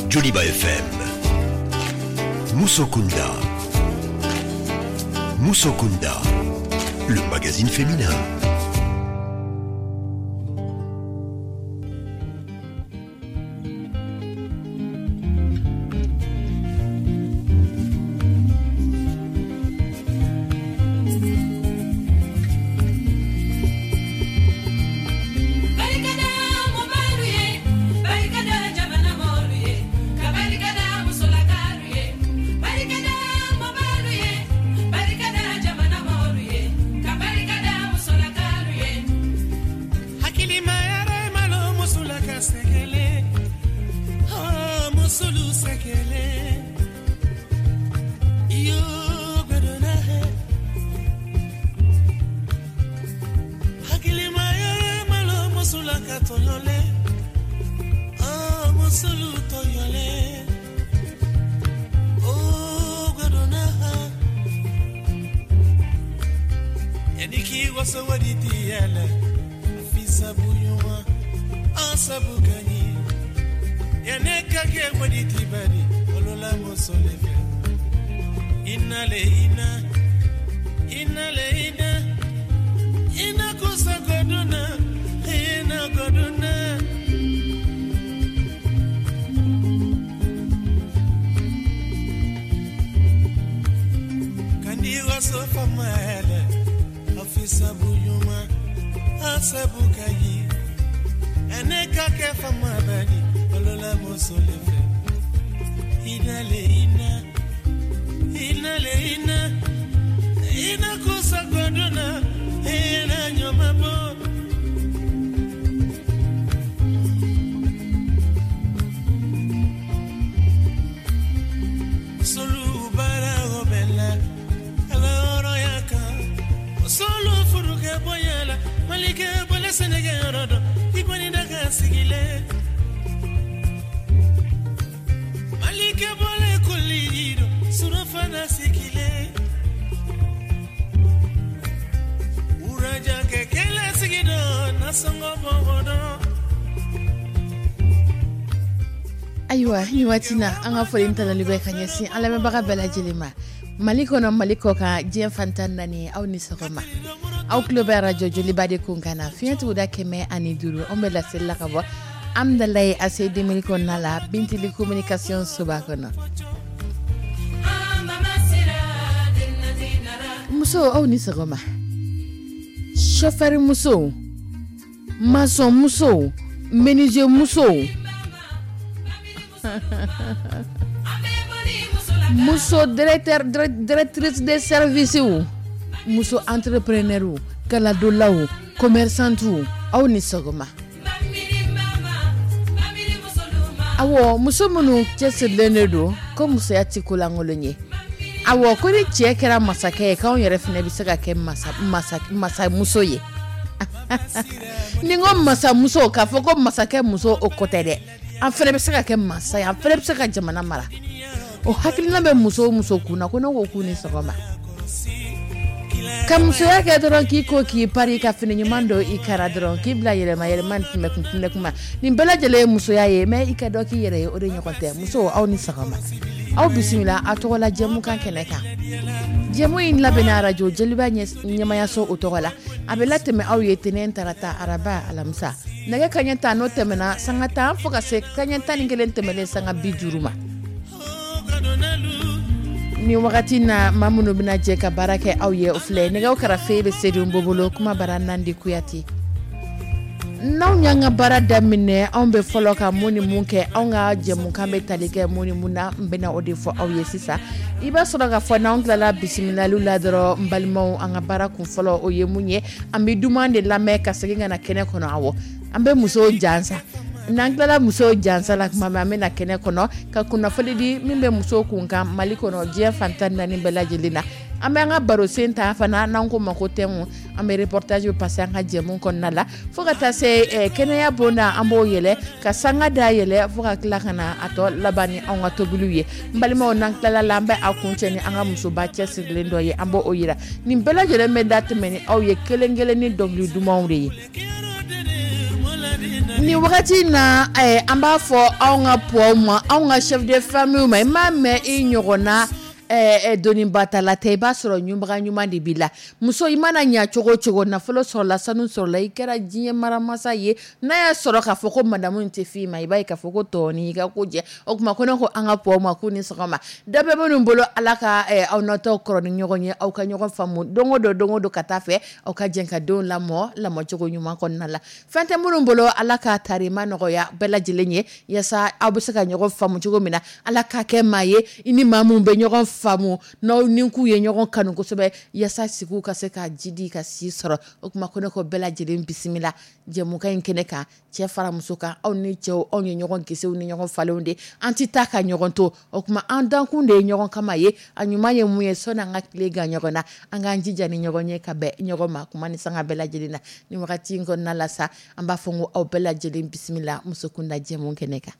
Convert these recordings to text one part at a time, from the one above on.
Joliba FM. Musokunda. Musokunda, le magazine féminin. Ayiwa ni waati na an ka foli tanuli bɛ ka ɲɛsin an lamɛnbaga bɛɛ lajɛlen ma, Mali kɔnɔ, Mali kɔ kan, diɲɛ fan 14, aw ni sɔgɔma. Aw tulo bɛ arajo Joliba de kun kan na, fiɲɛ tuguda 105. Anw bɛ laseli la ka bɔ Amdalaye ACI 2000 kɔnɔna la, Bintili communication soba kɔnɔ. Muso, aw ni sɔgɔma. Chauffeur musow, maçon musow, menuisier musow, muso directeur, directrice de service, muso entrepreneur, kaladolaw, commerçante, aw ni sɔgɔma. Awɔ, muso minnu cɛsirilen de don ko musoya tɛ ko lankolon ye. Awɔ, ko ni cɛ kɛra masakɛ ye, k'anw yɛrɛ fana bɛ se ka kɛ masamuso ye. Ni n ko masamuso, k'a fɔ ko masakɛ muso, o ko tɛ dɛ. An fana bɛ se ka kɛ masa ye, an fana bɛ se ka jamana mara. O hakilina bɛ muso o muso kun na, ko ne ko k'u ni sɔgɔma. Ka musoya kɛ dɔrɔn k'i ko k'i pari, ka fini ɲuman don i kara dɔrɔn, k'i bila yɛlɛma yɛlɛma ni tɛmɛkun tɛmɛkun ma, nin bɛɛ lajɛlen ye musoya ye. Mais i ka dɔ k'i yɛrɛ ye, o de ɲɔgɔn tɛ. Muso, aw ni sɔgɔma, aw bisimila a tɔgɔla jɛmukan kɛnɛ kan. Jɛmu in labɛnna arajo Joliba ɲɛmayaso o tɔgɔ la. A bɛ latɛmɛ aw ye tɛnɛn, tarata, araba, alamisa, nɛgɛ kaɲɛ 10 n'o tɛmɛna sanga 10 fo ka se kaɲɛ 11 tɛmɛnen sanga 50 ma. Ni wagati na, maa minnu bɛna jɛ ka baara kɛ aw ye, o filɛ: nɛgɛw karafe bɛ Sedu bolo, kuma bara Nandi Kuyate. N'anw y'an ka baara daminɛ, anw bɛ fɔlɔ ka mun ni mun kɛ? Anw ka jɛmukan bɛ tali kɛ mun ni mun na? N bɛna o de fɔ aw ye sisan. I b'a sɔrɔ ka fɔ n'anw tilala bisimilaliw la dɔrɔn, n balimaw, an ka baara kun fɔlɔ, o ye mun ye? An bɛ duman de lamɛn ka segin ka na kɛnɛ kɔnɔ. Awɔ, an bɛ musow jansa. N'an tilala musow jansa la tuma min, an bɛ na kɛnɛ kɔnɔ ka kunnafoni di min bɛ musow kun kan Mali kɔnɔ, diɲɛ fan 14 bɛɛ lajɛlen na. An bɛ an ka baro sen ta fana, n'an ko ma ko thème. An bɛ reportage passer an ka jɛmu kɔnɔna la fo ka taa se kɛnɛya bonda, an b'o yɛlɛ ka sanga da yɛlɛ fo ka tila ka na a tɔ laban ni anw ka tobiliw ye. N balimaw, n'an tilala la, an bɛ a kuncɛ ni an ka musoba cɛsirilen dɔ ye, an b'o yira. Nin bɛɛ lajɛlen bɛ da tɛmɛ ni aw ye kelen kelen ni dɔnkili dumanw de ye. Nin wagati in na, an b'a fɔ anw ka pɔw ma, anw ka chef de famille ma, i m'a mɛn i ɲɔgɔnna donibatala tɛ, i b'a sɔrɔ ɲubaga ɲuman de b'i la. Muso, i mana ɲa cogo cogo, nafolo sɔrɔla, sanu sɔrɔla, i kɛra diɲɛ maramasa ye, n'a y'a sɔrɔ k'a fɔ ko madamu tɛ f'i ma, i b'a ye k'a fɔ ko tɔɔni i ka ko jɛ. O tuma ko ne ko an ka pɔw ma k'u ni sɔgɔma. Dɔ bɛ minnu bolo, Ala ka aw natɔ kɔrɔ ni ɲɔgɔn ye, aw ka ɲɔgɔn faamu don o don, don o don ka taa fɛ, aw ka jɛ ka denw lamɔ lamɔcogo ɲuman kɔnɔna la. Fɛn tɛ minnu bolo, Ala ka tarima nɔgɔya bɛɛ lajɛlen ye, yaasa aw bɛ se ka ɲɔgɔn faamu cogo min na. Ala ka kɛ maa ye i ni maa min bɛ ɲɔgɔn faamu, n'aw ni k'u ye ɲɔgɔn kanu kosɛbɛ, yaasa sigiw ka se ka jidi ka si sɔrɔ. O tuma ko ne ko bɛɛ lajɛlen bisimila jɛmukan in kɛnɛ kan, cɛ fara muso kan. Aw ni cɛw, anw ye ɲɔgɔn gisiw ni ɲɔgɔn falenw de, an tɛ taa ka ɲɔgɔn to. O tuma an dankun de ye ɲɔgɔn kama ye. A ɲuman ye mun ye? Sɔnni an ka tile gan ɲɔgɔn na, an k'an jija ni ɲɔgɔn ye ka bɛn ɲɔgɔn ma kuma ni sanga bɛɛ lajɛlen na. Ni wagati in kɔnɔna la sa, an b'a fɔ ko aw bɛɛ lajɛlen bisimila muso kunda jɛmu kɛnɛ kan.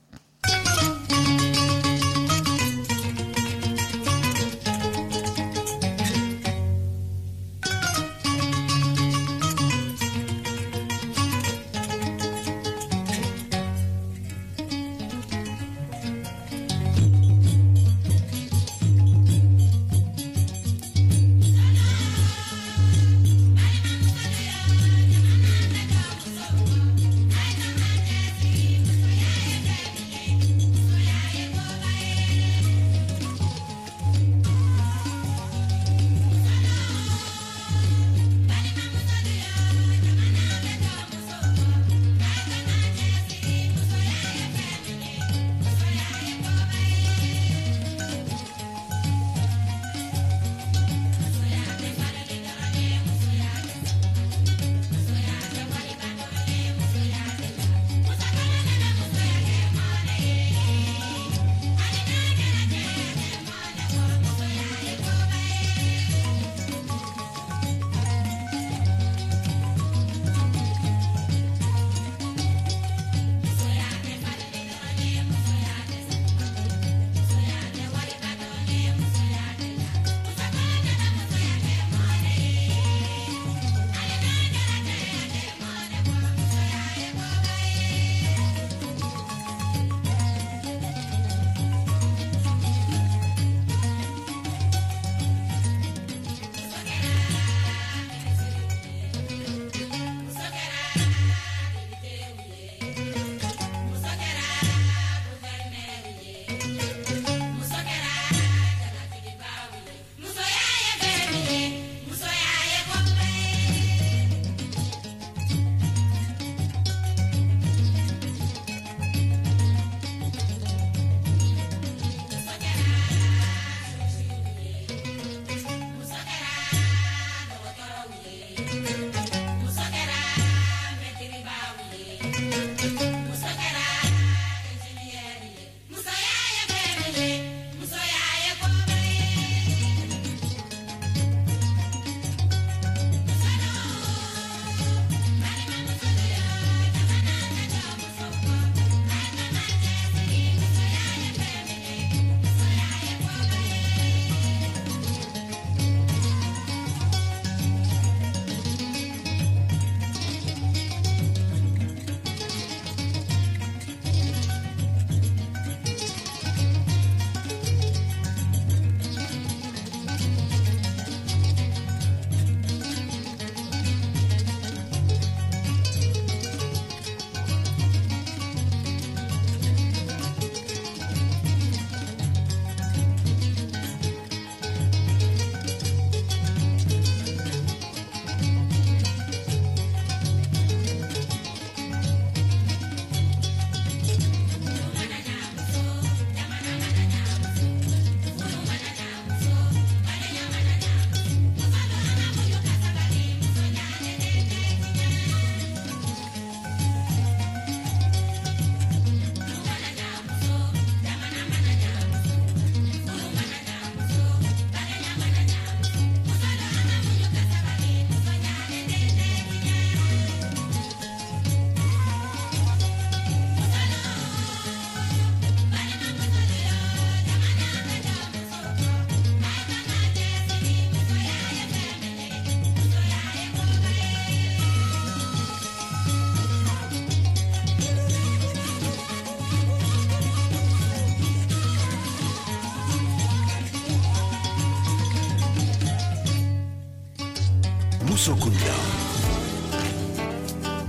Musokunda.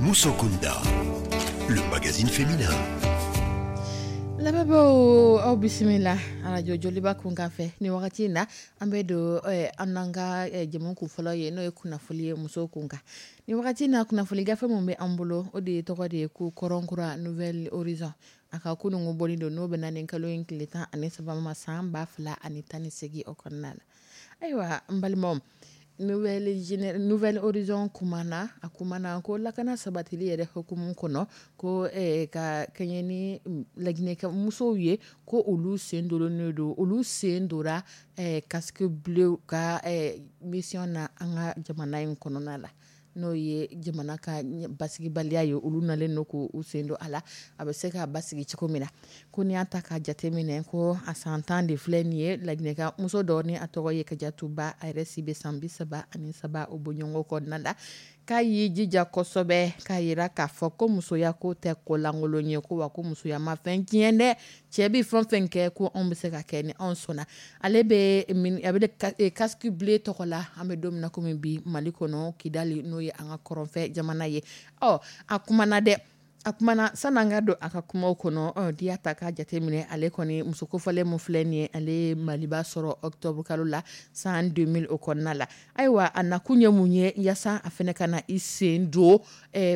Musokunda, le magazine féminin. Lamɛnbaaw, aw bisimila arajo Joliba kunkan fɛ. Ni wagati in na, an bɛ don an n'an ka jɛmu kun fɔlɔ ye, n'o ye kunnafoli ye musow kun kan. Ni wagati in na, kunnafoli gafe min bɛ an bolo, o de ye tɔgɔ de ye ko Kɔrɔnkura, Nouvel Horizon. A ka kununko bɔli don, n'o bɛ na nin kalo in tile 13 ma, san 2018 o kɔnɔna la. Ayiwa, n balimaw, Nouvel Horizon kumana, a kumana ko lakana sabatili yɛrɛ hukumu kɔnɔ, ko ka kɛɲɛ ni laginɛka musow ye, ko olu sen donnen don, olu sen dora casque bleu ka mission na an ka jamana in kɔnɔna la, n'o ye jamana ka basigibaliya ye. Olu nalen don k'u sen don a la, a bɛ se ka basigi cogo min na. Ko n'i y'a ta ka jateminɛ, ko a san 10 de filɛ nin ye, laginɛka muso dɔ ni a tɔgɔ ye Kajatu Ba, a yɛrɛ si bɛ san 33 o bɔɲɔgɔnko kɔnɔna la, k'a y'i jija kosɛbɛ k'a yira k'a fɔ ko musoya ko tɛ ko lankolon ye, ko wa ko musoya ma fɛn tiɲɛ dɛ. Cɛ bɛ fɛn fɛn kɛ, ko anw bɛ se ka kɛ ni anw sɔnna. Ale bɛ a bɛ casque bleu tɔgɔ la, an bɛ don min na komi bi, Mali kɔnɔ, Kidali, n'o ye an ka kɔrɔnfɛ jamana ye. Ɔ, a kumana dɛ, a kumana. San'an ka don a ka kumaw kɔnɔ, ɔ, n'i y'a ta k'a jateminɛ, ale kɔni muso kofɔlen min filɛ nin ye, ale ye Maliba sɔrɔ octobre kalo la san 2000 o kɔnɔna la. Ayiwa, a nakun ye mun ye? Yaasa a fana ka na i sen don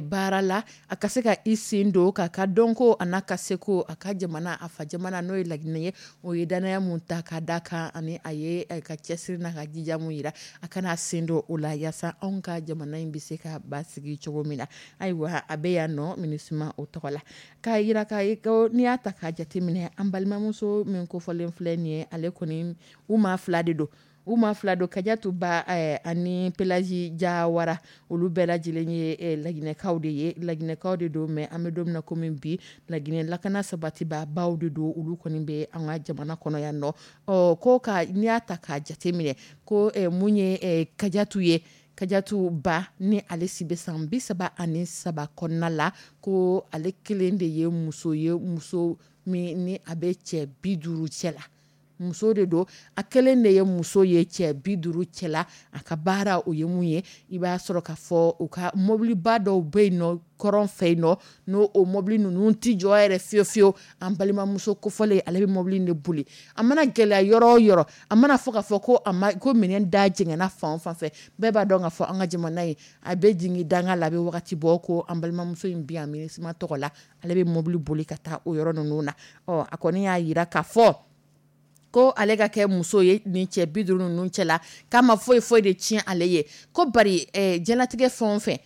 baara la, a ka se ka i sen don k'a ka dɔnko a n'a ka seko, a ka jamana, a fa jamana, n'o ye Laginɛ ye, o ye danaya mun ta ka da kan, ani a ye ka cɛsiri n'a ka jija mun yira, a kana sen don o la, yaasa anw ka jamana in bɛ se ka basigi cogo min na. Ayiwa, a bɛ yan nɔ MINUSMA o tɔgɔ la, k'a yira k'a ye ko n'i y'a ta k'a jateminɛ, an balimamuso min kofɔlen filɛ nin ye, ale kɔni, u maa fila de don, u maa fila don, Kajatu Ba ani Pelaji Jawara. Olu bɛɛ lajɛlen ye laginɛkaw de ye, laginɛkaw de don. Mais an bɛ don min na komi bi, Laginɛ lakana sabatibabaw de don. Olu kɔni bɛ an ka jamana kɔnɔ yan nɔ. Ɔ, ko ka n'i y'a ta k'a jateminɛ, ko mun ye Kajatu ye, Kajatu Ba ni ale si bɛ san 33 kɔnɔna la, ko ale kelen de ye muso ye, muso min ni a bɛ cɛ 50 cɛ la. Muso de don, a kelen de ye muso ye cɛ 50 cɛ la. A ka baara o ye mun ye? I b'a sɔrɔ k'a fɔ u ka mobiliba dɔw bɛ yen nɔ kɔrɔn fɛ yen nɔ, n'o o mobili ninnu tɛ jɔ yɛrɛ fiyewu fiyewu. An balimamuso kofɔlen, ale bɛ mobili in de boli. A mana gɛlɛya yɔrɔ o yɔrɔ, a mana fɔ k'a fɔ ko a ma ko minɛn da jɛngɛnna fan o fan fɛ, bɛɛ b'a dɔn k'a fɔ an ka jamana in a bɛ jigin danga la, a bɛ wagati bɔ. Ko an balimamuso in bi yan MINUSMA tɔgɔ la, ale bɛ mobili boli ka taa o yɔrɔ ninnu na. Ɔ, a kɔni y'a yira k'a fɔ ko ale ka kɛ muso ye nin cɛ 50 ninnu cɛ la, k'a ma foyi foyi de tiɲɛ ale ye. Ko bari diɲɛlatigɛ fɛn o fɛn,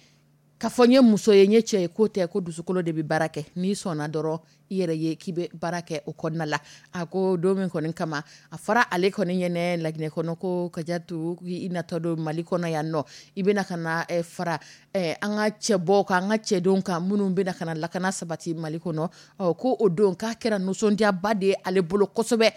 k'a fɔ n ye muso ye, n ye cɛ ye, k'o tɛ, ko dusukolo de bɛ baara kɛ. N'i sɔnna dɔrɔn, i yɛrɛ ye k'i bɛ baara kɛ o kɔnɔna la. A ko don min kɔni kama a fɔra ale kɔni ɲɛnɛ Laginɛ kɔnɔ ko Kajatu, i natɔ don Mali kɔnɔ yan nɔ, i bɛna ka na fara an ka cɛbɔw kan, an ka cɛdenw kan minnu bɛna ka na lakana sabati Mali kɔnɔ. Ɔ, ko o don k'a kɛra nisɔndiyaba de ye ale bolo kosɛbɛ,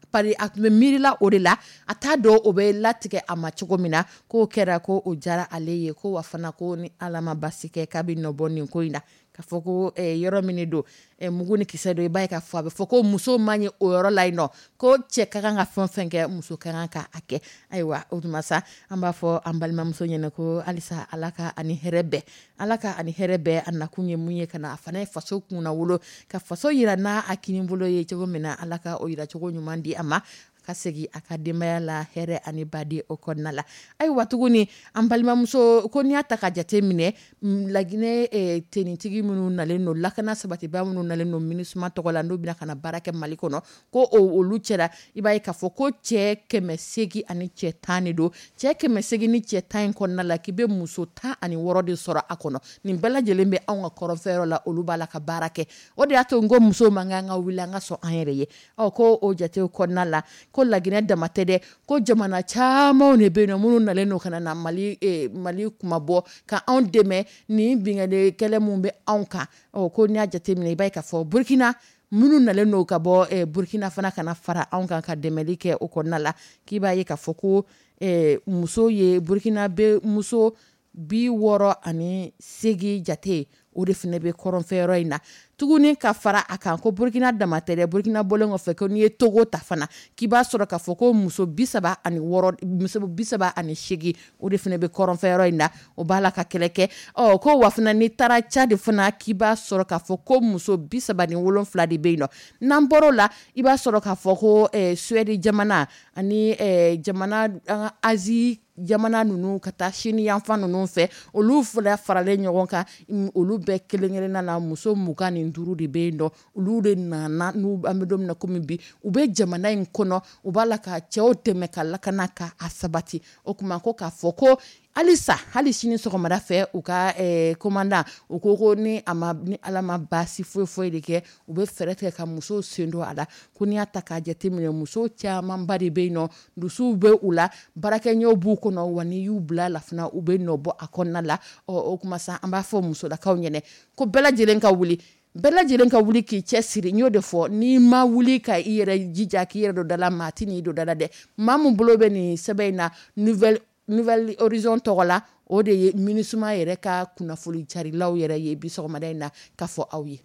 bari a tun bɛ miirila o de la, a t'a dɔn o bɛ latigɛ a ma cogo min na. K'o kɛra, ko o diyara ale ye. Ko wa fana, ko ni Ala ma basi kɛ, k'a bɛ nɔ bɔ nin ko in na, k'a fɔ ko yɔrɔ min don, mugu ni kisɛ don, i b'a ye k'a fɔ a bɛ fɔ ko muso man ɲi o yɔrɔ la yen nɔ, ko cɛ ka kan ka fɛn o fɛn kɛ, muso ka kan ka a kɛ. Ayiwa, o tuma sa, an b'a fɔ an balimamuso ɲɛna ko halisa Ala ka ani hɛrɛ bɛɛ, Ala ka ani hɛrɛ bɛɛ. A nakun ye mun ye? Ka na a fana ye faso kunna wolo, ka faso yira n'a a kinibolo ye cogo min na, Ala ka o yira cogo ɲuman di a ma, ka segin a ka denbaya la hɛrɛ ani baden o kɔnɔna la. Ayiwa, tuguni, an balimamuso ko n'i y'a ta ka jate minɛ, Laginɛ tenitigi minnu nalen don, lakana sabatiba minnu nalen don MINUSMA tɔgɔ la, n'u bɛna ka na baara kɛ Mali kɔnɔ, ko olu cɛla, i b'a ye k'a fɔ ko cɛ 800 ani cɛ 10 de don. Cɛ 800 ni cɛ 10 in kɔnɔna la, k'i bɛ muso 16 de sɔrɔ a kɔnɔ. Nin bɛɛ lajɛlen bɛ anw ka kɔrɔnfɛyɔrɔ la, olu b'a la ka baara kɛ. O de y'a to n ko musow man kan ka wuli an ka sɔn an yɛrɛ ye. Ɔ, ko o jatew kɔnɔna la, ko Laginɛ dama tɛ dɛ, ko jamana camanw de bɛ yen nɔ minnu nalen don ka na Mali Mali kumabɔ ka anw dɛmɛ nin binkanni kɛlɛ mun bɛ anw kan. Ɔ, ko n'i y'a jateminɛ, i b'a ye k'a fɔ Burukina, minnu nalen don ka bɔ Burukina fana ka na fara anw kan ka dɛmɛli kɛ o kɔnɔna la, k'i b'a ye k'a fɔ ko muso ye Burukina bɛ muso 68 jate. o de fana bɛ kɔrɔnfɛyɔrɔ in na tuguni. Ka fara a kan, ko Burukina dama tɛ dɛ, Burukina bɔlen kɔfɛ, ko n'i ye Togo ta fana, k'i b'a sɔrɔ k'a fɔ ko muso 36, muso 38, o de fana bɛ kɔrɔnfɛyɔrɔ in na, o b'a la ka kɛlɛ kɛ. Ɔ ko wa fana, n'i taara Tchad fana, k'i b'a sɔrɔ k'a fɔ ko muso 37 de bɛ yen nɔ. N'an bɔr'o la, i b'a sɔrɔ k'a fɔ ko Suède jamana ani jamana an ka Asie jamana ninnu, ka taa Chine yanfan ninnu fɛ, olu fana faralen ɲɔgɔn kan, olu bɛɛ kelen kelenna na, muso 25 de bɛ yen nɔ. Olu de nana n'u an bɛ don min na komi bi, u bɛ jamana in kɔnɔ, u b'a la ka cɛw dɛmɛ ka lakana ka a sabati. O tuma ko k'a fɔ ko halisa, hali sini sɔgɔmada fɛ, u ka commandant u ko ko ni a ma ni Ala ma baasi foyi foyi de kɛ, u bɛ fɛɛrɛ tigɛ ka musow sen don a la. Ko n'i y'a ta k'a jateminɛ, musow camanba de bɛ yen nɔ, dusuw bɛ u la, baarakɛɲɛw b'u kɔnɔ, wa n'i y'u bila la fana, u bɛ nɔ bɔ a kɔnɔna la. Ɔ o tuma sa, an b'a fɔ musolakaw ɲɛnɛ ko bɛɛ lajɛlen ka wuli, bɛɛ lajɛlen ka wuli k'i cɛ siri. N y'o de fɔ, n'i ma wuli ka i yɛrɛ jija k'i yɛrɛ don da la, maa tɛ n'i don da la dɛ. Maa min bolo bɛ nin sɛbɛn in na Nouvel Horizon tɔgɔ la, o de ye MINUSMA yɛrɛ ka kunnafoni carilaw yɛrɛ ye bi sɔgɔmada in na ka fɔ aw ye.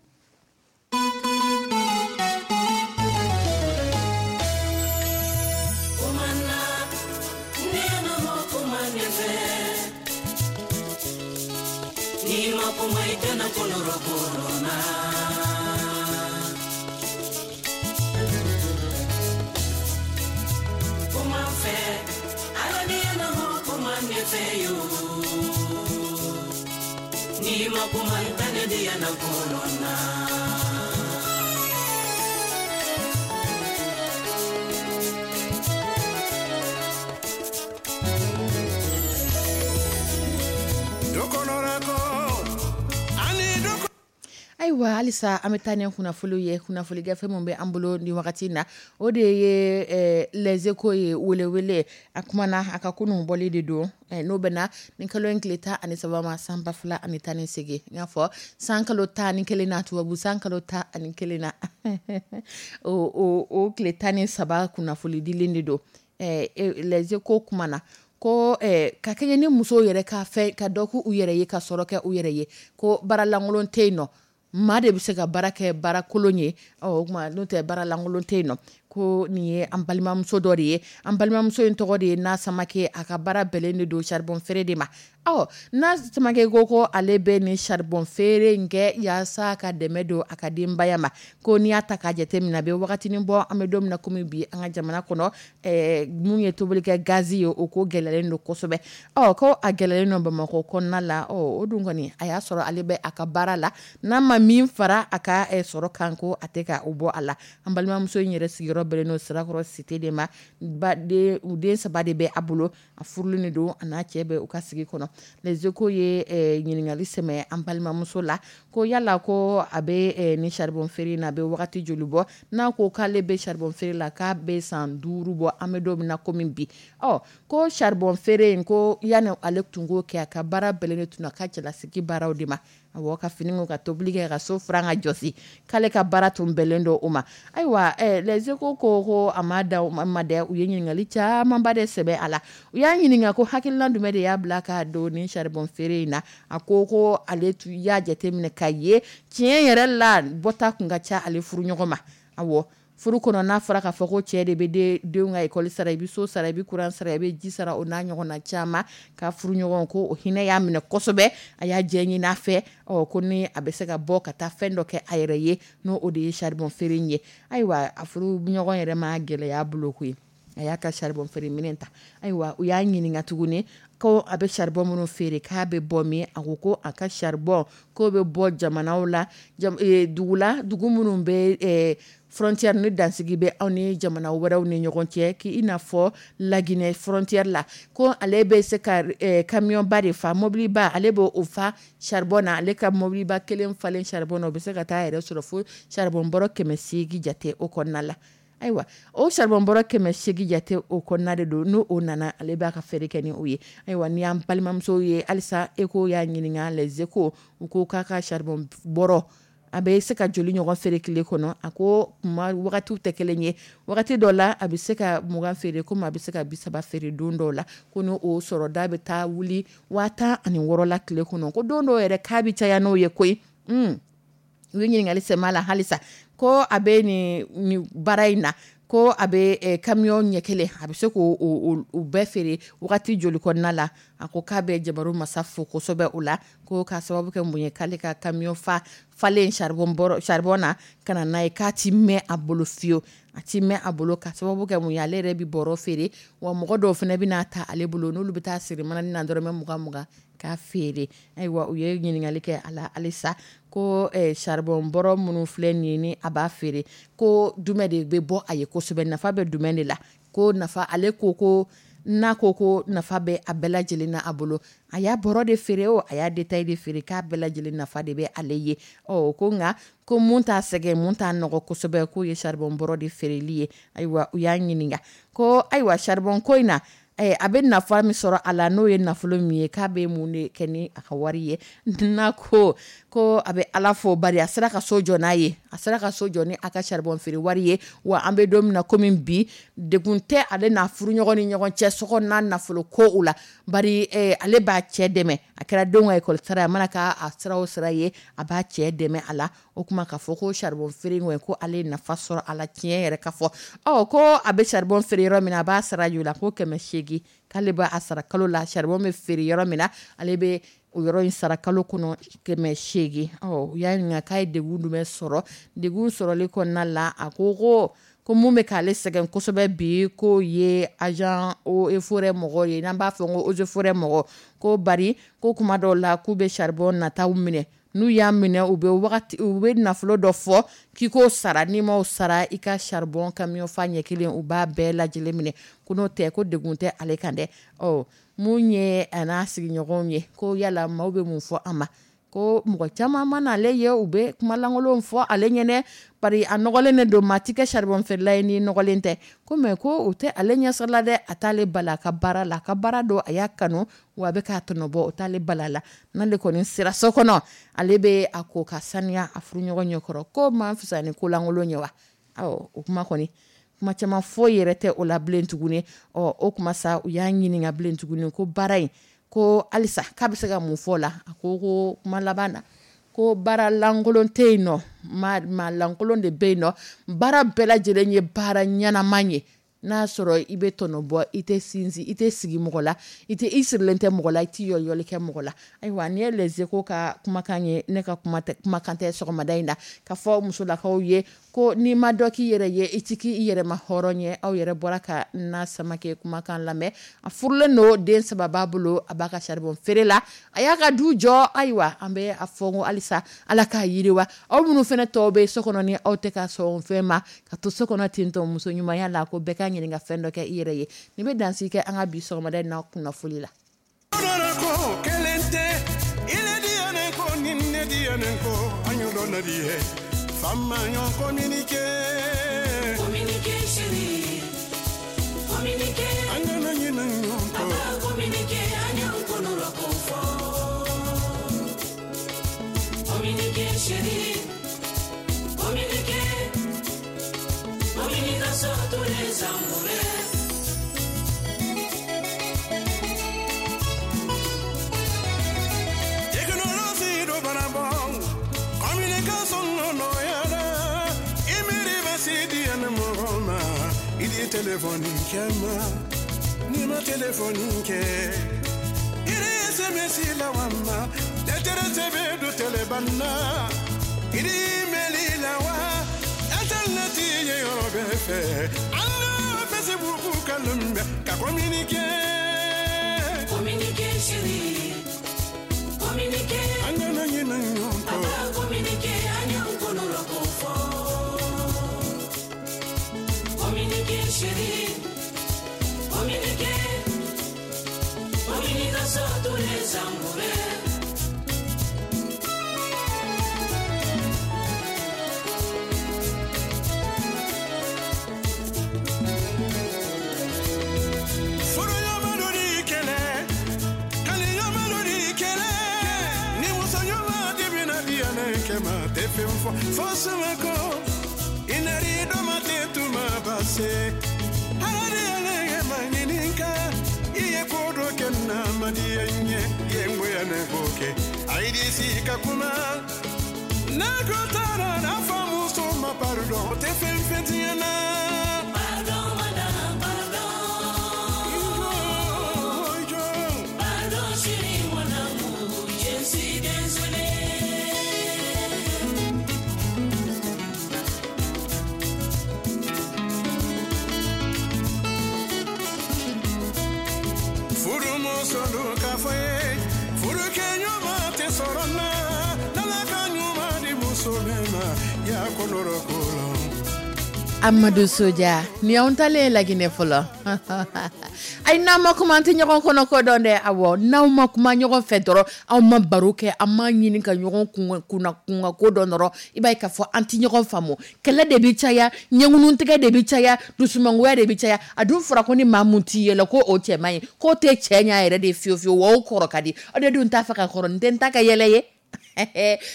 Ayiwa, halisa an bɛ taa ni kunnafoniw ye. Kunnafoni gafe min bɛ an bolo ni wagati in na, o de ye Les Échos ye. Welewele a kumana a ka kunun bɔli de don, n'o bɛnna ni kalo in tile 13 ma, san 2018. N y'a fɔ san kalo 11 na, tubabu san kalo 11 na, o tile 13 kunnafoni dilen de don. Les Échos kumana ko ka kɛɲɛ ni musow yɛrɛ ka fɛ ka dɔ k'u yɛrɛ ye, ka sɔrɔ kɛ u yɛrɛ ye, ko baara lankolon tɛ yen nɔ, maa de bɛ se ka baara kɛ baara kolon ye. Ɔ o tuma n'o tɛ, baara lankolon tɛ yen nɔ. Ko nin ye an balimamuso dɔ de ye. An balimamuso in tɔgɔ de ye Na Samake. A ka baara bɛnnen de don charbon feere de ma. Ɔ Na Samake ko ale bɛ nin charbon feere in kɛ yaasa ka dɛmɛ don a ka denbaya ma. Ko n'i y'a ta k'a jateminɛ, a bɛ wagatinin bɔ, an bɛ don min na komi bi, an ka jamana kɔnɔ, mun ye tobilikɛ gazi ye, o ko gɛlɛyalen don kosɛbɛ. Ɔ ko a gɛlɛyalen don Bamakɔ kɔnɔna la. Ɔ o dun kɔni, a y'a sɔrɔ ale bɛ a ka baara la, n'a ma min fara a ka sɔrɔ kan, ko a tɛ ka o bɔ a la. An balimamuso in yɛrɛ sigiyɔrɔ bɛnnen don Sirakɔrɔ cité de ma. Ba den, u den saba de bɛ a bolo, a furulen de don, a n'a cɛ bɛ u ka sigi kɔnɔ. Les Échos ye ɲininkali sɛmɛ an balimamuso la ko yala ko a bɛ ni charbon feere in na, a bɛ wagati joli bɔ? N'a ko k'ale bɛ charbon feere la, k'a bɛ san 5 bɔ, an bɛ don min na komi bi. Ɔ ko charbon feere in, ko yanni ale tun k'o kɛ, a ka baara bɛnnen de tun a ka cɛlasigi baaraw de ma. Awɔ, ka fini ko, ka tobili kɛ, ka so furan, ka jɔsi, k'ale ka baara tun bɛnnen don o ma. Ayiwa, Les Échos ko a ma da o ma dɛ. U ye ɲininkali camanba de sɛbɛn a la. U y'a ɲininka ko hakilina jumɛn de y'a bila ka don ni charbon feere in na. A ko ale tun y'a jateminɛ ka ye tiɲɛ yɛrɛ la, bɔta tun ka ca ale furu ɲɔgɔn ma. Awɔ, furu kɔnɔ, n'a fɔra k'a fɔ ko cɛ de bɛ denw ka école sara, i bɛ so sara, i bɛ courant sara, i bɛ ji sara, o n'a ɲɔgɔnna caman, ka furu ɲɔgɔn ko o hinɛ y'a minɛ kosɛbɛ, a y'a jɛ ɲini a fɛ. Ɔ ko ni a bɛ se ka bɔ ka taa fɛn dɔ kɛ a yɛrɛ ye, n'o o de ye charbon feere in ye. Ayiwa, a furu ɲɔgɔn yɛrɛ ma gɛlɛya bolo koyi, a y'a ka charbon feere minɛn ta. Ayiwa, u y'a ɲininka tuguni ko a bɛ charbon minnu feere, k'a bɛ bɔ min? A ko a ka charbon k'o bɛ bɔ jamanaw la, dugu la, dugu minnu bɛ frontière ni dansigi bɛ aw ni jamana wɛrɛw ni ɲɔgɔn cɛ, k'i n'a fɔ Laginɛ frontière la. Ko ale bɛ se ka camion ba de fa, mobiliba, ale b'o o fa charbon na. Ale ka mobiliba kelen falen charbon na, o bɛ se ka taa yɛrɛ sɔrɔ fo charbon bɔrɔ 800 jate o kɔnɔna la. Ayiwa, o charbon bɔrɔ 800 jate o kɔnɔna de don, n'o o nana, ale b'a ka feere kɛ ni o ye. Ayiwa, ni y'an balimamuso ye halisa, Échos y'a ɲininka, Les Échos, u ko k'a ka charbon bɔrɔ, a bɛ se ka joli ɲɔgɔn feere tile kɔnɔ? A ko kuma wagatiw tɛ kelen ye, wagati dɔ la a bɛ se ka 20 feere, komi a bɛ se ka 30 feere don dɔw la. Ko ni o sɔrɔ da bɛ taa wuli 16 000 la tile kɔnɔ, ko don dɔw yɛrɛ k'a bɛ caya n'o ye koyi. U ye ɲininkali sɛmɛ la halisa ko a bɛ nin baara in na, ko a bɛ camion ɲɛ kelen a bɛ se k'o bɛɛ feere wagati joli kɔnɔna la. A ko k'a bɛ jabaru masa fo kosɛbɛ o la, ko k'a sababu kɛ mun ye, k'ale ka camion falen charbon na ka na n'a ye, k'a ti mɛn a bolo fiyewu, a ti mɛn a bolo ka sababu kɛ mun ye, ale yɛrɛ bɛ bɔrɔ feere, wa mɔgɔ dɔw fana bɛna ta ale bolo, n'olu bɛ taa siri manani na dɔrɔmɛ 20 20 k'a feere. Ayiwa, u ye ɲininkali kɛ a la halisa ko charbon bɔrɔ minnu filɛ nin ye ni a b'a feere, ko jumɛn de bɛ bɔ a ye kosɛbɛ, nafa bɛ jumɛn de la. Ko nafa, ale ko n'a ko nafa bɛ a bɛɛ lajɛlen na a bolo, a y'a bɔrɔ de feere o a y'a détail de feere, k'a bɛɛ lajɛlen nafa de bɛ ale ye. Ɔ ko nka ko mun t'a sɛgɛn, mun t'a nɔgɔ kosɛbɛ, k'o ye charbon bɔrɔ de feereli ye. Ayiwa, u y'a ɲininka ko ayiwa charbon ko in na, a bɛ nafa min sɔrɔ a la, n'o ye nafolo min ye, k'a bɛ mun de kɛ ni a ka wari ye. N'a ko a bɛ Ala fo bari a sera ka so jɔ n'a ye, a sera ka so jɔ ni a ka charbon feere wari ye. Wa an bɛ don min na komi bi, degun tɛ ale n'a furuɲɔgɔn ni ɲɔgɔn cɛ so kɔnɔna nafolo ko o la, bari ale b'a cɛ dɛmɛ, a kɛra denw ka école sara ye, a mana k'a sira o sira ye, a b'a cɛ dɛmɛ a la. O kuma k'a fɔ ko charbon feere in ko ale ye nafa sɔrɔ a la tiɲɛ yɛrɛ ka fɔ. Ɔ ko a bɛ charbon feere yɔrɔ min na, a b'a sara joli la, ko 800, k'ale b'a sara kalo la. Charbon bɛ feere yɔrɔ min na, ale bɛ o yɔrɔ in sara kalo kɔnɔ 800. Ɔ u y'a ɲininka k'a ye degun jumɛn sɔrɔ degun sɔrɔli kɔnɔna la. A ko ko mun bɛ k'ale sɛgɛn kosɛbɛ bi, k'o ye agent eaux et forêts mɔgɔw ye, n'an b'a fɔ ko eaux et forêts mɔgɔ, ko bari ko kuma dɔw la k'u bɛ charbon nataw minɛ, n'u y'a minɛ u bɛ wagati, u bɛ nafolo dɔ fɔ k'i k'o sara, n'i m'o sara i ka charbon camion fa ɲɛ kelen u b'a bɛɛ lajɛlen minɛ, ko n'o tɛ ko degun tɛ ale kan dɛ. Ɔ mun ye a n'a sigiɲɔgɔnw ye, ko yala maaw bɛ mun fɔ a ma, ko mɔgɔ caman ma n'ale ye, u bɛ kuma lankolonw fɔ ale ɲɛnɛ, bari a nɔgɔlen de don, maa ti kɛ charbon feerela ye n'i nɔgɔlen tɛ. Ko mais ko o tɛ ale ɲɛsɔrɔ la dɛ, a t'ale bala a ka baara la, a ka baara don, a y'a kanu, wa a bɛ k'a tɔnɔ bɔ, o t'ale bala la. N'ale kɔni sera so kɔnɔ, ale bɛ a ko ka saniya a furuɲɔgɔn ɲɛkɔrɔ, ko maa fisa ni ko lankolon ye wa. Awɔ, o kuma kɔni, kuma caman foyi yɛrɛ tɛ o la bilen tuguni. Ɔ o kuma sa, u y'a ɲininka bilen tuguni ko baara in, ko halisa k'a bɛ se ka mun fɔ o la. A ko kuma laban na, ko baara lankolon tɛ yen nɔ, maa lankolon de bɛ yen nɔ, baara bɛɛ lajɛlen ye baara ɲɛnama ye. N'a sɔrɔ i bɛ tɔnɔ bɔ, i tɛ sinsin, i tɛ sigi mɔgɔ la, i tɛ i sirilen tɛ mɔgɔ la, i tɛ yɔliyɔli kɛ mɔgɔ la. Ayiwa, nin ye Les Echos ka kumakan ye, ne ka kuma tɛ, kumakan tɛ sɔgɔmada in na, ka fɔ musolakaw ye ko n'i ma dɔ k'i yɛrɛ ye, i ti k'i yɛrɛ ma hɔrɔn ye. Aw yɛrɛ bɔra ka na Samakɛ kumakan lamɛn. A furulen don, den 3 b'a bolo, a b'a ka charbon feere la, a y'a ka du jɔ. Ayiwa, an bɛ a fɔ ko halisa Ala k'a yiriwa. Aw minnu fana tɔw bɛ so kɔnɔ ni aw tɛ ka sɔn fɛn ma, ka to so kɔnɔ ten tɔ muso ɲumanya la, ko bɛɛ ka ɲininka fɛn dɔ kɛ i yɛrɛ ye. Nin bɛ dansi kɛ an ka bi sɔgɔmada in na kunnafoli la. Téléphone kɛma ni ma téléphone kɛ i SMS la wa ma lettre sɛbɛn do téléphone na i email la wa internet ye yɔrɔ bɛɛ fɛ an ka Facebook kanu bɛ ka communiquer communiquer chérie communiquer an kana ɲinɛ ɲɔgɔn kɔ communiquer an y'an kɔnɔ ko fɔ. Communiquer, chérie, communiquer, communication tous les amoureux. Furuɲɔgɔnmaw ni kɛlɛ, kanuɲɔgɔnmaw ni kɛlɛ, ni musoɲɔgɔn dimina diyanɛ kɛma tɛ fɛn fɔ fo sumakɔ. Inari doma te tuma base Harari alege manyininka Iye kodo kena madiye nye Yengwe ane koke Aidi si kakuma Ne ko taara n'a fa muso ma pardon, o tɛ fɛn fɛn tiɲɛ na. Pardon, madame, pardon. I jɔ, i jɔ. Pardon, chérie, mon amour, je suis désolé. Furumuso ka fɔ ye, furukɛ ɲuman tɛ sɔrɔ n na, n'Ala ka ɲuman di muso min ma, ya kɔnɔrɔ ko la. Amadu Soja, ni y'anw talen ye Laginɛ fɔlɔ. Ayi, n'an ma kuma, an tɛ ɲɔgɔn kɔnɔ ko dɔn dɛ. Awɔ, n'aw ma kuma ɲɔgɔn fɛ dɔrɔn, aw ma baro kɛ, an ma ɲini ka ɲɔgɔn kunna kunka ko dɔn dɔrɔn, i b'a ye k'a fɔ an tɛ ɲɔgɔn faamu. Kɛlɛ de bɛ caya, ɲɛŋunutigɛ de bɛ caya, dusumangoya de bɛ caya. A dun fɔra ko ni maa mun t'i yɛlɛ, ko o cɛ man ɲi, k'o tɛ cɛ ɲɛ yɛrɛ de fiyewu fiyewu, wa o kɔrɔ ka di. Aw de dun t'a fɛ ka kɔrɔ, n tɛ n ta ka yɛlɛ ye.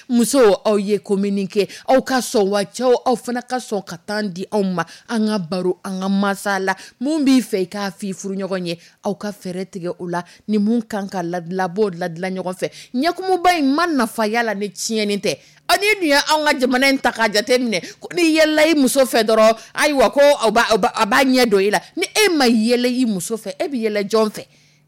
Musow, aw ye communiquer, aw ka sɔn wa, cɛw, aw fana ka sɔn ka temps di anw ma, an ka baro, an ka masala. Mun b'i fɛ, i k'a f'i furuɲɔgɔn ye, aw ka fɛɛrɛ tigɛ o la. Ni mun kan ka ladila, b'o ladila ɲɔgɔn fɛ. Ɲɛkumuba in ma nafa yala ni tiɲɛni tɛ. Aw ni dun ye anw ka jamana in ta k'a jate minɛ, ko n'i yɛlɛla i muso fɛ dɔrɔn, ayiwa, ko a b'a ɲɛ don i la. Ni e ma yɛlɛ i muso fɛ, e bɛ yɛlɛ jɔn fɛ?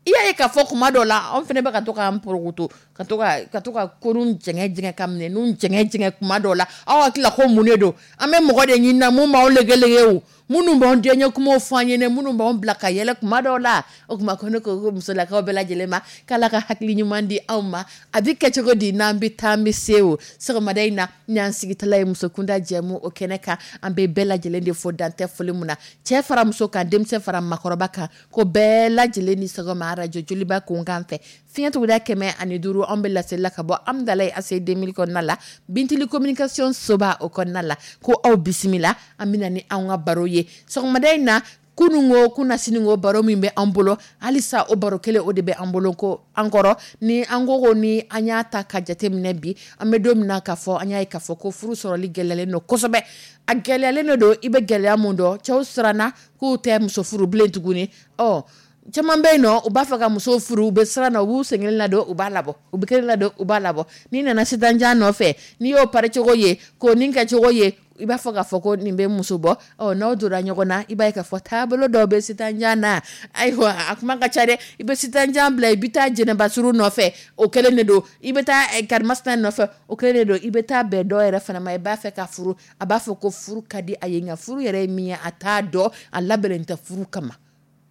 I y'a ye k'a fɔ kuma dɔ la, anw fana bɛ ka to k'an porokoto, ka to ka kurun jɛngɛ jɛngɛ, ka minɛnw jɛngɛ jɛngɛ kuma dɔw la. Aw hakili la ko mun de don? An bɛ mɔgɔ de ɲini na mun b'anw legelege o, minnu b'anw diyaɲɛ kumaw fɔ an ɲɛnɛ, minnu b'anw bila ka yɛlɛ kuma dɔw la. O tuma ko ne ko ko musolakaw bɛɛ lajɛlen ma, k'Ala ka hakili ɲuman di anw ma. A bɛ kɛ cogo di n'an bɛ taa, an bɛ se o sɔgɔmada in na? Ni y'an sigitala ye musokunda jɛmu o kɛnɛ kan, an bɛ bɛɛ lajɛlen de fo, dantɛ foli mun na, cɛ fara muso kan, denmisɛn fara makɔrɔba kan, ko bɛɛ lajɛlen ni sɔgɔma. Arajo Joliba kunkan fɛ, fiɲɛ tuguda 105, anw bɛ laseli la ka bɔ Amudalayi ACI 2000 kɔnɔna la, Bintili communication soba o kɔnɔna la. Ko aw bisimila, an bɛna ni anw ka baro ye sɔgɔmada in na. Kunun ko kunna, sini ko, baro min bɛ an bolo halisa, o baro kelen o de bɛ an bolo. Ko an kɔrɔ ni an ko ni an y'a ta ka jateminɛ bi, an bɛ don min na k'a fɔ an y'a ye k'a fɔ ko furu sɔrɔli gɛlɛyalen don kosɛbɛ. A gɛlɛyalen de don. I bɛ gɛlɛya mun dɔn? Cɛw siranna k'u tɛ muso furu bilen tuguni. Ɔ caman bɛ yen nɔ, u b'a fɛ ka muso furu, u bɛ siran na, u b'u sen kelen ladon, u b'a labɔ, u bɛ kelen ladon, u b'a labɔ. N'i nana sitanjan nɔfɛ, n'i y'o pari cogo ye, k'o nin kɛcogo ye, i b'a fɔ k'a fɔ ko nin bɛ muso bɔ. Ɔ n'aw donna ɲɔgɔn na, i b'a ye k'a fɔ taabolo dɔw bɛ sitanjan na. Ayiwa, a kuma ka ca dɛ. I bɛ sitanjan bila, i bɛ taa jɛnɛbasuru nɔfɛ, o kelen de don. I bɛ taa karimasina nɔfɛ, o kelen de don. I bɛ taa bɛn dɔw yɛrɛ fana ma, i b'a fɛ ka furu, a b'a fɔ ko furu ka di a ye, nka furu yɛrɛ ye min ye, a t'a dɔn, a labɛnnen tɛ furu kama.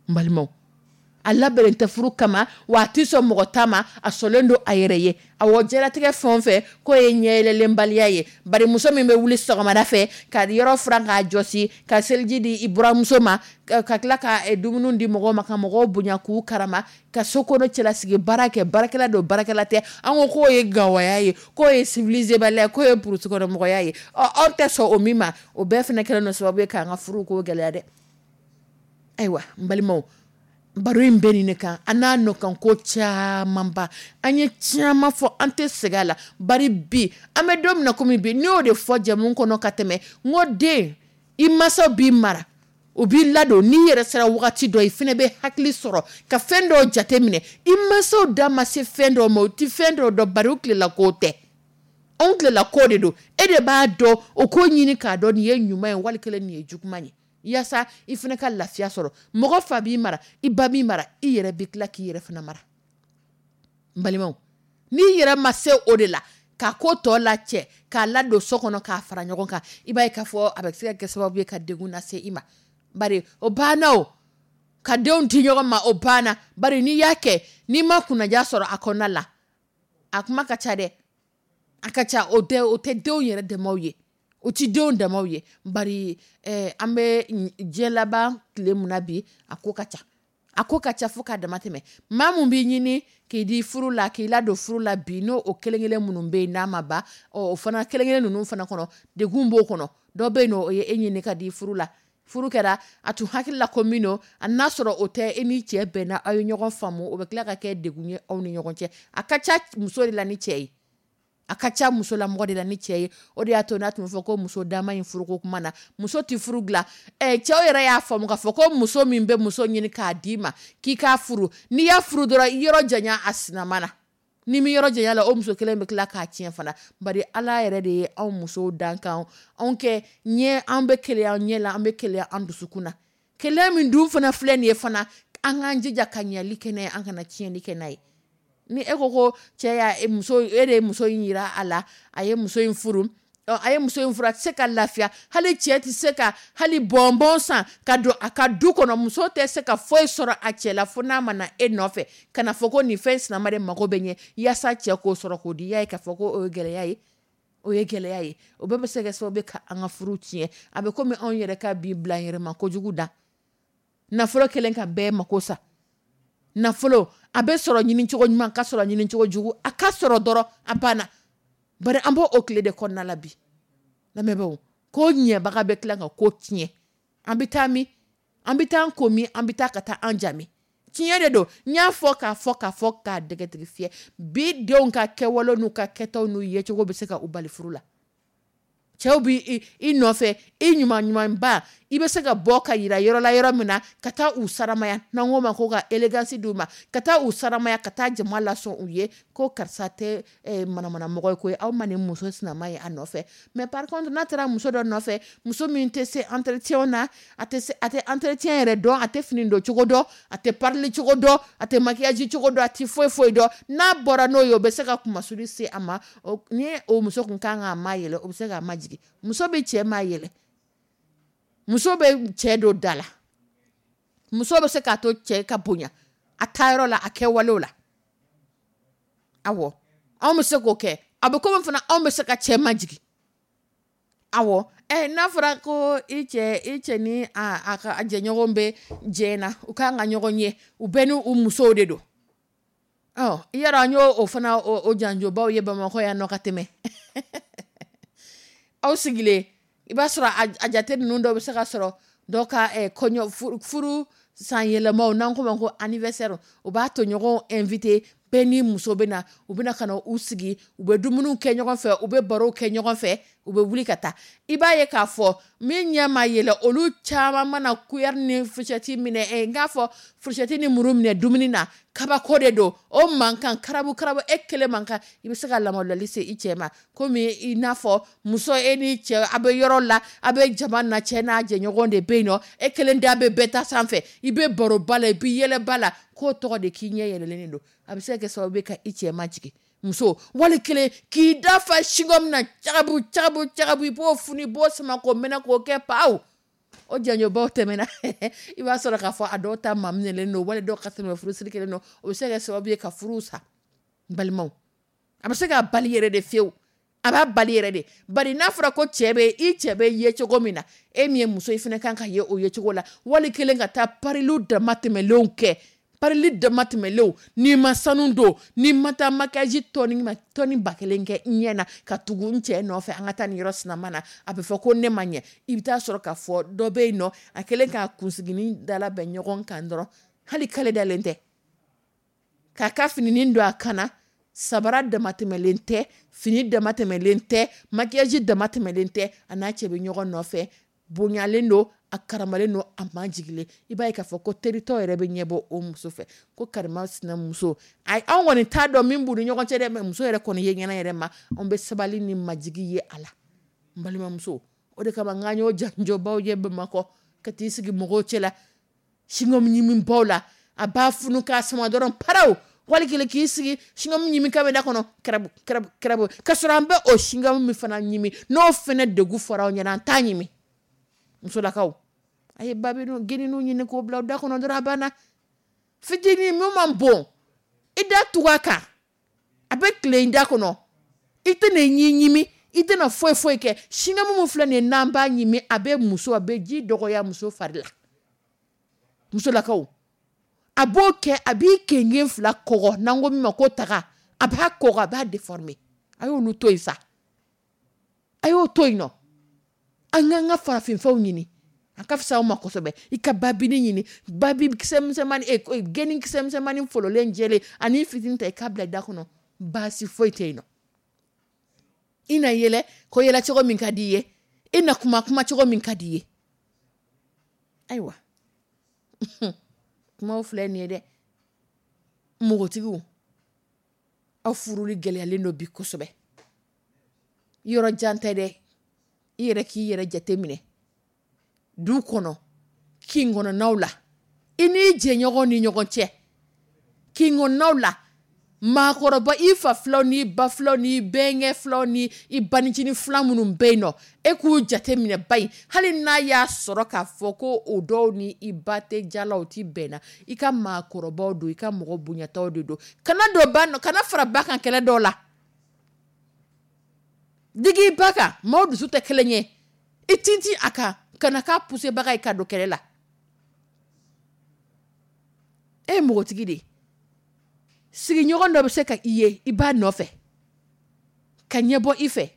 N balimaw, a labɛnnen tɛ furu kama wa, a tɛ sɔn mɔgɔ ta ma, a sɔnlen don a yɛrɛ ye. Awɔ, diɲɛlatigɛ fɛn o fɛn k'o ye ɲɛyɛlɛlenbaliya ye. Bari muso min bɛ wuli sɔgɔmada fɛ ka yɔrɔ furan k'a jɔsi, ka seliji di i buramuso ma, ka tila ka dumuni di mɔgɔw ma, ka mɔgɔw bonya k'u karama, ka so kɔnɔ cɛlasigi baara kɛ, baarakɛla don, baarakɛla tɛ, an ko k'o ye gawaya ye, k'o ye civilisé baliya ye, k'o ye burusi kɔnɔ mɔgɔya ye. Ɔ anw tɛ sɔn o min ma, o bɛɛ fana kɛlen don sababu ye k'an ka furu ko gɛlɛya dɛ. Ayiwa, n balimaw, baro in bɛ nin de kan, an n'a nɔ ko camanba. An ye caman fɔ, an tɛ segin a la. Bari bi, an bɛ don min na komi bi, n'i y'o de fɔ jamu kɔnɔ ka tɛmɛ, n ko den, i mansaw b'i mara, u b'i ladon. N'i yɛrɛ sera wagati dɔ, i fana bɛ hakili sɔrɔ ka fɛn dɔw jate minɛ. I mansaw da ma se fɛn dɔw ma, u tɛ fɛn dɔw dɔn, bari u tilela ko tɛ, anw tilela ko de don. E de b'a dɔn, o ko ɲini k'a dɔn nin ye ɲuman ye, wali kelen nin ye juguman ye, yaasa i fana ka lafiya sɔrɔ. Mɔgɔ fa b'i mara, i ba b'i mara, i yɛrɛ bɛ tila k'i yɛrɛ fana mara. N balimaw, n'i yɛrɛ ma se o de la ka ko tɔ la cɛ k'a ladon so kɔnɔ, k'a fara ɲɔgɔn kan, i b'a ye k'a fɔ a bɛ se ka kɛ sababu ye ka degun lase i ma. Bari o banna, o ka denw di ɲɔgɔn ma, o banna. Bari n'i y'a kɛ, n'i ma kunnaja sɔrɔ a kɔnɔna la, a kuma ka ca dɛ, a ka ca. O tɛ, o tɛ denw yɛrɛ dɛmɛw ye, o ti denw damaw ye. Bari an bɛ diɲɛ laban tile mun na bi, a ko ka ca, a ko ka ca fo k'a dama tɛmɛ. Maa mun b'i ɲini k'i di furu la, k'i ladon furu la bi, n'o o kelen kelen minnu bɛ yen n'a ma ban, ɔ o fana kelen kelen ninnu fana kɔnɔ, degun b'o kɔnɔ. Dɔ bɛ yen nɔ, o ye e ɲini ka di furu la, furu kɛra, a tun hakili la ko min don, a n'a sɔrɔ o tɛ. E ni cɛ bɛnna, aw ye ɲɔgɔn faamu, o bɛ tila ka kɛ degun ye aw ni ɲɔgɔn cɛ. A ka ca muso de la ni cɛ ye, a ka ca musolamɔgɔ de la ni cɛ ye. O de y'a to n'a tun bɛ fɔ ko muso dama in furuko kuma na, muso tɛ furu dilan. Cɛw yɛrɛ y'a faamu k'a fɔ ko muso min bɛ muso ɲini k'a d'i ma k'i k'a furu, n'i y'a furu dɔrɔn, i yɔrɔ janya a sinama na. Ni mi yɔrɔ janya la, o muso kelen bɛ tila k'a tiɲɛ fana. Bari Ala yɛrɛ de ye anw musow dan kan anw kɛ ɲɛ, an bɛ keleya an ɲɛ la, an bɛ keleya an dusukun na. Keleya min dun fana filɛ nin ye fana, an k'an jija ka ɲɛli kɛ n'a ye, an kana tiɲɛni kɛ n'a ye. Ni e ko ko cɛ y'a muso, e de ye muso in yira a la, a ye muso in furu, a ye muso in furu, a tɛ se ka lafiya. Hali cɛ tɛ se ka hali bɔnbɔn san ka don a ka du kɔnɔ. Muso tɛ se ka foyi sɔrɔ a cɛ la fo n'a ma na e nɔfɛ ka na fɔ ko nin fɛn sinama de mago bɛ ɲɛ yaasa cɛ k'o sɔrɔ k'o di. I y'a ye k'a fɔ ko o ye gɛlɛya ye, o ye gɛlɛya ye. O bɛɛ bɛ se ka kɛ sababu ye ka an ka furu tiɲɛ. A bɛ komi anw yɛrɛ ka bi bila yɛrɛma kojugu da. Nafolo kɛlen ka bɛɛ mako sa. Nafolo a bɛ sɔrɔ ɲini cogo ɲuman, ka sɔrɔ ɲini cogo jugu, a ka sɔrɔ dɔrɔn a banna. Bari an b'o o tile de kɔnɔna la bi. Lamɛnbaaw, ko ɲɛbaga bɛ tila ka ko tiɲɛ. An bɛ taa min? An bɛ taa an ko min? An bɛ taa ka taa an jami. Tiɲɛ de don. N y'a fɔ k'a fɔ k'a fɔ k'a dɛgɛtigi fiyɛ. Bi denw ka kɛwale n'u ka kɛtaw n'u yecogo bɛ se ka u bali furu la. Cɛw bɛ i nɔfɛ, i ɲuman ɲumanba, i bɛ se ka bɔ ka yira yɔrɔ la yɔrɔ min na, ka taa u saramaya, n'an k'o ma ko ka élégance d'u ma, ka taa u saramaya, ka taa jama lasɔn u ye ko karisa tɛ manamana mɔgɔ ye koyi, aw ma nin muso sinama ye a nɔfɛ. Mais par contre n'a taara muso dɔ nɔfɛ, muso min tɛ se entretien na, a tɛ se, a tɛ entretien yɛrɛ dɔn, a tɛ fini don cogo dɔn, a tɛ parili cogo dɔn, a tɛ maquillage cogo dɔn, a tɛ foyi foyi dɔn. N'a bɔra n'o ye, o bɛ se ka kumasuli se a ma. Ni o muso kun kan k'a ma yɛlɛ, o bɛ se k'a ma jigin. Muso bɛ cɛ ma yɛlɛ, muso bɛ cɛ don da la, muso bɛ se k'a to cɛ ka bonya a taayɔrɔ la, a kɛwalew la. Awɔ, anw bɛ se k'o kɛ. A bɛ komi fana anw bɛ se ka cɛ majigin. Awɔ, n'a fɔra ko i cɛ ni a ka jɛɲɔgɔn bɛ jɛ na, u kan ka ɲɔgɔn ye, u bɛɛ ni u musow de don. Ɔ, i yɛrɛ an y'o fana o janjobaw ye Bamakɔ yan nɔ ka tɛmɛ. Aw sigilen, i b'a sɔrɔ a jate ninnu dɔw bɛ se ka sɔrɔ dɔw ka kɔɲɔ furu san yɛlɛmaw, n'an ko ma ko anniversaire, u b'a to ɲɔgɔn invité, bɛɛ ni muso bɛ na, u bɛna ka na u sigi, u bɛ dumuniw kɛ ɲɔgɔn fɛ, u bɛ barow kɛ ɲɔgɔn fɛ, u bɛ wuli ka taa. I b'a ye k'a fɔ min ɲɛ ma yɛlɛ, olu caman mana cuillère ni fourchette minɛ, n k'a fɔ fourchette ni muru minɛ dumuni na, kabako de don. O mankan karabu karabu, e kelen mankan, i bɛ se ka lamaloli se i cɛ ma. Komi i n'a fɔ muso, e ni cɛ a bɛ yɔrɔ la, a bɛ jama na, cɛ n'a jɛɲɔgɔn de bɛ yen nɔ, e kelen da bɛ bɛɛ ta sanfɛ, i bɛ baroba la, i bɛ yɛlɛba la, k'o tɔgɔ de k'i ɲɛ yɛlɛlen don. A bɛ se ka kɛ sababu ye ka i cɛ majigin. Muso wali kelen k'i da fa chewing-gum na cagabu cagabu cagabu, i b'o funu, i b'o sama k'o mɛnɛ k'o kɛ paw. O janjobaw tɛmɛna. I b'a sɔrɔ k'a fɔ a dɔw ta maminɛlen don, wali dɔw ka tɛmɛ furusiri kelen don. O bɛ se ka kɛ sababu ye ka furu sa. N balimaw, a bɛ se k'a bali yɛrɛ de fiyewu. A b'a bali yɛrɛ de. Bari n'a fɔra ko cɛ bɛ, i cɛ bɛ ye cogo min na, e min ye muso ye, fana kan ka ye o ye cogo la. Wali kelen ka taa pariliw dama tɛmɛlenw kɛ, parili dama tɛmɛlenw, n'i ma sanu don, n'i ma taa maquillage tɔni ba kelen kɛ n ɲɛ na ka tugu n cɛ nɔfɛ, an ka taa nin yɔrɔ sinama na, a bɛ fɔ ko ne ma ɲɛ. I bɛ taa sɔrɔ k'a fɔ dɔ bɛ yen nɔ, a kɛlen k'a kunsiginin dalabɛn ɲɔgɔn kan dɔrɔn, hali kale dalen tɛ, k'a ka fininin don a kan na, sabara damatɛmɛlen tɛ, fini damatɛmɛlen tɛ, maquillage damatɛmɛlen tɛ, a n'a cɛ bɛ ɲɔgɔn nɔfɛ, bonyalen don, a karamalen don, a majigilen. I b'a ye k'a fɔ ko teritɔ yɛrɛ bɛ ɲɛbɔ o muso fɛ, ko karima sinamuso. Ayi, anw kɔni t'a dɔn min b'u ni ɲɔgɔn cɛ dɛ, mais muso yɛrɛ kɔni ye ɲɛna yɛrɛ ma, anw bɛ sabali ni majigi ye a la. N balimamuso, o de kama n k'an y'o janjobaw ye Bamakɔ, ka t'i sigi mɔgɔw cɛ la, chewing-gum ɲimibaw la, a b'a funu k'a sama dɔrɔn paraw, wali kelen k'i sigi chewing-gum ɲimi kan bɛ da kɔnɔ, kɛrɛbu kɛrɛbu kɛrɛbu, k'a sɔrɔ an bɛ o chewing-gum min fana ɲimi, n'o fana degun fɔra aw ɲɛna, an t'a ɲimi. Musolakaw, a ye babinu geninu ɲini k'o bila da kɔnɔ dɔrɔn, a banna. Fitinin min man bon, i da tugu a kan, a bɛ tile i da kɔnɔ, i tɛna i ɲi ɲimi, i tɛna foyi foyi kɛ. Chewing-gum min filɛ nin ye, n'an b'a ɲimi, a bɛ muso, a bɛ ji dɔgɔya muso fari la. Musolakaw, a b'o kɛ, a b'i kengen fila kɔgɔ, n'an ko min ma ko taga, a b'a kɔgɔ, a b'a déformer. A y'olu to yen sa, a y'o to yen nɔ. An k'an ka farafinfɛnw ɲini, a ka fisa aw ma kosɛbɛ. I ka babini ɲini, babi kisɛ misɛnmanin, geni kisɛ misɛnmanin fololen jɛlen ani fitinin ta, i k'a bila da kɔnɔ, baasi foyi tɛ yen nɔ. I na yɛlɛ ko yɛlɛ cogo min ka di i ye, i na kuma kuma cogo min ka di i ye. Ayiwa, kumaw filɛ nin ye dɛ. Npogotigiw, Aw furuli gɛlɛyalen don bi kosɛbɛ. Yɔrɔ jan tɛ dɛ, i yɛrɛ k'i yɛrɛ jate minɛ du kɔnɔ, kin kɔnɔnaw la, i n'i jɛɲɔgɔn ni ɲɔgɔn cɛ, kin kɔnɔnaw la, maakɔrɔba, i fa filanw n'i ba filanw n'i bɛnkɛ filanw ni i banicinin filan minnu bɛ yen nɔ, e k'u jate minɛ ba in, hali n'a y'a sɔrɔ k'a fɔ ko o dɔw ni i ba tɛ jala, o tɛ bɛn na, i ka maakɔrɔbaw don, i ka mɔgɔ bonyataw de don. Kana don ba nɔ, kana fara ba kan kɛlɛ dɔw la, digi i ba kan, maaw dusu tɛ kelen ye, i tintin a kan, kana k'a pusebaga ye ka don kɛlɛ la. E ye npogotigi de ye, sigiɲɔgɔn dɔ bɛ se ka i ye i b'a nɔfɛ ka ɲɛbɔ i fɛ,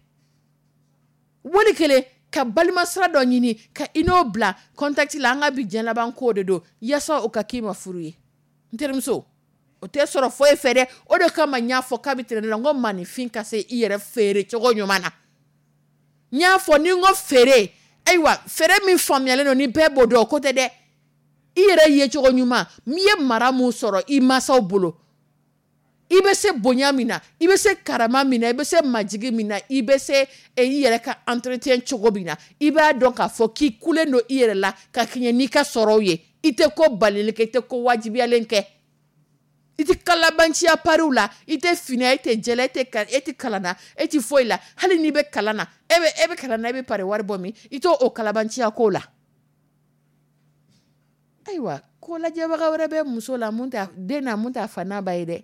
wali kelen ka balimasira dɔ ɲini ka i n'o bila contact la. An ka bi diɲɛ laban ko de don, yaasa o ka k'i ma furu ye. N terimuso, o tɛ sɔrɔ foyi fɛ dɛ. O de kama n y'a fɔ kabi tɛnɛn la, n ko maaninfin ka se i yɛrɛ feere cogo ɲuman na. N y'a fɔ ni n ko feere, ayiwa, feere min faamuyalen don ni bɛɛ b'o dɔn, o ko tɛ dɛ. I yɛrɛ ye cogo ɲuman, n'i ye mara mun sɔrɔ i mansaw bolo, i bɛ se bonya min na, i bɛ se karama min na, i bɛ se majigi min na, i bɛ se i yɛrɛ ka entretien cogo min na, i b'a dɔn k'a fɔ k'i kulen don i yɛrɛ la ka kɛɲɛ n'i ka sɔrɔw ye. I tɛ ko balili kɛ, i tɛ ko wajibiyalen kɛ, i tɛ kalabanciya pariw la, i tɛ fina, e tɛ jɛla, e tɛ kalan na, e tɛ foyi la. Hali n'i bɛ kalan na, e bɛ kalan na, e bɛ pari wari bɔ min, i t'o kalabanciya ko la. Ayiwa, ko lajɛbaga wɛrɛ bɛ muso la, mun t'a den na, mun t'a fa n'a ba ye dɛ.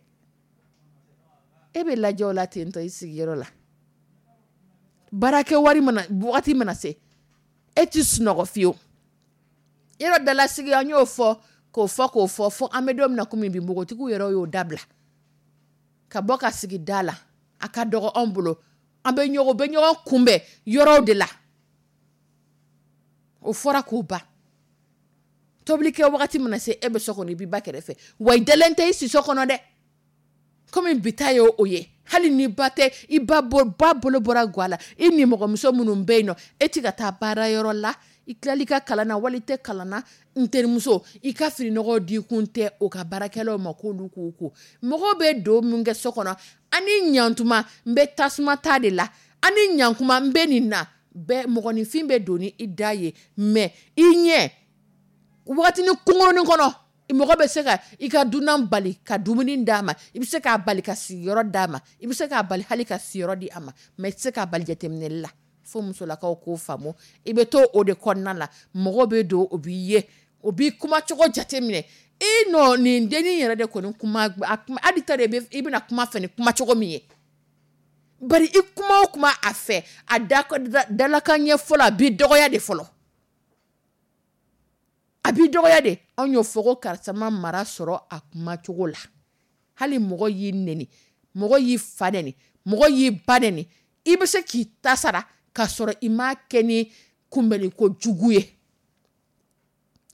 E bɛ lajɛ o la ten tɔ i sigiyɔrɔ la. Baarakɛ wari mana, wagati mana se, e ti sunɔgɔ fiyewu. Yɔrɔ dalasigi, an y'o fɔ k'o fɔ k'o fɔ fo an bɛ don min na komi bi, npogotigiw yɛrɛ y'o dabila ka bɔ ka sigi da la. A ka dɔgɔ anw bolo, an bɛ ɲɔgɔn bɛ ɲɔgɔn kunbɛn yɔrɔw de la. O fɔra k'o ban. Tobilikɛ wagati mana se, e bɛ so kɔnɔ, i b'i ba kɛrɛfɛ, wa i dalen tɛ i si so kɔnɔ dɛ. Komi bi ta ye o ye, hali ni ba tɛ, i ba bolo bɔra ga la, i nimɔgɔmuso minnu bɛ yen nɔ, e ti ka taa baara yɔrɔ la, i tilali ka kalan na wali i tɛ kalan na, n terimuso, i ka fininɔgɔw di kun tɛ o ka baarakɛlaw ma k'olu k'u ko. Mɔgɔw bɛ don min kɛ so kɔnɔ, ani ɲantuma, n bɛ tasuma ta de la, ani ɲankuma, n bɛ nin na bɛɛ. Mɔgɔninfin bɛ don ni i da ye, mais i ɲɛ wagatinin kunkurunin kɔnɔ, mɔgɔ bɛ se ka i ka dunan bali ka dumuni d'a ma, i bɛ se k'a bali ka sigiyɔrɔ d'a ma, i bɛ se k'a bali hali ka siyɔrɔ di a ma, mais i tɛ se k'a bali jateminɛli la. Fo musolakaw k'o faamu. I bɛ to o de kɔnɔna la, mɔgɔ bɛ don, o b'i ye, o b'i kumacogo jateminɛ. I nɔ nin dennin yɛrɛ de kɔni kuma, hali ta de i bɛna kuma fɛ ni kumacogo min ye, bari i kuma o kuma a fɛ, a dalakan ɲɛ fɔlɔ, a b'i dɔgɔya de fɔlɔ, a b'i dɔgɔya de. Anw y'o fɔ ko karisa ma mara sɔrɔ a kumacogo la. Hali mɔgɔ y'i neni, mɔgɔ y'i fa neni, mɔgɔ y'i ba neni, i bɛ se k'i ta sara k'a sɔrɔ i m'a kɛ ni kunbɛnni ko jugu ye.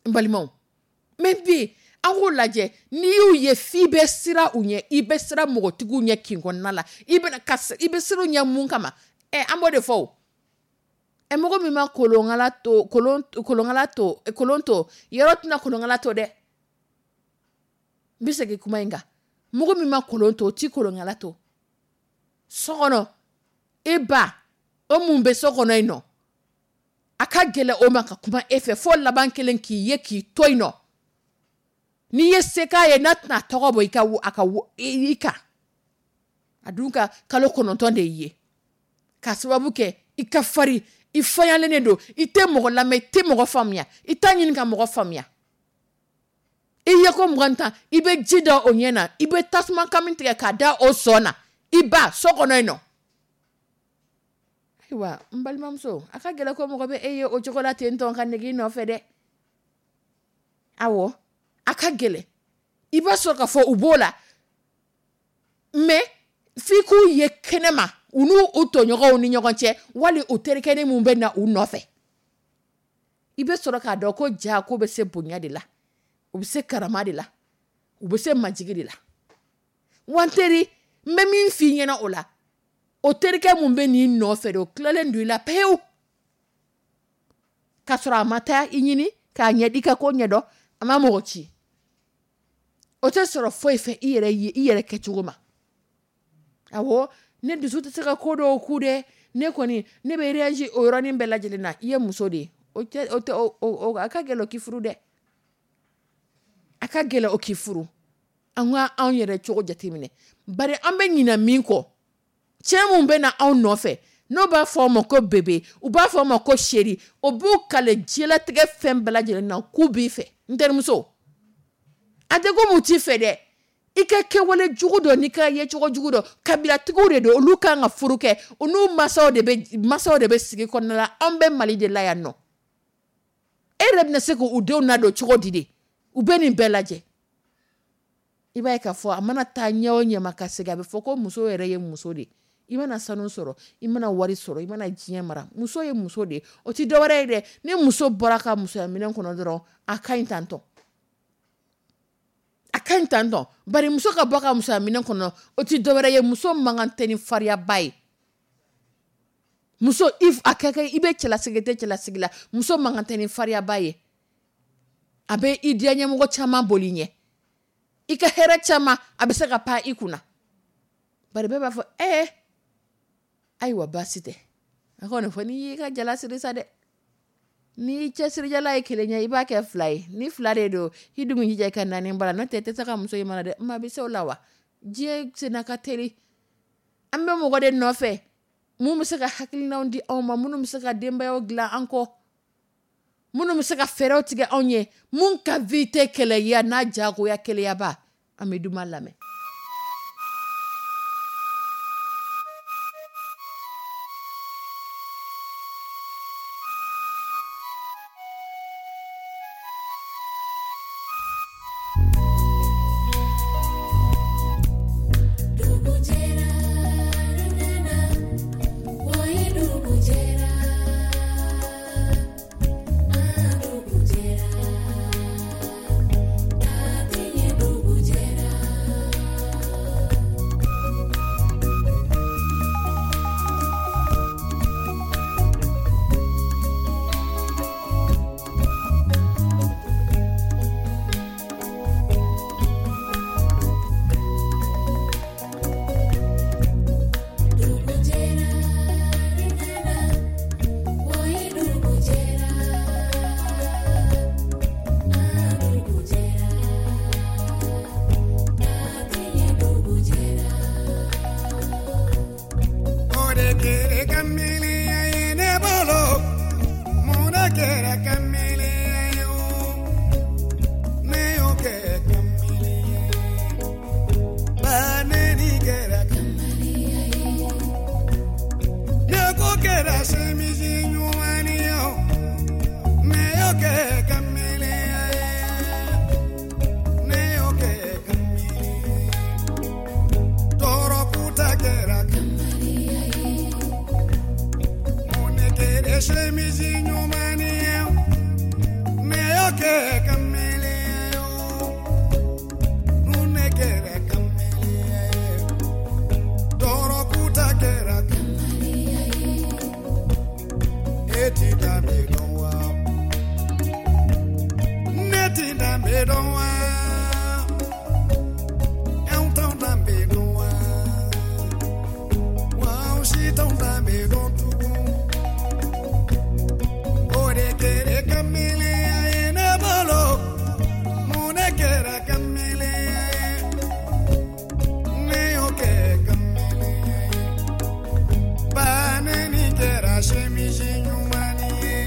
N balimaw, mais bi an k'o lajɛ, n'i y'u ye f'i bɛ siran u ɲɛ, i bɛ siran mɔgɔtigiw ɲɛ kin kɔnɔna la, i bɛ i bɛ siran u ɲɛ mun kama? An b'o de fɔ o. Mɔgɔ min ma kolonkala to, kolonkala to, kolon to, yɔrɔ tɛna kolonkala to dɛ. N bɛ segin kuma in kan. Mɔgɔ min ma kolon to, o ti kolonkala to. So kɔnɔ, e ba, o mun bɛ so kɔnɔ yen nɔ, a ka gɛlɛn o ma ka kuma e fɛ fo laban kelen k'i ye k'i to yen nɔ. N'i ye se k'a ye, n'a tɛna tɔgɔ bɔ i ka a ka i kan. A dun ka kalo 9 de y'i ye. K'a sababu kɛ i ka farin, i fayalen de don, i tɛ mɔgɔ lamɛn, i tɛ mɔgɔ faamuya, i t'a ɲini ka mɔgɔ faamuya. I ye ko 20 tan, i bɛ ji da o ɲɛ na, i bɛ tasuma kami tigɛ k'a da o sɔn na, i ba so kɔnɔ yen nɔ. Ayiwa, n balimamuso, a ka gɛlɛn ko mɔgɔ bɛ e ye o cogo la ten tɔ ka nege i nɔfɛ dɛ. Awɔ, a ka gɛlɛn. I b'a sɔrɔ k'a fɔ u b'o la, mais f'i k'u ye kɛnɛma, u n'u u tɔɲɔgɔnw ni ɲɔgɔn cɛ, wali u terikɛnin mun bɛ na u nɔfɛ. I bɛ sɔrɔ k'a dɔn ko ja ko bɛ se bonya de la, u bɛ se karama de la, u bɛ se majigi de la. Wa n teri, n bɛ min f'i ɲɛna o la, o terikɛ mun bɛ n'i nɔfɛ de, o tilalen don i la pewu. K'a sɔrɔ a ma taa i ɲini k'a ɲɛ i ka ko ɲɛdɔn, a ma mɔgɔ ci. O tɛ sɔrɔ foyi fɛ i yɛrɛ ye i yɛrɛ kɛcogo ma. Awɔ, ne dusu tɛ se ka ko dɔw ku dɛ. Ne kɔni, ne bɛ réagir o yɔrɔnin bɛɛ lajɛlen na. I ye muso de ye, o tɛ o tɛ o a ka gɛlɛn o k'i furu dɛ, a ka gɛlɛn o k'i furu. An ka anw yɛrɛ cogo jateminɛ, bari an bɛ ɲinɛ min kɔ, cɛ mun bɛ na anw nɔfɛ, n'o b'a fɔ aw ma ko bébé, u b'a fɔ aw ma ko chéri, o b'u kale diɲɛlatigɛ fɛn bɛɛ lajɛlen na k'u b'i fɛ. N terimuso, a tɛ ko mun t'i fɛ dɛ, i ka kɛwale jugu dɔ n'i ka yecogo jugu dɔ, kabilatigiw de don, olu kan ka furu kɛ, u n'u masaw de bɛ sigi kɔnɔna la. Anw bɛ Mali de la yan nɔ. E yɛrɛ bɛna se k'u denw nadon cogo di de? U bɛ nin bɛɛ lajɛ, i b'a ye k'a fɔ a mana taa ɲɛ o ɲɛ ma ka segin, a bɛ fɔ ko muso yɛrɛ ye muso de. I mana sanu sɔrɔ, i mana wari sɔrɔ, i mana diɲɛ mara, muso ye muso de. O tɛ dɔwɛrɛ ye dɛ, ni muso bɔra ka musoya minɛn kɔnɔ dɔrɔn, a ka ɲi tantɔ, a ka ɲi tantɔ. Bari muso ka bɔ ka musoya minɛn kɔnɔ, o tɛ dɔwɛrɛ ye, muso man kan tɛ ni fariyaba ye. Muso, a ka kɛ i bɛ cɛlasigi, tɛ cɛlasigi la, muso man kan tɛ ni fariyaba ye. A bɛ i diya ɲɛmɔgɔ caman boli ɲɛ, i ka hɛrɛ caman a bɛ se ka pan i kunna. Bari bɛɛ b'a fɔ ɛɛ, ayiwa, baasi tɛ. A kɔni fɔ n'i y'i ka jala siri sa dɛ, n'i cɛsirijala ye kelen ye, i b'a kɛ fila ye. Ni fila de don, i dun jija i ka naani bara, n'o tɛ i tɛ se ka muso in mara dɛ. Maa bɛ se o la wa? Diɲɛ senna ka teli. An bɛ mɔgɔ de nɔfɛ mun bɛ se ka hakilinaw di anw ma, minnu bɛ se ka denbayaw dilan an kɔ, minnu bɛ se ka fɛɛrɛw tigɛ anw ye, mun ka vie tɛ kɛlɛya n'a jagoya kɛlɛyaba. An bɛ duman lamɛn. Dugu jɛra, n nana, o ye dugu jɛra, ah dugu jɛra, tatinɛ dugu jɛra. Dugu jɛra, n nana, o ye dugu jɛra, ah dugu jɛra, tatinɛ dugu jɛra. O de kɛra kamelenya ye ne bolo, mun de kɛra kamelenya ye o? Ne y'o kɛ kamelenya ye, ba neni kɛra kamelenya ye, ne ko kɛra semisi ɲuman ye o, ne y'o kɛ kamelenya ye, ne y'o kɛ kamelenya ye, tɔɔrɔ kuta kɛra kamelenya ye. Mun de kɛra semisi ɲuman ye o, ne y'o kɛ kamelenya ye o, mun de kɛra kamelenya ye, tɔɔrɔ kuta kɛra kamelenya ye. E ti danbe dɔn wa? Ne ti danbe dɔn wa? Anw t'anw danbe dɔn wa? Wa anw si t'anw danbe dɔn tugun. O de kɛra kamelenya ye ne bolo, mun de kɛra kamelenya ye? Ne y'o kɛ kamelenya ye, ba neni kɛra semisi ɲuman ye,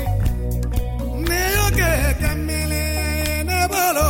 ne y'o kɛ kamelenya ye ne bolo.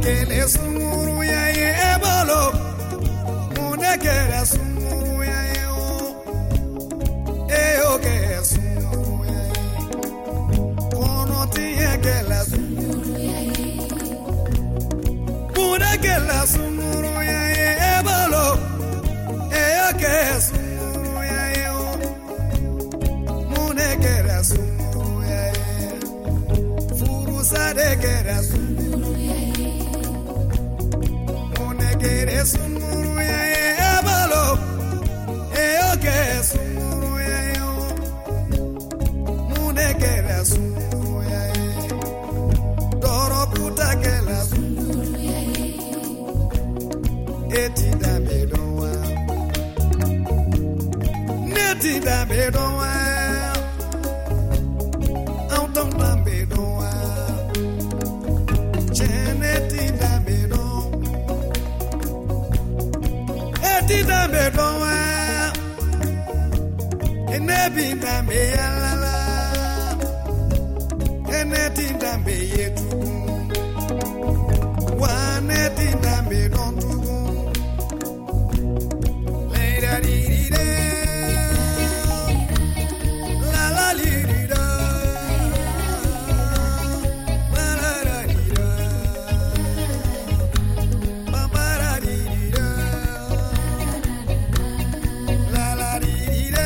Kɛra sunkuruya ye e bolo? Mun de kɛra sunkuruya ye o? E y'o kɛ sunkuruya ye. Kɔnɔtiɲɛ kɛra sunkuruya ye. Mun de kɛra sunkuruya ye e bolo? E y'o kɛ sunkuruya ye o. Mun de kɛra sunkuruya ye? Furusa de kɛra sunkuruya ye. Mun de kɛra sunkuruya ye e bolo? E y'o kɛ sunkuruya ye o. Mun de kɛra sunkuruya ye? Dɔrɔguta kɛra sunkuruya ye. E ti danbe dɔn wa? Ne ti danbe dɔn wa? Anw t'anw danbe dɔn wa? Tiɲɛ, ne ti danbe dɔn. E ti danbe dɔn wa? Ne bi danbe yala la. E ne ti danbe ye tugun. Wa ne ti danbe dɔn tugun. Lay-da-dee-dee-da. La la li di da. La la la di da. Ba ba da di di da. La la di di da.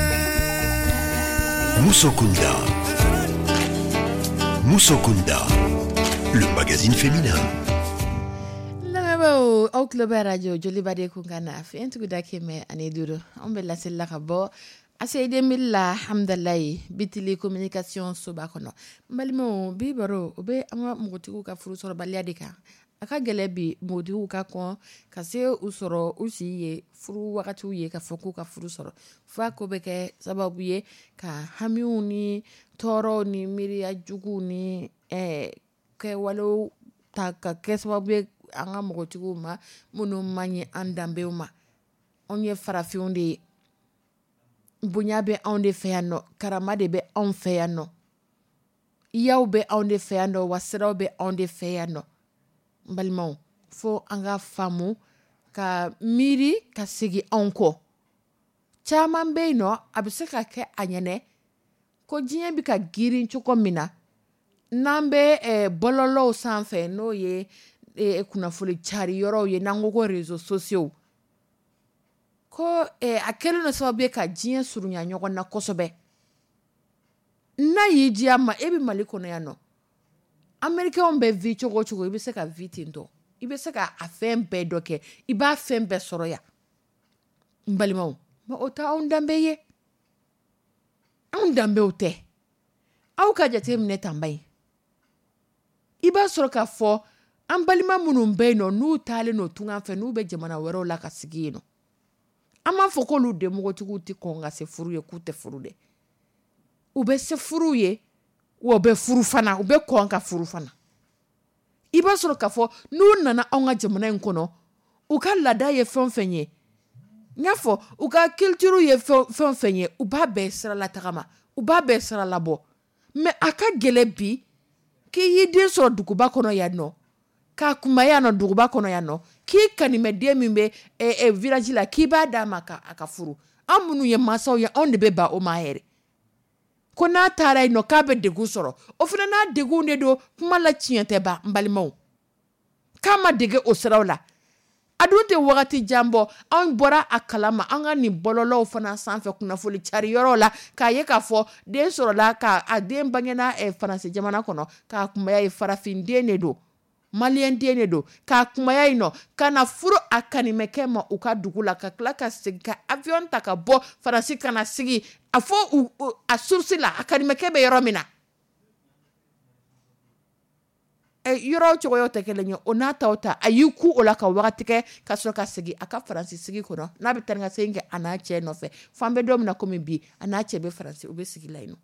Musokunda. Musokunda, le magazine féminin. Lamɛnbaaw, aw tulo bɛ radio Joliba de kun kan na fiɲɛ tuguda 105. Anw bɛ laseli la ka bɔ ACI 2000 la, Hamdalayi, Bitili communication soba kɔnɔ. N balimaw, bi baro, o bɛ an ka npogotigiw ka furu sɔrɔbaliya de kan. A ka gɛlɛ bi npogotigiw ka kɔn ka se u sɔrɔ u si ye furu wagatiw ye ka fɔ k'u ka furu sɔrɔ, f'a ko bɛ kɛ sababu ye ka hamiw ni tɔɔrɔw ni miiriya juguw ni kɛwalew ta ka kɛ sababu ye an ka npogotigiw ma minnu man ɲi an danbew ma. Anw ye farafinw de ye, bonya bɛ anw de fɛ yan nɔ, karama de bɛ anw fɛ yan nɔ, yaw bɛ anw de fɛ yan nɔ, wa siraw bɛ anw de fɛ yan nɔ. N balimaw, fo an ka faamu ka miiri ka segin anw kɔ. Caman bɛ yen nɔ, a bɛ se ka kɛ a ɲɛnɛ ko diɲɛ bɛ ka girin cogo min na, n'an bɛ bɔlɔlɔw sanfɛ, n'o ye kunnafoni cari yɔrɔw ye, n'an ko ko réseaux sociaux, ko a kɛlen don sababu ye ka diɲɛ surunya ɲɔgɔn na kosɛbɛ. N'a y'i diya ma, e bɛ Mali kɔnɔ yan nɔ, Américains bɛ vie cogo o cogo, i bɛ se ka vie ten tɔ, i bɛ se ka a fɛn bɛɛ dɔ kɛ, i b'a fɛn bɛɛ sɔrɔ yan. N balimaw, mais o tɛ anw danbe ye, anw danbew tɛ. Aw ka jate minɛ tanba in, i b'a sɔrɔ k'a fɔ an balima minnu bɛ yen nɔ, n'u taalen n'o tunga fɛ, n'u bɛ jamana wɛrɛw la ka sigi yen nɔ, an b'a fɔ k'olu denmɔgɔtigiw tɛ kɔn ka se furu ye, k'u tɛ furu dɛ. U bɛ se furu ye, wa u bɛ furu fana, u bɛ kɔn ka furu fana. I b'a sɔrɔ k'a fɔ n'u nana anw ka jamana in kɔnɔ, u ka laada ye fɛn o fɛn ye, n y'a fɔ u ka culture ye fɛn o fɛn ye, u b'a bɛɛ siralatagama, u b'a bɛɛ siralabɔ. Mais a ka gɛlɛn bi k'i y'i den sɔrɔ duguba kɔnɔ yan nɔ, k'a kunbaya yan nɔ duguba kɔnɔ yan nɔ, k'i kanimɛden min bɛ village la, k'i b'a d'a ma k'a ka furu. An minnu ye mansaw ye, anw de bɛ ban o ma yɛrɛ. Ko n'a taara yen nɔ k'a bɛ degun sɔrɔ, o fana n'a degun de don. Kuma la tiɲɛ tɛ ban, n balimaw, k'a ma dege o siraw la. A dun tɛ wagati jan bɔ, anw bɔra a kalama an ka nin bɔlɔlɔw fana sanfɛ, kunnafoni cari yɔrɔw la, k'a ye k'a fɔ den sɔrɔla, k'a den bangena Faransi jamana kɔnɔ, k'a kunbaya ye, farafin den de don, maliyɛn den de don, k'a kunbaya yen nɔ ka na furu a kanimɛkɛ ma u ka dugu la, ka tila ka segin ka avion ta ka bɔ Faransi ka na sigi a fɔ a source la, a kanimɛkɛ bɛ yɔrɔ min na. Yɔrɔ cogoyaw tɛ kelen ye, o n'a taw ta, a y'i ku o la ka wagati kɛ ka sɔrɔ ka segin a ka Faransi sigi kɔnɔ, n'a bɛ taa ni ka segin kɛ a n'a cɛ nɔfɛ. F'an bɛ don min na komi bi, a n'a cɛ bɛ Faransi, u bɛ sigi la yen nɔ.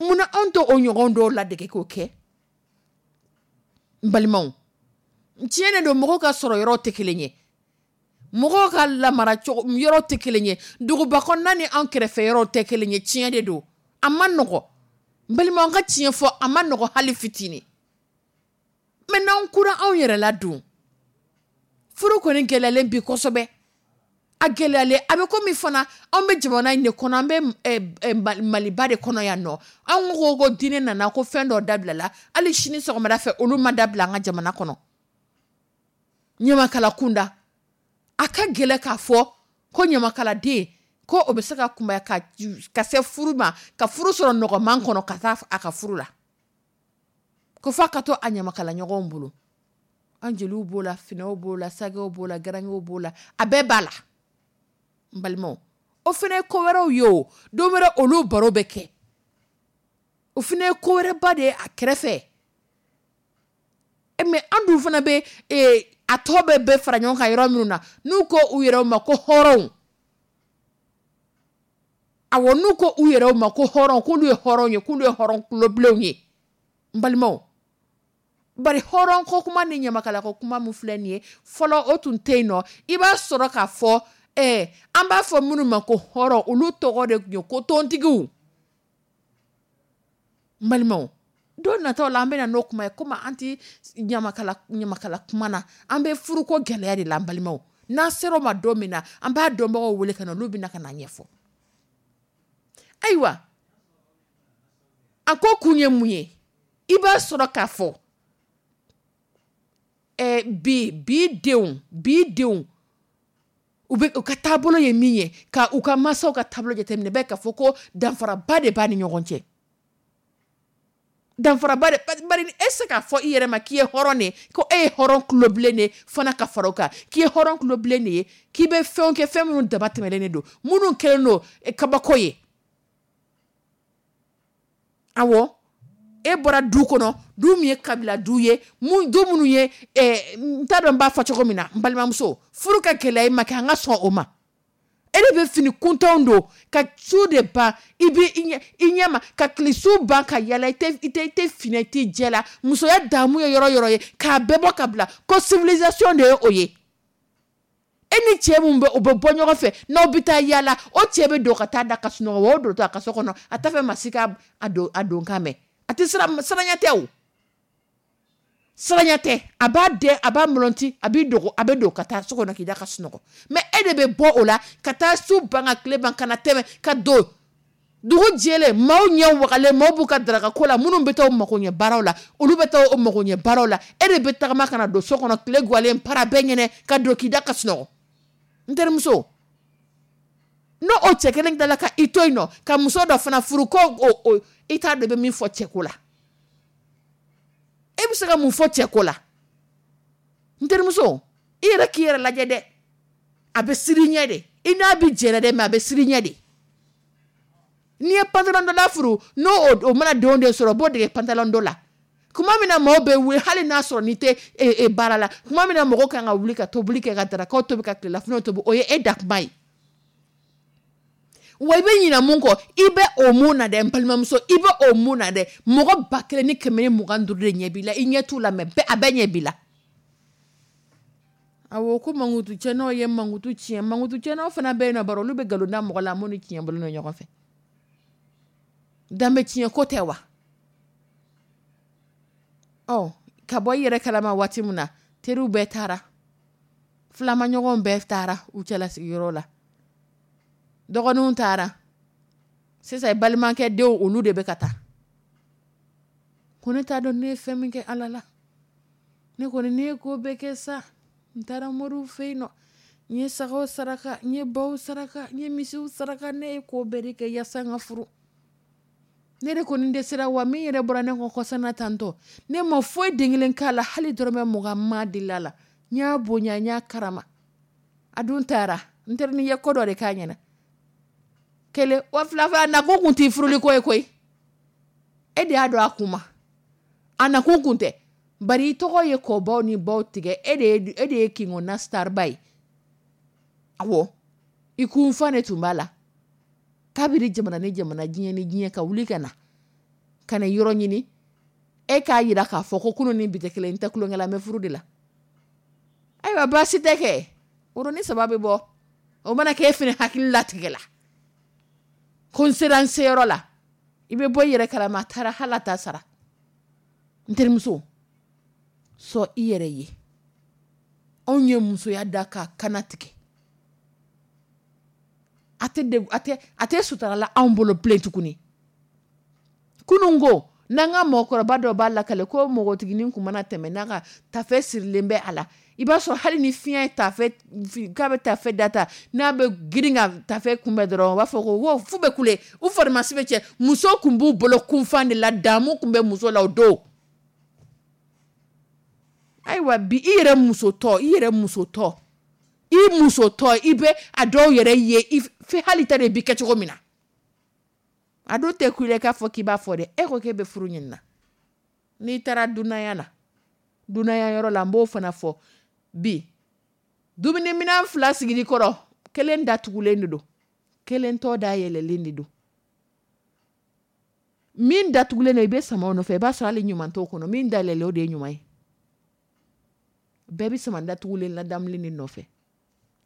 Munna anw tɛ o ɲɔgɔn dɔw ladege k'o kɛ? N balimaw, tiɲɛ de don, mɔgɔw ka sɔrɔ yɔrɔ tɛ kelen ye, mɔgɔw ka lamara cogo yɔrɔ tɛ kelen ye, duguba kɔnɔna ni anw kɛrɛfɛ yɔrɔw tɛ kelen ye. Tiɲɛ de don, a ma nɔgɔ. N balimaw, an ka tiɲɛ fɔ, a ma nɔgɔ hali fitinin. Mais n'anw kura anw yɛrɛ la dun, furu kɔni gɛlɛyalen bi kosɛbɛ. A gɛlɛyalen a bɛ komi fana anw bɛ jamana in de kɔnɔ, an bɛ Maliba de kɔnɔ yan nɔ. Anw ko diinɛ nana ko fɛn dɔ dabilala, hali sini sɔgɔmada fɛ olu ma dabila an ka jamana kɔnɔ. Ɲamakala kunda, a ka gɛlɛn k'a fɔ ko ɲamakaladen ko o bɛ se ka kunbaya ka se furu ma, ka furu sɔrɔ nɔgɔman kɔnɔ ka taa a ka furu la, ko f'a ka to a ɲamakala ɲɔgɔnw bolo. An jeliw b'o la, finɛw b'o la, sagɛw b'o la, garankɛw b'o la, a bɛɛ b'a la. N balimaw, o fana ye ko wɛrɛw ye o, don wɛrɛ olu baro bɛ kɛ. O fana ye ko wɛrɛba de ye a kɛrɛfɛ. Mais an dun fana bɛ a tɔ bɛɛ fara ɲɔgɔn kan yɔrɔ minnu na, n'u ko u yɛrɛw ma ko hɔrɔnw. Awɔ, n'u ko u yɛrɛw ma ko hɔrɔn, k'olu ye hɔrɔn ye, k'olu ye hɔrɔn kulobilenw ye. N balimaw, bari hɔrɔn ko kuma ni ɲamakala ko kuma min filɛ nin ye, fɔlɔ o tun tɛ yen nɔ. I b'a sɔrɔ k'a fɔ an b'a fɔ minnu ma ko hɔrɔn, olu tɔgɔ de tun ye ko tontigiw. N balimaw, don nataw la an bɛna n'o kuma ye, komi an tɛ ɲamakala kuma na, an bɛ furuko gɛlɛya de la. N balimaw, n'an sera o ma don min na, an b'a dɔnbagaw wele ka na, olu bɛna ka na ɲɛfɔ. Ayiwa, a ko kun ye mun ye? I b'a sɔrɔ k'a fɔ bi denw u bɛ u ka taabolo ye min ye, ka u ka mansaw ka taabolo jateminɛ, bɛɛ k'a fɔ ko danfaraba de b'a ni ɲɔgɔn cɛ. Danfaraba de, bari e se k'a fɔ i yɛrɛ ma k'i ye hɔrɔn de ye, ko e ye hɔrɔn kulobilen de ye fana ka fara o kan, k'i ye hɔrɔn kulobilen de ye, k'i bɛ fɛnw kɛ, fɛn minnu dama tɛmɛnen de don, minnu kɛlen don kabako ye. Awɔ, e bɔra du kɔnɔ, du min ye kabila du ye, du minnu ye, n t'a dɔn n b'a fɔ cogo min na, n balimamuso, furu ka gɛlɛya i ma kɛ, an ka sɔn o ma. E de bɛ fini kuntanw don ka su de ban, i bɛ i ɲɛ ma ka kilisu ban ka yala, i tɛ fini, i tɛ jɛ la. Musoya damu ye yɔrɔ yɔrɔ ye, k'a bɛɛ bɔ ka bila ko civilisation de ye o ye. E ni cɛ mun bɛ o bɛ bɔ ɲɔgɔn fɛ, n'aw bɛ taa yala, o cɛ bɛ don ka taa da ka sunɔgɔ, o don to a ka so kɔnɔ, a t'a fɛ maa si ka a don kan mɛn. A tɛ siranya tɛ o, siranya tɛ. A b'a dɛn, a b'a mɔlɔnti, a b'i dogo, a bɛ don ka taa so kɔnɔ k'i da ka sunɔgɔ. Mais e de bɛ bɔ o la ka taa su ban ka tile ban ka na tɛmɛ ka don dugu jɛlen, maaw ɲɛ wagalen, maaw b'u ka daraka ko la, minnu bɛ taa u mago ɲɛ baaraw la, olu bɛ taa u mago ɲɛ baaraw la. E de bɛ tagama ka na don so kɔnɔ tile gwalen para bɛɛ ɲɛnɛ ka don k'i da ka sunɔgɔ. N terimuso, n'o o cɛ kelen tilala ka i to yen nɔ ka muso dɔ fana furu, ko o i t'a dɔn i bɛ min fɔ cɛ ko la. E bɛ se ka mun fɔ cɛ ko la? N terimuso, i yɛrɛ k'i yɛrɛ lajɛ dɛ. A bɛ siri ɲɛ de, i n'a bɛ jɛnɛ dɛ, mais a bɛ siri ɲɛ de. N'i ye pantalon dɔ la furu, n'o o mana denw de sɔrɔ, o b'o dege pantalon dɔ la. Tuma min na maaw bɛ wuli, hali n'a sɔrɔ n'i tɛ baara la, tuma min na mɔgɔw kan ka wuli ka tobili kɛ, ka darakaw tobi, ka tilelafanaw tobi, o ye e da kuma ye. Wa i bɛ ɲinɛ mun kɔ, i bɛ o mun na dɛ, n balimamuso, i bɛ o mun na dɛ. Mɔgɔ 1125 de ɲɛ b'i la, i ɲɛ t'u la, mais a bɛɛ ɲɛ b'i la. Awɔ, ko mankutu tiɲɛnaw ye mankutu tiɲɛ, mankutu tiɲɛnaw fana bɛ yen nɔ, bari olu bɛ nkalon da mɔgɔ la, minnu ni tiɲɛ bolo don ɲɔgɔn fɛ. Danbe tiɲɛ ko tɛ wa? Ɔ, ka bɔ i yɛrɛ kalama waati min na, teriw bɛɛ taara, filamaɲɔgɔnw bɛɛ taara u cɛlasigiyɔrɔ la, dɔgɔninw taara, sisan balimakɛ denw olu de bɛ ka taa. Ko ne t'a dɔn ne ye fɛn min kɛ Ala la, ne kɔni ne ye ko bɛɛ kɛ sa, n taara moriw fɛ yen nɔ, n ye sagaw saraka, n ye baw saraka, n ye misiw saraka, ne ye ko bɛɛ de kɛ yaasa n ka furu. Ne de kɔni dɛsɛra, wa min yɛrɛ bɔra ne kɔ kɔsana tantɔ, ne ma foyi den kelen k'a la, hali dɔrɔmɛ 20 ma deli a la. N y'a bonya, n y'a karama, a dun taara. N terinin ye ko dɔ de k'a ɲɛna. Kelen wa fila fila, nakun kun t'i furuli ko ye koyi. E de y'a dɔn a kun ma, a nakun kun tɛ. Bari i tɔgɔ ye kɔbaw ni baw tigɛ, e de ye kingɔnna starba ye. Awɔ, i kunfa de tun b'a la. Kabiri jamana ni jamana, diɲɛ ni diɲɛ, ka wuli ka na ka na yɔrɔ ɲini, e k'a yira k'a fɔ ko kunun ni bi tɛ kelen, n tɛ tulonkɛ la, n bɛ furu de la. Ayiwa, baasi tɛ kɛ, woronin 3 bɛ bɔ, o mana kɛ e fana hakili latigɛ la ko n sera n seyɔrɔ la, i bɛ bɔ i yɛrɛ kalama, a taara hali a t'a sara. N terimuso, Sɔn i yɛrɛ ye. Anw ye musoya da k'a kana tigɛ. A tɛ sutura la anw bolo bilen tuguni. Kunun ko n'an ka mɔgɔkɔrɔba dɔ b'a lakale ko npogotiginin kun mana tɛmɛ n'a ka tafe sirilen bɛ a la, i b'a sɔrɔ hali ni fiɲɛ ye tafe k'a bɛ tafe data, n'a bɛ girin ka tafe kunbɛn dɔrɔn, u b'a fɔ ko wo fu bɛ kule, u farimasi bɛ cɛ. Muso kun b'u bolo kunfan de la, damu kun bɛ muso la o don. Ayiwa bi i yɛrɛ musotɔ, i yɛrɛ musotɔ, i musotɔ, i bɛ a dɔw yɛrɛ ye i fɛ hali ta de bi kɛ cogo min na. A dun tɛ ku i la k'a fɔ k'i b'a fɔ dɛ, e ko k'e bɛ furu ɲini na. N'i taara dunanya la, dunanya yɔrɔ la, n b'o fana fɔ bi. Dumuniminɛn 2 sigili kɔrɔ, kelen datugulen de don, kelen tɔ da yɛlɛlen de don. Min datugulen don, i bɛ sama o nɔfɛ, i b'a sɔrɔ hali ɲuman t'o kɔnɔ. Min da yɛlɛlen, o de ye ɲuman ye. Bɛɛ bɛ sama datugulen ladamulen de nɔfɛ.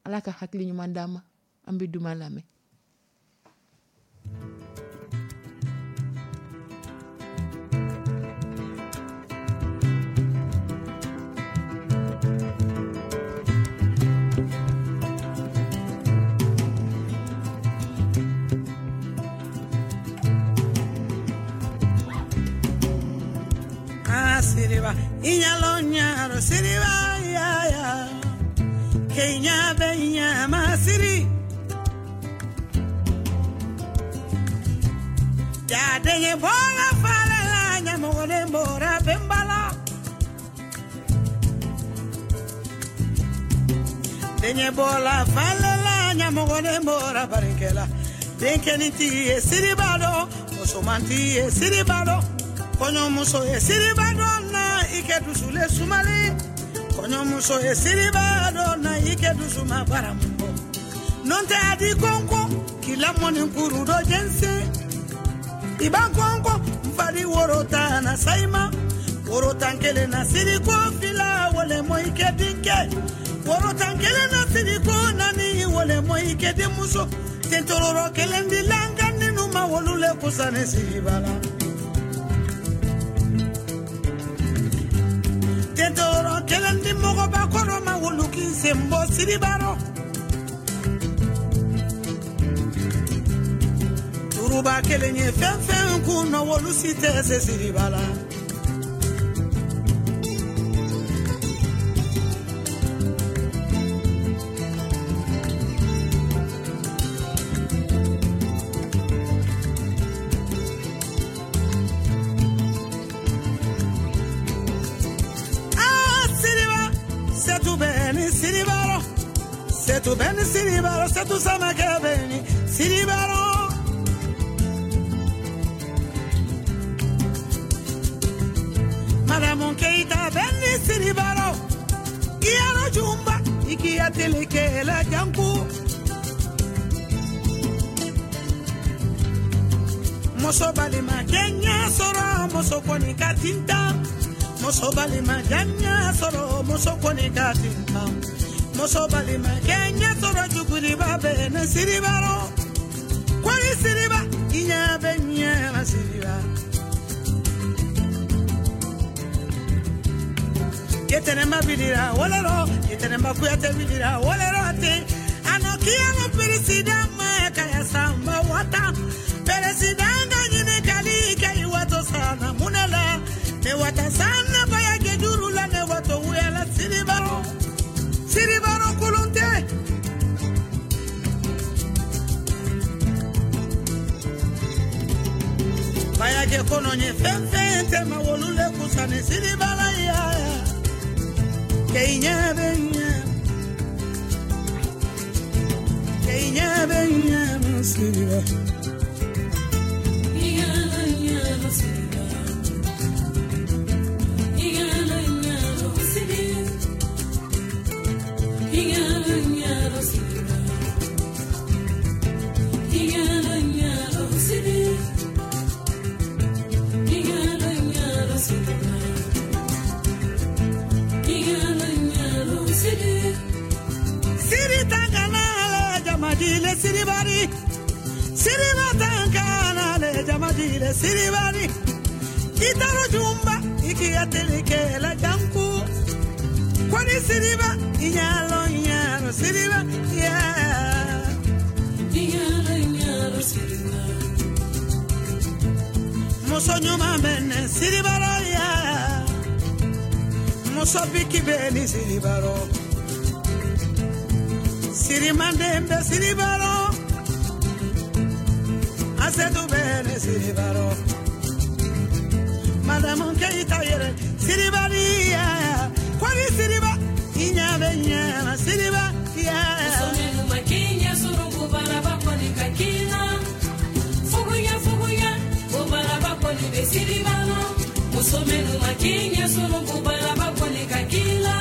Ala ka hakili ɲuman d'an ma. An bɛ duman lamɛn. Siriba, inyalo nyaro, siriba, ya, ya. Kenya benya masiri. Ya denye bola fala la, nyamogone mbora bembala. Denye bola fala la, nyamogone mbora barikela. Denkeni tiye siribado, musomanti ye siribado. Kɔɲɔmuso ye siriba dɔ na i kɛ dusule sumali. Kɔɲɔmuso ye siriba dɔ na i kɛ dusuma baramu bɔ. N'o tɛ a di kɔnkɔn k'i lamɔni kuru dɔ jɛnsɛn. I b'a kɔnkɔn n fari woro tan na sayima. Woro tan kelen na siriko fila wale mɔ i kɛ denkɛ. Woro tan kelen na siriko naani wale mɔ i kɛ denmuso. Tentororo kelen di lanka nínú ma wolu le kusa ni siriba la. Tentoro kelen di mɔgɔba kɔrɔ ma wolu k'i sen bɔ siriba rɔ. Turuba kelen ye fɛn fɛn kun nɔ wolu si tɛ se siriba la. Setu beni siribaro, setu samake beni siribaro. Madamu Keita beni siribaro. Iyalo jumba, ikiya teleke la janku. Muso balima kenya soro, muso koni katinta. Muso balima janya soro, muso koni katinta. Muso balima kenya sɔrɔ juguriba bɛ ne siribaro. Kɔri siriba, i ɲɛ bɛ ɲɛ na siriba. Yetɛnɛma bilira wɔlɔrɔ, yetɛnɛma kuyate bilira wɔlɔrɔ ten. A nɔ kiyama peresidan ma kaya sanba wata. Peresidan ka ɲininkali kɛ i wato sanna mun de la? Ne wata sanna baya kɛ juru la, ne wato wuyala siribaro. Siribaro kulunte. Bayake kono nye fɛn fɛn tɛ ma wolu le kusa ni siribala ya. Ke i ɲɛ bɛ ɲɛ. Ke i ɲɛ bɛ ɲɛ ma siriba. Siri tangana le jamadile siribari. Siriba tangana le jamadile siribari. Itaro jumba ikiya teleke la janku. Koni Siriba, inyalo inyalo Siriba, yeah. Inyalo inyalo Siriba. Muso ɲuman bɛ ne Siriba rɔ, yeah. Muso biki bɛ ni Siriba rɔ. Sirimanden bɛ Siriba rɔ. Asetu bɛ ne Siriba rɔ. Madamu Keyita yɛrɛ Siriba di, yeah. Koni Siriba, i ɲɛ bɛ ɲɛ na Siriba, yeah. Muso minnu ma k'i ɲɛ sɔrɔ ko baraba kɔni ka k'i la. Fuguya fuguya ko baraba kɔni bɛ Siriba la. Muso minnu ma k'i ɲɛ sɔrɔ ko baraba kɔni ka k'i la.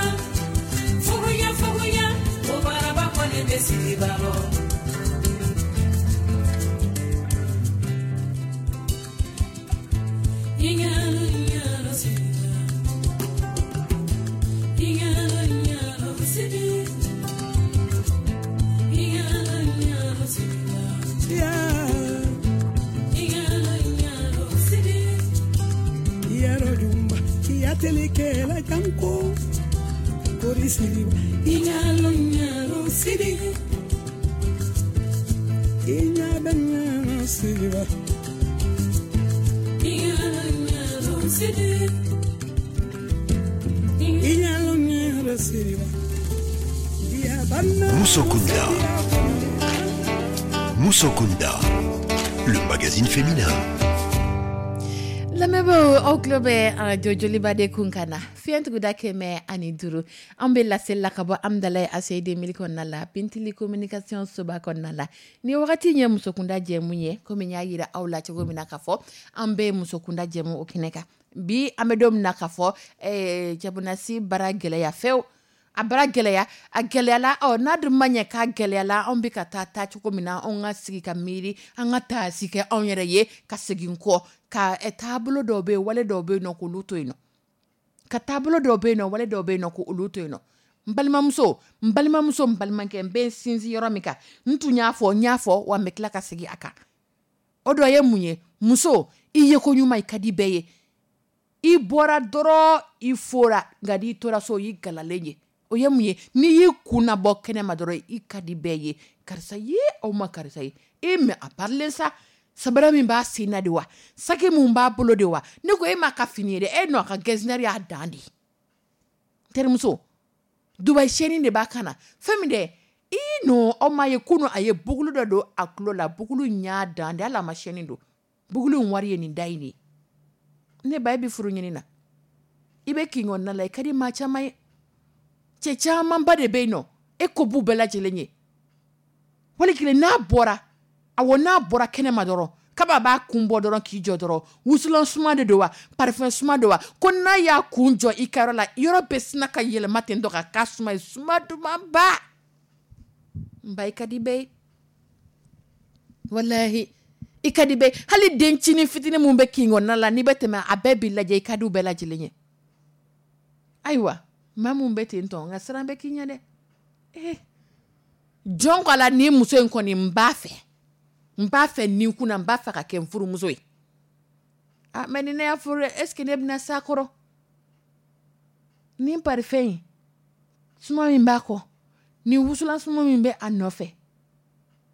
Fuguya fuguya ko baraba kɔni bɛ Siriba la. Inyalo inyalo Siriba. Inyalo inyalo Siriba. Inyalo inyalo Siriba. Yeah. Inyalo inyalo Siriba. Yaro jumba, iyatelikela janko. Kori Siriba, Inyalo inyalo Siriba. i ɲɛ bɛ ɲɛ na Siriba. Inyalo inyalo Siriba. Inyalo nyalo Siriba. Iya banna. Musokunda. Musokunda, le magazine féminin. Lamɛnbaaw, aw tulo bɛ arajo Joliba de kun kan na fiɲɛtuguda 105. An bɛ laseli la ka bɔ Amudalayi ACI 2000 kɔnɔna la, Bintili communication soba kɔnɔna la. Ni wagati in ye musokunda jɛmu ye, komi n y'a yira aw la cogo min na k'a fɔ an bɛ musokunda jɛmu o kɛnɛ kan bi. An bɛ don min na k'a fɔ cɛbonasi bara gɛlɛya fewu, a bara gɛlɛya, a gɛlɛyala. Ɔ, n'a dun ma ɲɛ k'a gɛlɛyala, anw bɛ ka taa taacogo min na, anw ka sigi ka miiri, an ka taasi kɛ anw yɛrɛ ye ka segin kɔ ka taabolo dɔw bɛ yen, wale dɔw bɛ yen nɔ, k'olu to yen nɔ, ka taabolo dɔw bɛ yen nɔ, wale dɔw bɛ yen nɔ, k'olu to yen nɔ. N balimamuso, n balimamuso, n balimakɛ, n bɛ n sinsin yɔrɔ min kan, n tun y'a fɔ, n y'a fɔ wa, n bɛ tila ka segin a kan. O dɔ ye mun ye? Muso, i ye ko ɲuman, i ka di bɛɛ ye. I bɔra dɔrɔn, i fora, nka n'i tora so, i galalen ye. O ye mun ye? N'i y'i kun nabɔ kɛnɛma dɔrɔn, i ka di bɛɛ ye. Karisa ye, aw ma karisa ye e mɛ a parilen sa, sabara min b'a sen na de wa, saki mun b'a bolo de wa. Ne ko e m'a ka fini ye dɛ, e nɔ a ka gɛzinɛri y'a dan de ye. Terimuso, Dubayi sɛni de b'a kan na, fɛn min dɛ, i nɔ aw m'a ye kunun a ye bugulu dɔ don a tulo la, bugulu in y'a dan de, hali a ma sɛni don, bugulu in wari ye nin da in de ye. Ne ba, e bɛ furu ɲini na, i bɛ kin kɔnɔna la, i ka di maa caman ye, cɛ camanba de bɛ yen nɔ, e ko b'u bɛɛ lajɛlen ye. Wali kelen n'a bɔra, awɔ, n'a bɔra kɛnɛma dɔrɔn, kaba b'a kun bɔ dɔrɔn k'i jɔ dɔrɔn, wusulan suma de don wa, parfum suma don wa, ko n'a y'a kun jɔ i ka yɔrɔ la, yɔrɔ bɛ sina ka yɛlɛma ten tɔ ka k'a suma ye, suma dumanba. N ba, i ka di bɛɛ ye, walahi i ka di bɛɛ. Hali dencinin fitinin mun bɛ kin kɔnɔna la, n'i bɛ tɛmɛ, a bɛɛ b'i lajɛ, i ka di u bɛɛ lajɛlen ye. Ayiwa, maa mun bɛ ten tɔ, nka siran bɛ k'i ɲɛ dɛ. Jɔn ko a la, nin muso in kɔni, n b'a fɛ, n b'a fɛ nin kunna, n b'a fɛ ka kɛ n furumuso ye. Ah, mais ni ne y'a furu, est ce que ne bɛna s'a kɔrɔ? Nin parfum in suma min b'a kɔ, nin wusulan suma min bɛ a nɔfɛ,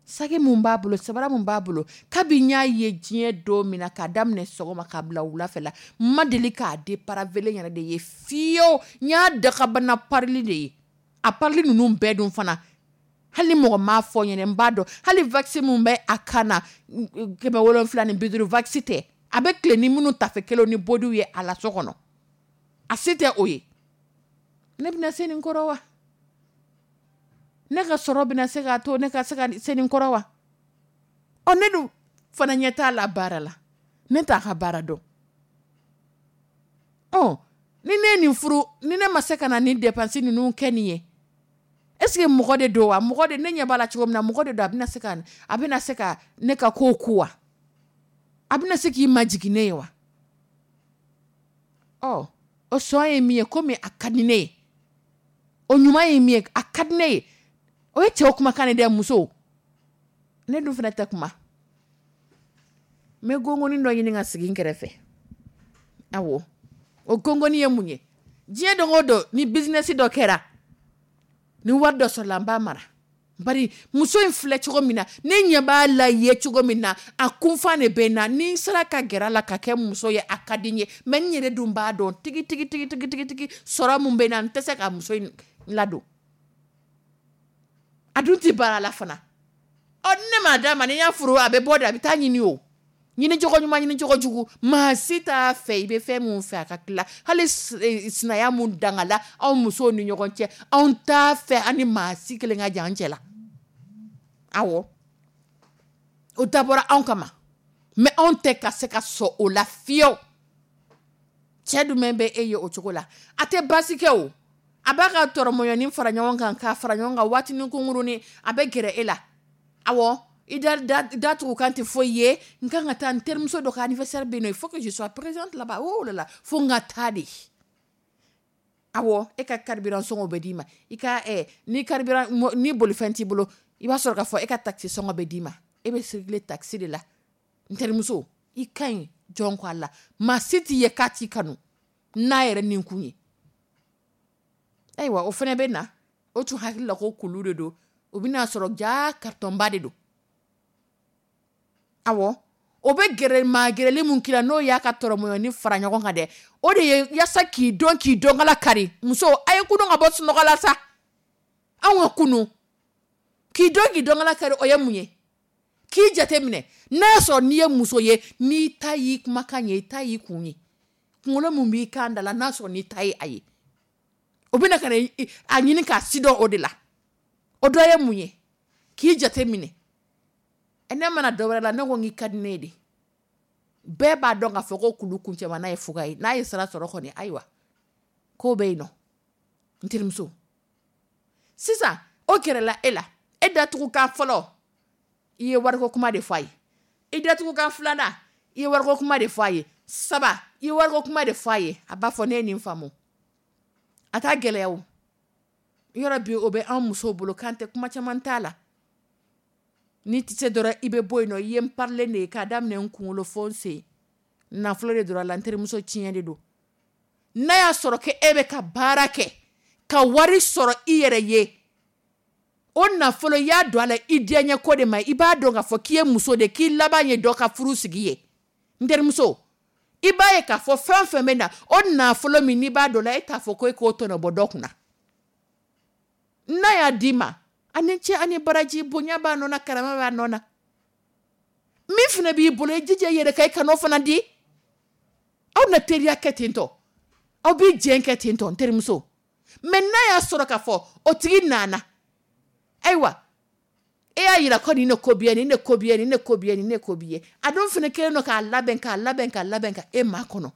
saki mun b'a bolo, sabara mun b'a bolo, kabi n y'a ye diɲɛ don min na, k'a daminɛ sɔgɔma k'a bila wula fɛ la, n ma deli k'a dépareillé yɛrɛ de ye fiyewu. N y'a dakabana parili de ye. A parili ninnu bɛɛ dun fana, hali ni mɔgɔ m'a fɔ n ɲɛna, n b'a dɔn. Hali vaccin mun bɛ a kan na, 750 vaccin tɛ, a bɛ tile ni minnu tafe kelenw ni bodiw ye a la so kɔnɔ, a se tɛ o ye. Ne bɛna se nin kɔrɔ wa? Ne ka sɔrɔ bɛna se k'a to ne ka se ka se nin kɔrɔ wa? Ɔ, ne dun fana ɲɛ t'a la baara la, ne t'a ka baara dɔn. Ɔ, ni ne ye nin furu, ni ne ma se ka na nin dépense ninnu kɛ nin ye, est ce que mɔgɔ de don wa? Mɔgɔ de, ne ɲɛ b'a la cogo min na, mɔgɔ de don, a bɛna se ka ne ka kow ku wa? A bɛna se k'i majigin ne ye wa? Ɔ, o sɔn ye min ye, komi a ka di ne ye, o ɲuman ye min ye, a ka di ne ye. O ye cɛw kumakan de dɛ, musow. Ne dun fana tɛ kuma. N bɛ gongoni dɔ ɲini ka sigi n kɛrɛfɛ. Awɔ, o gongoni ye mun ye? Diɲɛ don o don, ni business dɔ kɛra, ni wari dɔ sɔrɔla, n b'a mara. Bari muso in filɛ cogo min na, ne ɲɛ b'a la ye cogo min na, a kunfan de bɛ n na. Ni n sera ka gɛrɛ a la ka kɛ muso ye, a ka di n ye. Mais n yɛrɛ dun b'a dɔn tigi tigi tigi tigi tigi tigi, sɔrɔ mun bɛ n na, n tɛ se ka muso in ladon. A dun tɛ baara la fana. Ɔ, ne m'a d'a ma, ni n y'a furu, a bɛ bɔ de, a bɛ taa ɲini. O ɲini cogo ɲuman, ɲini cogo jugu, maa si t'a fɛ. I bɛ fɛn mun fɛ, a ka tila. Hali sinaya mun dangala anw musow ni ɲɔgɔn cɛ, anw t'a fɛ an ni maa si kelen ka jan an cɛ la. Awɔ, o dabɔra anw kama, mais anw tɛ ka se ka sɔn o la fiyewu. Cɛ jumɛn bɛ e ye o cogo la? A tɛ baasi kɛ. O a b'a ka tɔrɔmɔɲɔni fara ɲɔgɔn kan, k'a fara ɲɔgɔn kan, waatinin kunkurunin, a bɛ gɛrɛ e la. Awɔ, i da da tugu kan tɛ foyi ye. N kan ka taa n terimuso dɔ ka anniversaire bɛ yen nɔ, il faut que je sois présente là-bas. Oh là là, fo n ka taa de. Awɔ, e ka carburant sɔngɔ bɛ d'i ma. I ka ni carburant, ni bolifɛn t'i bolo, i b'a sɔrɔ k'a fɔ e ka taxi sɔngɔ bɛ d'i ma. E bɛ circuler taxi de la. N terimuso, i ka ɲi jɔn ko a la, maa si t'i ye k'a t'i kanu n'a yɛrɛ nin kun ye. Ayiwa, o fana bɛ na, o tun hakili la ko kulu de don, o bɛna sɔrɔ jaa cartonba de don. Awɔ, o bɛ gɛrɛ maa gɛrɛli mun k'i la, n'o y'a ka tɔrɔmɔɲɔni fara ɲɔgɔn kan dɛ, o de ye yaasa k'i dɔn, k'i dɔnkala kari. Muso, a ye kunu ka bɔ sunɔgɔ la sa. Anw ka kunu k'i dɔn, k'i dɔnkala kari, o ye mun ye? K'i jate minɛ, n'a y'a sɔrɔ n'i ye muso ye, n'i ta y'i kumakan ye, i ta y'i kun ye, kunkolo mun b'i kan da la, n'a sɔrɔ n'i ta ye a ye, o bɛna ka na a ɲini k'a si dɔn o de la. O dɔ ye mun ye? K'i jate minɛ. Ne mana dɔ wɛrɛ la, ne ko n k'i ka di ne ye de. Bɛɛ b'a dɔn k'a fɔ ko kulu kuncɛma ye fuga ye. N'a ye sira sɔrɔ kɔni, ayiwa, ko bɛ yen nɔ. N terimuso, sisan o gɛrɛla e la, e datugukan fɔlɔ, i ye wariko kuma de fɔ a ye. I datugukan filanan, i ye wariko kuma de fɔ a ye. Saba, i ye wariko kuma de fɔ a ye. A b'a fɔ ne ye nin faamu. A t'a gɛlɛya. O yɔrɔ bi, o bɛ an musow bolo k'an tɛ kuma caman t'a la. N'i tɛ se dɔrɔn, i bɛ bɔ yen nɔ. I ye n parilen de ye k'a daminɛ n kunkolo fo n sen, nafolo de dɔrɔn la. N terimuso, tiɲɛ de don. N'a y'a sɔrɔ ko e bɛ ka baara kɛ ka wari sɔrɔ i yɛrɛ ye, o nafolo, i y'a don a la i diyaɲɛ ko de ma. I b'a dɔn k'a fɔ k'i ye muso de, k'i laban ye dɔ ka furu sigi ye. N terimuso, i b'a ye k'a fɔ fɛn fɛn bɛ na, o nafolo min n'i b'a dɔn la, e t'a fɔ ko e k'o tɔnɔ bɔ dɔ kunna. N'a y'a d'i ma, ani cɛ ani baraji, bonya b'a nɔ na, karama b'a nɔ na. Min fana b'i bolo, i jija i yɛrɛ ka i kan'o fana di. Aw na teriya kɛ ten tɔ, aw bɛ jɛn kɛ ten tɔ, n terimuso. Mais n'a y'a sɔrɔ k'a fɔ o tigi nana, ayiwa, e y'a yira ko nin de ko b'i ye, nin de ko b'i ye, nin de ko b'i ye, nin de ko b'i ye, a dun fana kɛlen don k'a labɛn, k'a labɛn, k'a labɛn ka e maa kɔnɔ.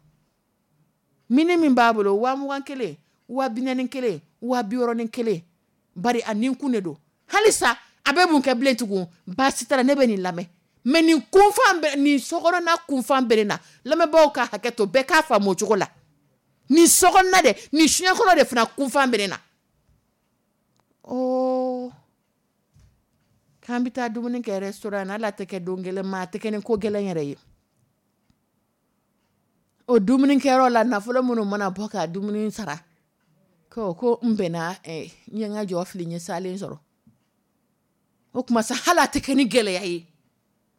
Mini min b'a bolo, 20,000 kelen, 40,000 kelen, 60,000 kelen, bari a nin kun de don. Halisa a bɛ mun kɛ bilen tugun? Baasi t'a la, ne bɛ nin lamɛn. Mais nin kunfan bɛ nin sokɔnɔna, kunfan bɛ ne na. Lamɛnbaaw ka hakɛ to, bɛɛ k'a faamu o cogo la. Nin sokɔnɔna dɛ, nin soɲɛ kɔnɔ de fana kunfan bɛ ne na. Ɔ, k'an bɛ taa dumuni kɛ restaurant na, hali a tɛ kɛ don gɛlɛn ma, a tɛ kɛ ni ko gɛlɛn yɛrɛ ye. O dumunikɛyɔrɔ la, nafolo minnu mana bɔ ka dumuni sara, ko n bɛnna, n ye n ka jɔ fili, n ye salen sɔrɔ. O tuma sa, hali a tɛ kɛ ni gɛlɛya ye,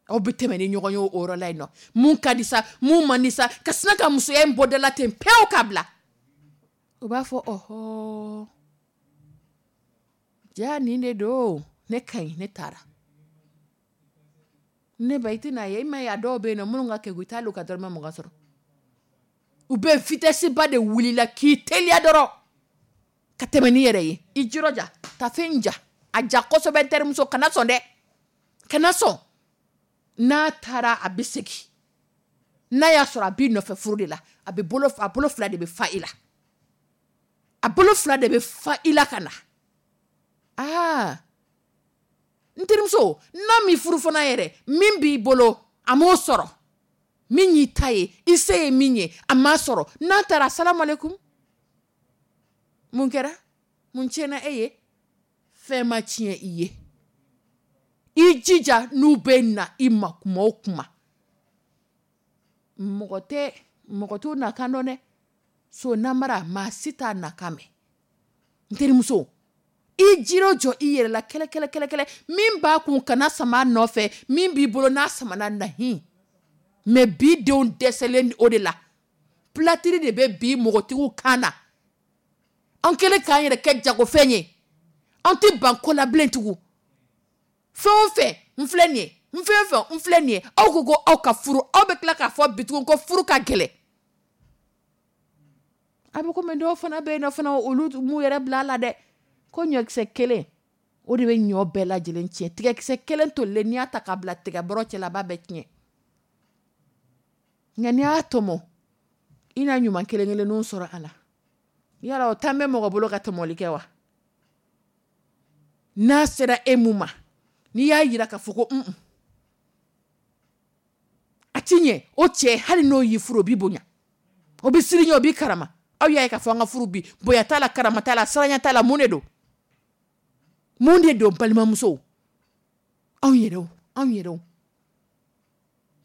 aw bɛ tɛmɛ ni ɲɔgɔn ye o yɔrɔ la yen nɔ. Mun ka di sa, mun man di sa, ka sina ka musoya in bɔ da la ten pewu k'a bila. O b'a fɔ ɔhɔ, ja nin de don, ne ka ɲi, ne taara. Ne ba, i tɛna ye, i ma ye, a dɔw bɛ yen nɔ minnu ka kegu, i t'ale ka dɔrɔmɛ 20 sɔrɔ. U bɛ vitesse ba de wulila k'i teliya dɔrɔn ka tɛmɛ n'i yɛrɛ ye. I jirɔja tafe ja, a ja kosɛbɛ. N terimuso, kana sɔn dɛ, kana sɔn. N'a taara, a bɛ segin. N'a y'a sɔrɔ a b'i nɔfɛ furu de la, a bɛ bolo, a bolo fila de bɛ fa i la, a bolo fila de bɛ fa i la ka na. Aa, n terimuso, n'a m'i furu fana yɛrɛ, min b'i bolo, a m'o sɔrɔ. Min y'i ta ye, i se ye min ye, a m'a sɔrɔ. N'a taara, salamalekun, mun kɛra? Mun tiɲɛna e ye? Fɛn ma tiɲɛ i ye. I jija, n'u bɛ na i ma kuma o kuma, mɔgɔ tɛ mɔgɔ t'u na kan dɔn dɛ. So namara, maa si t'a nakan mɛn. N terimuso, i jiro jɔ i yɛrɛ la kɛlɛ kɛlɛ kɛlɛ kɛlɛ. Min b'a kun, kana sama nɔfɛ. Min b'i bolo, n'a samana nahi. Mais bi denw dɛsɛlen o de la. Platiri de bɛ bi mɔgɔtigiw kan na. An kɛlen k'an yɛrɛ kɛ jagofɛn ye, an tɛ ban ko la bilen tugun. Fɛn o fɛn n filɛ nin ye, n fɛn o fɛn n filɛ nin ye, aw ko ko aw ka furu, aw bɛ tila k'a fɔ bi tugun ko furu ka gɛlɛn. A bɛ komi dɔw fana bɛ yen nɔ fana, olu m'u yɛrɛ bila a la dɛ. Ko ɲɔkisɛ kelen, o de bɛ ɲɔ bɛɛ lajɛlen tiɲɛ. Tigɛkisɛ kelen tolilen, n'i y'a ta k'a bila tigɛbɔrɔ cɛ la, a b'a bɛɛ tiɲɛ. Nka n'i y'a tɔmɔ, i na ɲuman kelen kelenninw sɔrɔ a la. Yala o tan bɛ mɔgɔ bolo ka tɔmɔli kɛ wa? N'a sera e mun ma, n'i y'a yira k'a fɔ ko un, a ti ɲɛ, o cɛ, hali n'o y'i furu, o b'i bonya, o bɛ siran ɲɛ, o b'i karama. Aw y'a ye k'a fɔ an ka furu bi, bonya t'a la, karama t'a la, siranya t'a la. Mun de don? Mun de don? Balimamusow, anw yɛrɛw, anw yɛrɛw,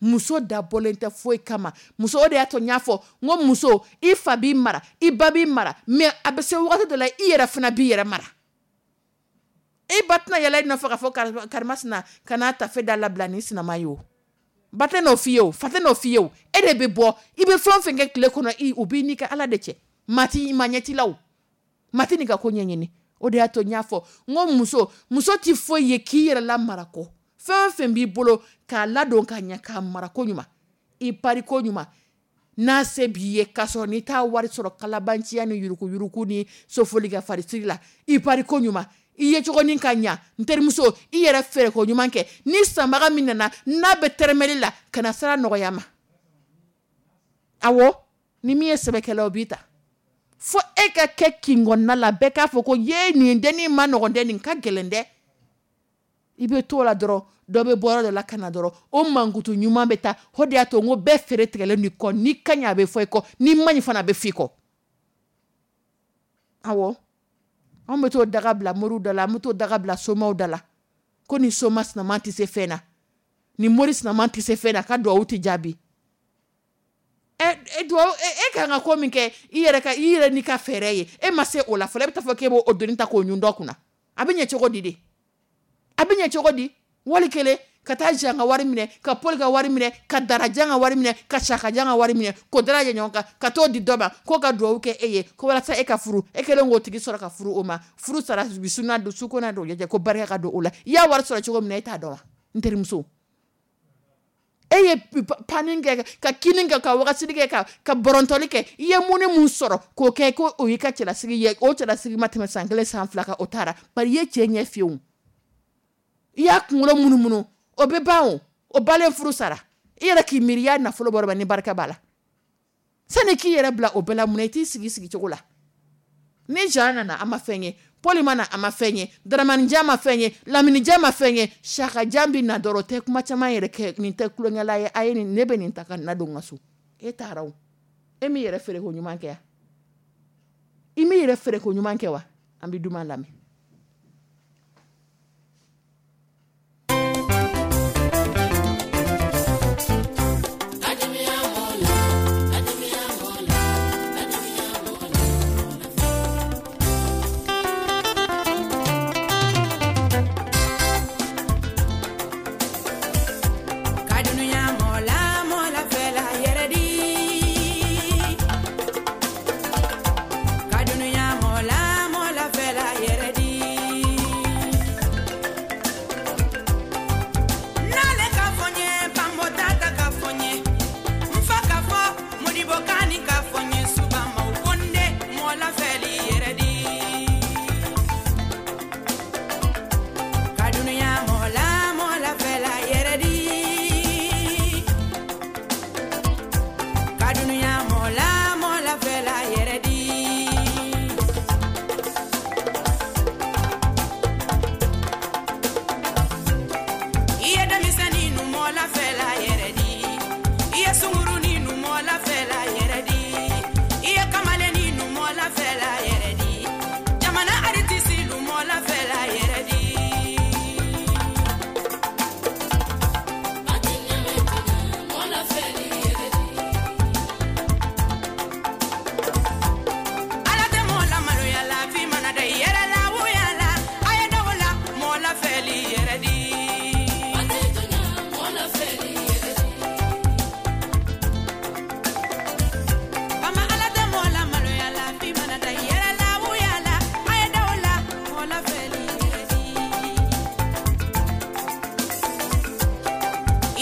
muso dabɔlen tɛ foyi kama. Muso, o de y'a to n y'a fɔ n ko muso, i fa b'i mara, i ba b'i mara, mais a bɛ se wagati dɔ la, i yɛrɛ fana b'i yɛrɛ mara. E ba tɛna yɛlɛ i nɔfɛ k'a fɔ karimasina ka n'a tafe da labila ni sinama ye. O ba tɛ n'o f'i ye, o fa tɛ n'o f'i ye. O e de bɛ bɔ, i bɛ fɛn o fɛn kɛ tile kɔnɔ, i o b'i n'i ka Ala de cɛ. Maa ti maa ɲɛ t'i la, o maa tɛ n'i ka ko ɲɛɲini. O de y'a to n y'a fɔ n ko muso, muso ti foyi ye k'i yɛrɛ lamara kɔ. Fɛn o fɛn b'i bolo k'a ladon ka ɲɛ, k'a mara ko ɲuman, i pari ko ɲuman, n'a se b'i ye, k'a sɔrɔ n'i t'a wari sɔrɔ kalabanciya ni yurukuyuruku ni sofoli ka farisiri la, i pari ko ɲuman, i ye cogonin ka ɲa. N terimuso, i yɛrɛ feere ko ɲuman kɛ. Ni sanbaga min nana, n'a bɛ tɛrɛmɛli la, kana sira nɔgɔya ma. Awɔ, ni min ye sɛbɛkɛla, o b'i ta fo e ka kɛ kinkɔnɔna la, bɛɛ k'a fɔ ko ye nin dennin ma nɔgɔn dɛ, nin ka gɛlɛn dɛ. I bɛ to la dɔrɔn, dɔ bɛ bɔ yɔrɔ dɔ la ka na dɔrɔn, o mankutu ɲuman bɛ taa. O de y'a to n ko bɛɛ feere tigɛlen n'i kɔ. N'i ka ɲi, a bɛ fɔ i kɔ, n'i ma ɲi fana, a bɛ fɔ i kɔ. Awɔ, anw bɛ t'o daga bila moriw da la, an bɛ t'o daga bila somaw da la, ko ni soma sinaman tɛ se fɛn na, ni mori sinaman tɛ se fɛn na, ka duwawu tɛ jaabi. E duwawu, e kan ka ko min kɛ i yɛrɛ ka, i yɛrɛ n'i ka fɛɛrɛ ye, e ma se o la fɔlɔ, e bɛ taa fɔ k'e b'o doni ta k'o ɲun dɔ kunna. A bɛ ɲɛ cogo di de? A bɛ ɲɛ cogo di? Wali kelen ka taa Jean ka wari minɛ, ka Paul ka wari minɛ, ka Darajan ka wari minɛ, ka Sakajan ka wari minɛ, k'o dara ɲɔgɔn kan ka t'o di dɔ ma k'o ka duwawu kɛ e ye ko walasa e ka furu. E kɛlen k'o tigi sɔrɔ ka furu, o ma furu sara bi suna don su ko n'a don jɛ ko barika ka don o la. I y'a wari sɔrɔ cogo min na, e t'a dɔn wa? N terimuso, e ye panni kɛ, ka kini kɛ, ka wagasili kɛ, ka bɔrɔntɔli kɛ, i ye mun ni mun sɔrɔ k'o kɛ ko o y'i ka cɛlasigi ye? O cɛlasigi ma tɛmɛ san kelen, san fila kan, o taara. Bari i ye cɛ ɲɛ fiyewu, i y'a kunkolo munumunu, o bɛ ban. O o balen, furu sara. I yɛrɛ k'i miiri, i y'a nafolo bɔ ni barika b'a la. Sani k'i yɛrɛ bila o bɛɛ la, mun na i t'i sigi sigicogo la? Ni Jean nana, a ma fɛn ye. Paul ma na, a ma fɛn ye. Daramanijan ma fɛn ye. Laminijan ma fɛn ye. Sakajan bɛ na dɔrɔn, o tɛ kuma caman yɛrɛ kɛ. Nin tɛ tulonkɛla ye. A ye nin, ne bɛ nin ta ka na don n ka so. E taara o, e m'i yɛrɛ feere ko ɲuman kɛ wa? I m'i yɛrɛ feere ko ɲuman kɛ wa? An bɛ duman lamɛn. Ka dunuya mɔla mɔla fɛla yɛrɛ di.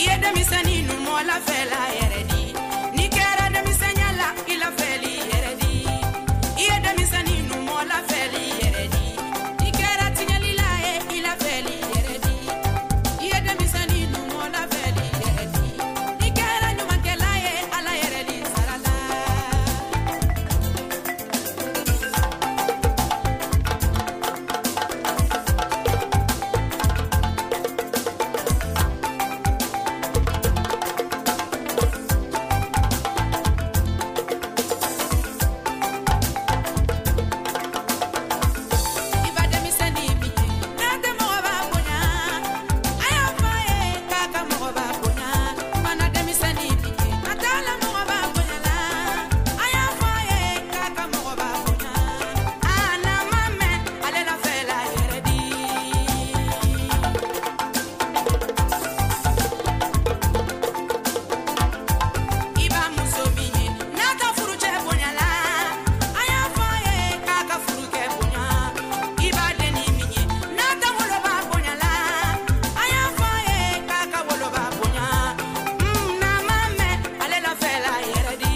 I ye denmisɛnnin nu mɔ lafɛla yɛrɛ di. N'i kɛra denmisɛnya la, i lafɛli yɛrɛ di. I ye denmisɛnnin nu mɔ lafɛli yɛrɛ di. N'i kɛra tiɲɛlila ye, i lafɛli yɛrɛ di. I ye denmisɛnnin nu mɔ lafɛli yɛrɛ di. N'i kɛra ɲumankɛla ye, Ala yɛrɛ di sara la. I ba denmisɛnnin min ye, n'a tɛ mɔgɔba bonya, a y'a fɔ a ye k'a ka mɔgɔba bonya. Mana denmisɛnnin min ye, a t'a la mɔgɔba bonya la, a y'a fɔ a ye k'a ka mɔgɔba bonya. A n'a ma mɛn, ale la fɛ la yɛrɛ di. I b'a muso min ye, n'a ka furucɛ bonya la, a y'a fɔ a ye k'a ka furukɛ bonya. I b'a denni min ye, n'a ka woloba bonya la, a y'a fɔ a ye k'a ka woloba bonya. N'a ma mɛn, ale la fɛ la yɛrɛ di.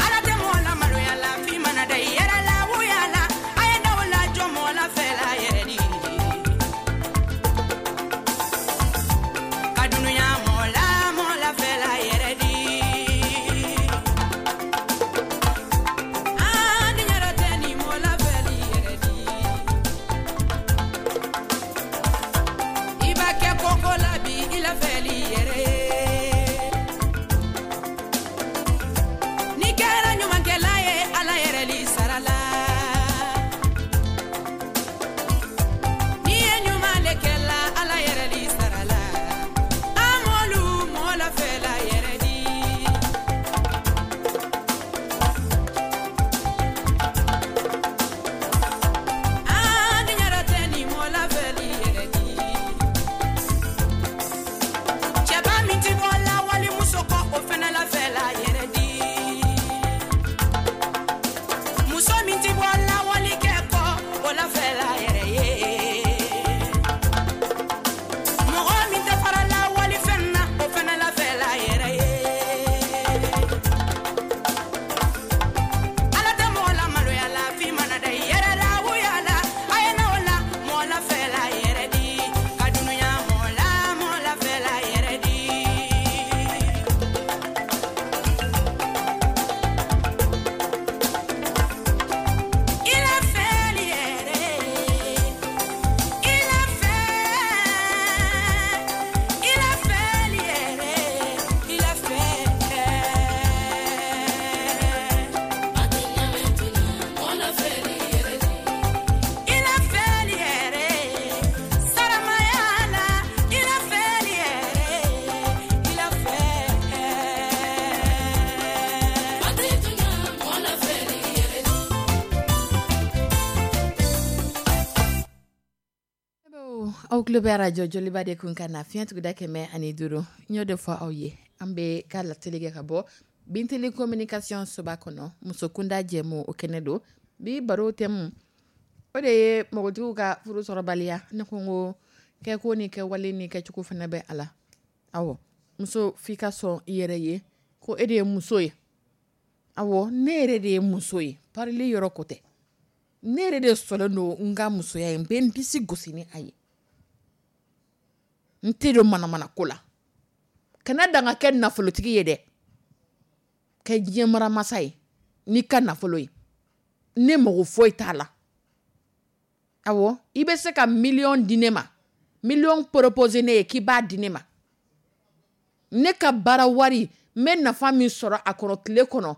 Ala tɛ mɔgɔ la maloya la f'i mana da i yɛrɛ la wuya la a ye da o la jɔ mɔgɔ la fɛ la yɛrɛ di. Ka dunuya mɔgɔ la mɔgɔ la fɛ la yɛrɛ di. Aa ni yɛrɛ tɛ ni mɔgɔ la fɛ li yɛrɛ di. I b'a kɛ koko la bi i la fɛ li yɛrɛ ye. N'i kɛra ɲumankɛla ye, Ala yɛrɛ li sara la. N'i ye ɲuman le kɛla, Ala yɛrɛ li sara la. An m'olu mɔgɔ la fɛ la yɛrɛ di. Aa ni yɛrɛ tɛ ni mɔgɔ la fɛ li yɛrɛ di. Cɛba min ti bɔ la walimuso kɔ, o fɛnɛ la fɛ la yɛrɛ di. Muso min ti bɔ la walikɛ kɔ, o la fɛ la yɛrɛ ye. Mɔgɔ min tɛ fara la walifɛn na, o fɛnɛ la fɛ la yɛrɛ ye. Ala tɛ mɔgɔ la maloya la f'i mana da i yɛrɛ la wuya la a ye n'o la mɔgɔ la fɛ la yɛrɛ di. Ka dunuya mɔgɔ la mɔgɔ la fɛ la yɛrɛ di. I la fɛli yɛrɛ, i la fɛ, i la fɛli yɛrɛ, i la fɛ. I la fɛli yɛrɛ, saramaya la, i la fɛli yɛrɛ, i la fɛ. Aw tulo bɛ arajo joliba de kun kan na fiɲɛ tuguda 105. N y'o de fɔ aw ye, an bɛ ka lateli kɛ ka bɔ Bintili communication soba kɔnɔ, muso kunda jɛmu o kɛnɛ don. Bi baro thème o de ye npogotigiw ka furu sɔrɔbaliya. Ne ko n ko kɛko ni kɛwale ni kɛcogo fana bɛ a la. Awɔ, muso f'i ka sɔn i yɛrɛ ye ko e de ye muso ye. Awɔ, ne yɛrɛ de ye muso ye, parili yɔrɔ ko tɛ. Ne yɛrɛ de sɔnnen don n ka musoya ye, n bɛ n disi gosi ni a ye. N tɛ don manamana ko la. Kana dan ka kɛ nafolotigi ye dɛ. Kɛ diɲɛ maramasa ye n'i ka nafolo ye. Ne mago foyi t'a la. Awɔ, i bɛ se ka miliyɔn di ne ma. Miliyɔn proposé ne ye k'i b'a di ne ma. Ne ka baara wari, n bɛ nafa min sɔrɔ a kɔnɔ tile kɔnɔ,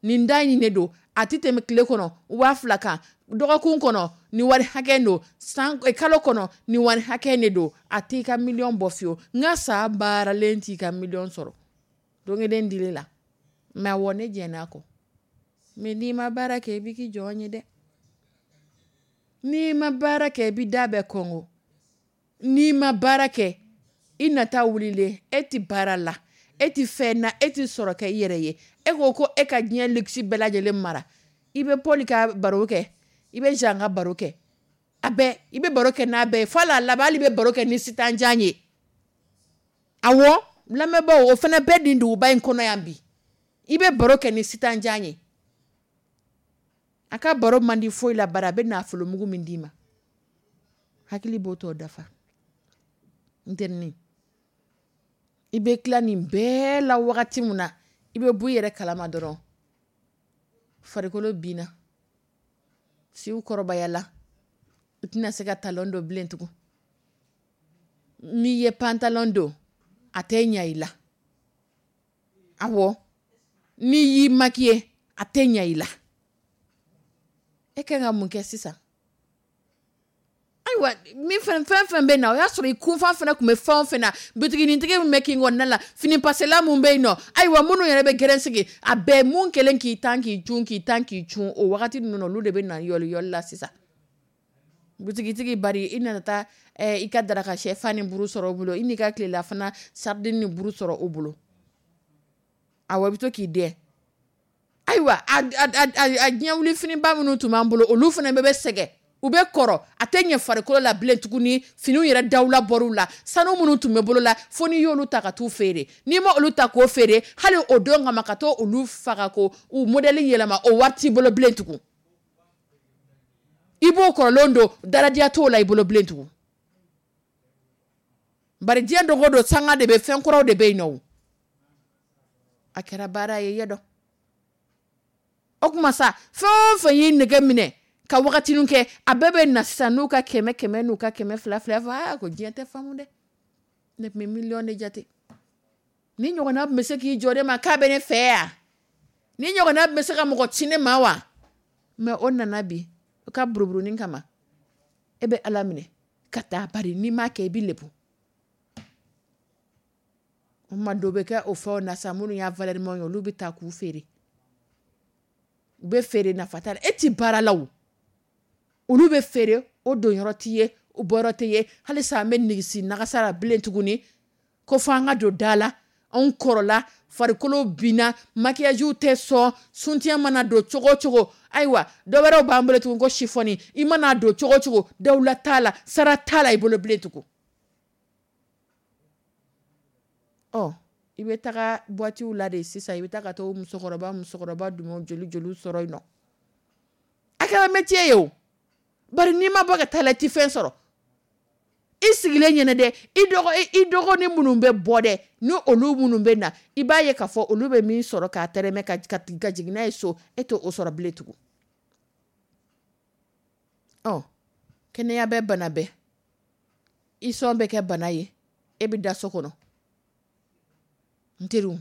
nin da in de don, a tɛ tɛmɛ tile kɔnɔ 2000 kan, dɔgɔkun kɔnɔ nin wari hakɛ don, san kalo kɔnɔ nin wari hakɛ de don, a t'i ka miliyɔn bɔ fiyewu. N ka sa baaralen t'i ka miliyɔn sɔrɔ. Don kelen dili la. Mais awɔ, ne jɛn'a kɔ. Mais n'i ma baara kɛ, i b'i k'i jɔn ye dɛ. N'i ma baara kɛ, i b'i da bɛɛ kɔngɔ. N'i ma baara kɛ, i nata wulilen, e ti baara la, e ti fɛn na, e ti sɔrɔ kɛ i yɛrɛ ye. E ko ko e ka diɲɛ luxe bɛɛ lajɛlen mara. I bɛ Paul ka baro kɛ. I bɛ jan ka baro kɛ a bɛɛ, i bɛ baro kɛ n'a bɛɛ ye, fo la laban hali i bɛ baro kɛ ni sitanjan ye. Awɔ, lamɛnbaaw, o fana bɛɛ nin duguba in kɔnɔ yan bi. I bɛ baro kɛ ni sitanjan ye, a ka baro man di foyi la, bari a bɛ nafolomugu min d'i ma, hakili b'o tɔ dafa. N terinin, i bɛ tila nin bɛɛ la wagati min na, i bɛ bɔ i yɛrɛ kalama dɔrɔn, farikolo binna, siw kɔrɔbayala, i tɛna se ka talon don bilen tugun. N'i ye pantalon don, a tɛ ɲa i la. Awɔ, n'i y'i maquiller, a tɛ ɲa i la. E kan ka mun kɛ sisan? Ayiwa, min fɛn fɛn fɛn bɛ na, o y'a sɔrɔ i kunfa fana tun bɛ fɛn o fɛn na, butiginitigi min bɛ kin kɔnɔna la, fini pasela min bɛ yen nɔ, ayiwa, minnu yɛrɛ bɛ gɛrɛn sigi, a bɛɛ mun kɛlen k'i tan k'i cun, k'i tan k'i cun o wagati ninnu na, olu de bɛ na yɔli yɔli la sisan. Butigitigi, bari i nana taa i ka daraka sɛfan ni buru sɔrɔ o bolo, i n'i ka tilelafana sardine ni buru sɔrɔ o bolo. Awɔ, i bɛ to k'i dɛn. Ayiwa, a diɲɛ wuli finiba minnu tun b'an bolo, olu fana bɛɛ bɛ sɛgɛn, u bɛ kɔrɔ, a tɛ ɲɛ farikolo la bilen tuguni. Finiw yɛrɛ dawula bɔr'u la, sanu minnu tun bɛ bolo la, fo n'i y'olu ta ka t'u feere. N'i ma olu ta k'o feere, hali o don kama ka t'o olu faga ko u modèle yɛlɛma, o wari t'i bolo bilen tugun. I b'o kɔrɔlen don, daradiya t'o la i bolo bilen tugun. Bari diɲɛ don o don, sanga de bɛ, fɛn kuraw de bɛ yen nɔ. A kɛra baara ye yɛ dɔn. O tuma sa, fɛn o fɛn y'i nɛgɛ minɛ ka wagatinin kɛ, a bɛɛ bɛ na sisan n'u ka 100 100 n'u ka 200 200 fɔ. Aa, ko diɲɛ tɛ faamu dɛ, ne tun bɛ miliyɔn de jate. Ni ɲɔgɔnna tun bɛ se k'i jɔ ne ma k'a bɛ ne fɛ yan, ni ɲɔgɔnna tun bɛ se ka mɔgɔ ci ne ma wa? Mɛ o nana bi o ka buruburunin kama, e bɛ Ala minɛ ka taa, bari n'i m'a kɛ, i bɛ lebu. O ma dɔ bɛ kɛ o fɛnw na sa, minnu y'a valeur ye, olu bɛ taa k'u feere, u bɛ feere nafa t'a la, e ti baara la o, olu bɛ feere, o don yɔrɔ t'i ye, o bɔyɔrɔ tɛ ye. Halisa an bɛ nigisi nagasa la bilen tuguni, ko fo an ka don da la. Anw kɔrɔla, farikolo binna, maquillage tɛ sɔn, soutien mana don cogo o cogo. Ayiwa, dɔ wɛrɛw b'an bolo tugun ko chiffon, i mana don cogo o cogo, dawula t'a la, sara t'a la i bolo bilen tugun. Ɔ, i bɛ taga boîte la de sisan, i bɛ taa ka taa musokɔrɔba musokɔrɔba jumɛn joli joli sɔrɔ yen nɔ. A kɛra métier ye o, bari n'i ma bɔ ka taa la, i tɛ fɛn sɔrɔ. I sigilen ɲɛnɛ dɛ, i dɔgɔnin minnu bɛ bɔ dɛ, ni olu minnu bɛ na, i b'a ye k'a fɔ olu bɛ min sɔrɔ k'a tɛrɛmɛ ka jigin n'a ye so, e t'o sɔrɔ bilen tugun. Ɔ, kɛnɛya bɛ bana bɛɛ, i sɔn bɛ kɛ bana ye, e bɛ da so kɔnɔ. N teriw,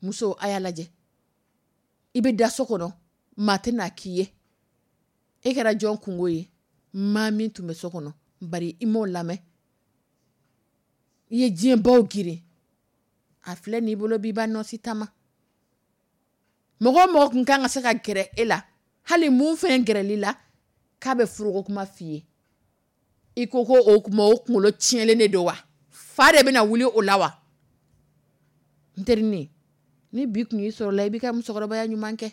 muso, a y'a lajɛ, i bɛ da so kɔnɔ, maa tɛna k'i ye, e kɛra jɔn kungo ye? Maa min tun bɛ so kɔnɔ, bari i m'o lamɛn, i ye diɲɛbaw girin, a filɛ n'i bolo b'i ba nɔsi tama. Mɔgɔ o mɔgɔ tun kan ka se ka gɛrɛ e la, hali mun fɛn gɛrɛli la k'a bɛ furuko kuma f'i ye, i ko ko o kuma o kunkolo tiɲɛlen de don wa? Fa de bɛna wuli o la wa? N terinin, ni bi tun y'i sɔrɔ la, i b'i ka musokɔrɔbaya ɲuman kɛ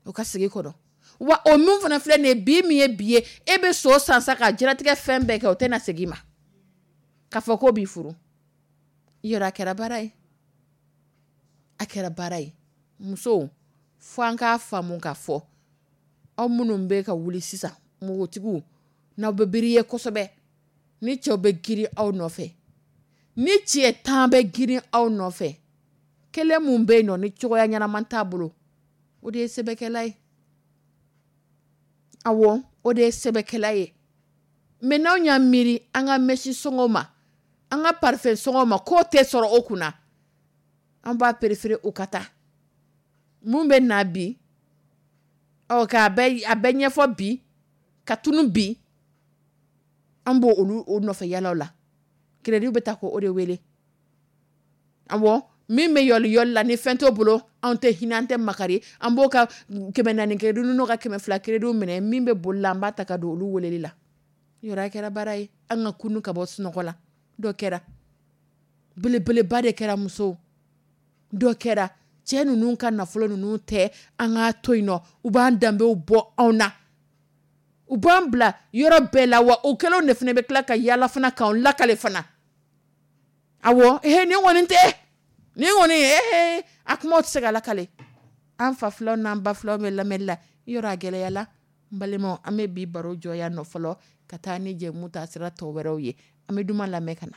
o ka sigi kɔnɔ. Wa o min fana filɛ nin ye bi, min ye bi ye, e bɛ so san sa ka diɲɛlatigɛ fɛn bɛɛ kɛ, o tɛna segin i ma k'a fɔ k'o b'i furu. Yɔrɔ a kɛra baara ye, a kɛra baara ye. Musow, fo an k'a faamu k'a fɔ aw minnu bɛ ka wuli sisan, npogotigiw, n'aw bɛ biri ye kosɛbɛ, ni cɛw bɛ girin aw nɔfɛ, ni cɛ 10 bɛ girin aw nɔfɛ, kelen mun bɛ yen nɔ ni cogoya ɲɛnama t'a bolo, o de ye sɛbɛkɛla ye. Awɔ, o de ye sɛbɛkɛla ye. Mɛ n'anw y'a miiri an ka mɛsi sɔngɔ ma, an ka parfum sɔngɔ ma, k'o tɛ sɔrɔ o kunna, an b'a préféré o ka taa. Mun bɛ na bi, ɔ, k'a bɛɛ a bɛɛ ɲɛfɔ bi, ka tunu bi, an b'o olu o nɔfɛ yalaw la. Crédit bɛ ta k'o de wele. Awɔ, min bɛ yɔli yɔli la ni fɛn t'o bolo, anw tɛ hinɛ, an tɛ makari, an b'o ka 400 crédit n'o ka 200 crédit minɛ, min bɛ boli la, an b'a ta ka don olu weleli la. Yɔrɔ a kɛra baara ye, an ka kunu ka bɔ sunɔgɔ la. Dɔ kɛra belebeleba de kɛra musow, dɔ kɛra cɛ ninnu ka nafolo ninnu tɛ, an k'a to yen nɔ, u b'an danbew bɔ anw na. U b'an bila yɔrɔ bɛɛ la, wa o kɛlenw de fana bɛ tila ka yaala fana k'an lakale fana. Awɔ, ehe, nin kɔni tɛ nin kɔni, ehe, a kumaw tɛ se ka lakale. An fa filaw n'an ba filaw bɛ lamɛnli la yɔrɔ, a gɛlɛyala. N balimaw, an bɛ bi baro jɔ yan nɔ fɔlɔ, ka taa ni jɛmu ta sira tɔ wɛrɛw ye. An bɛ duman lamɛn ka na.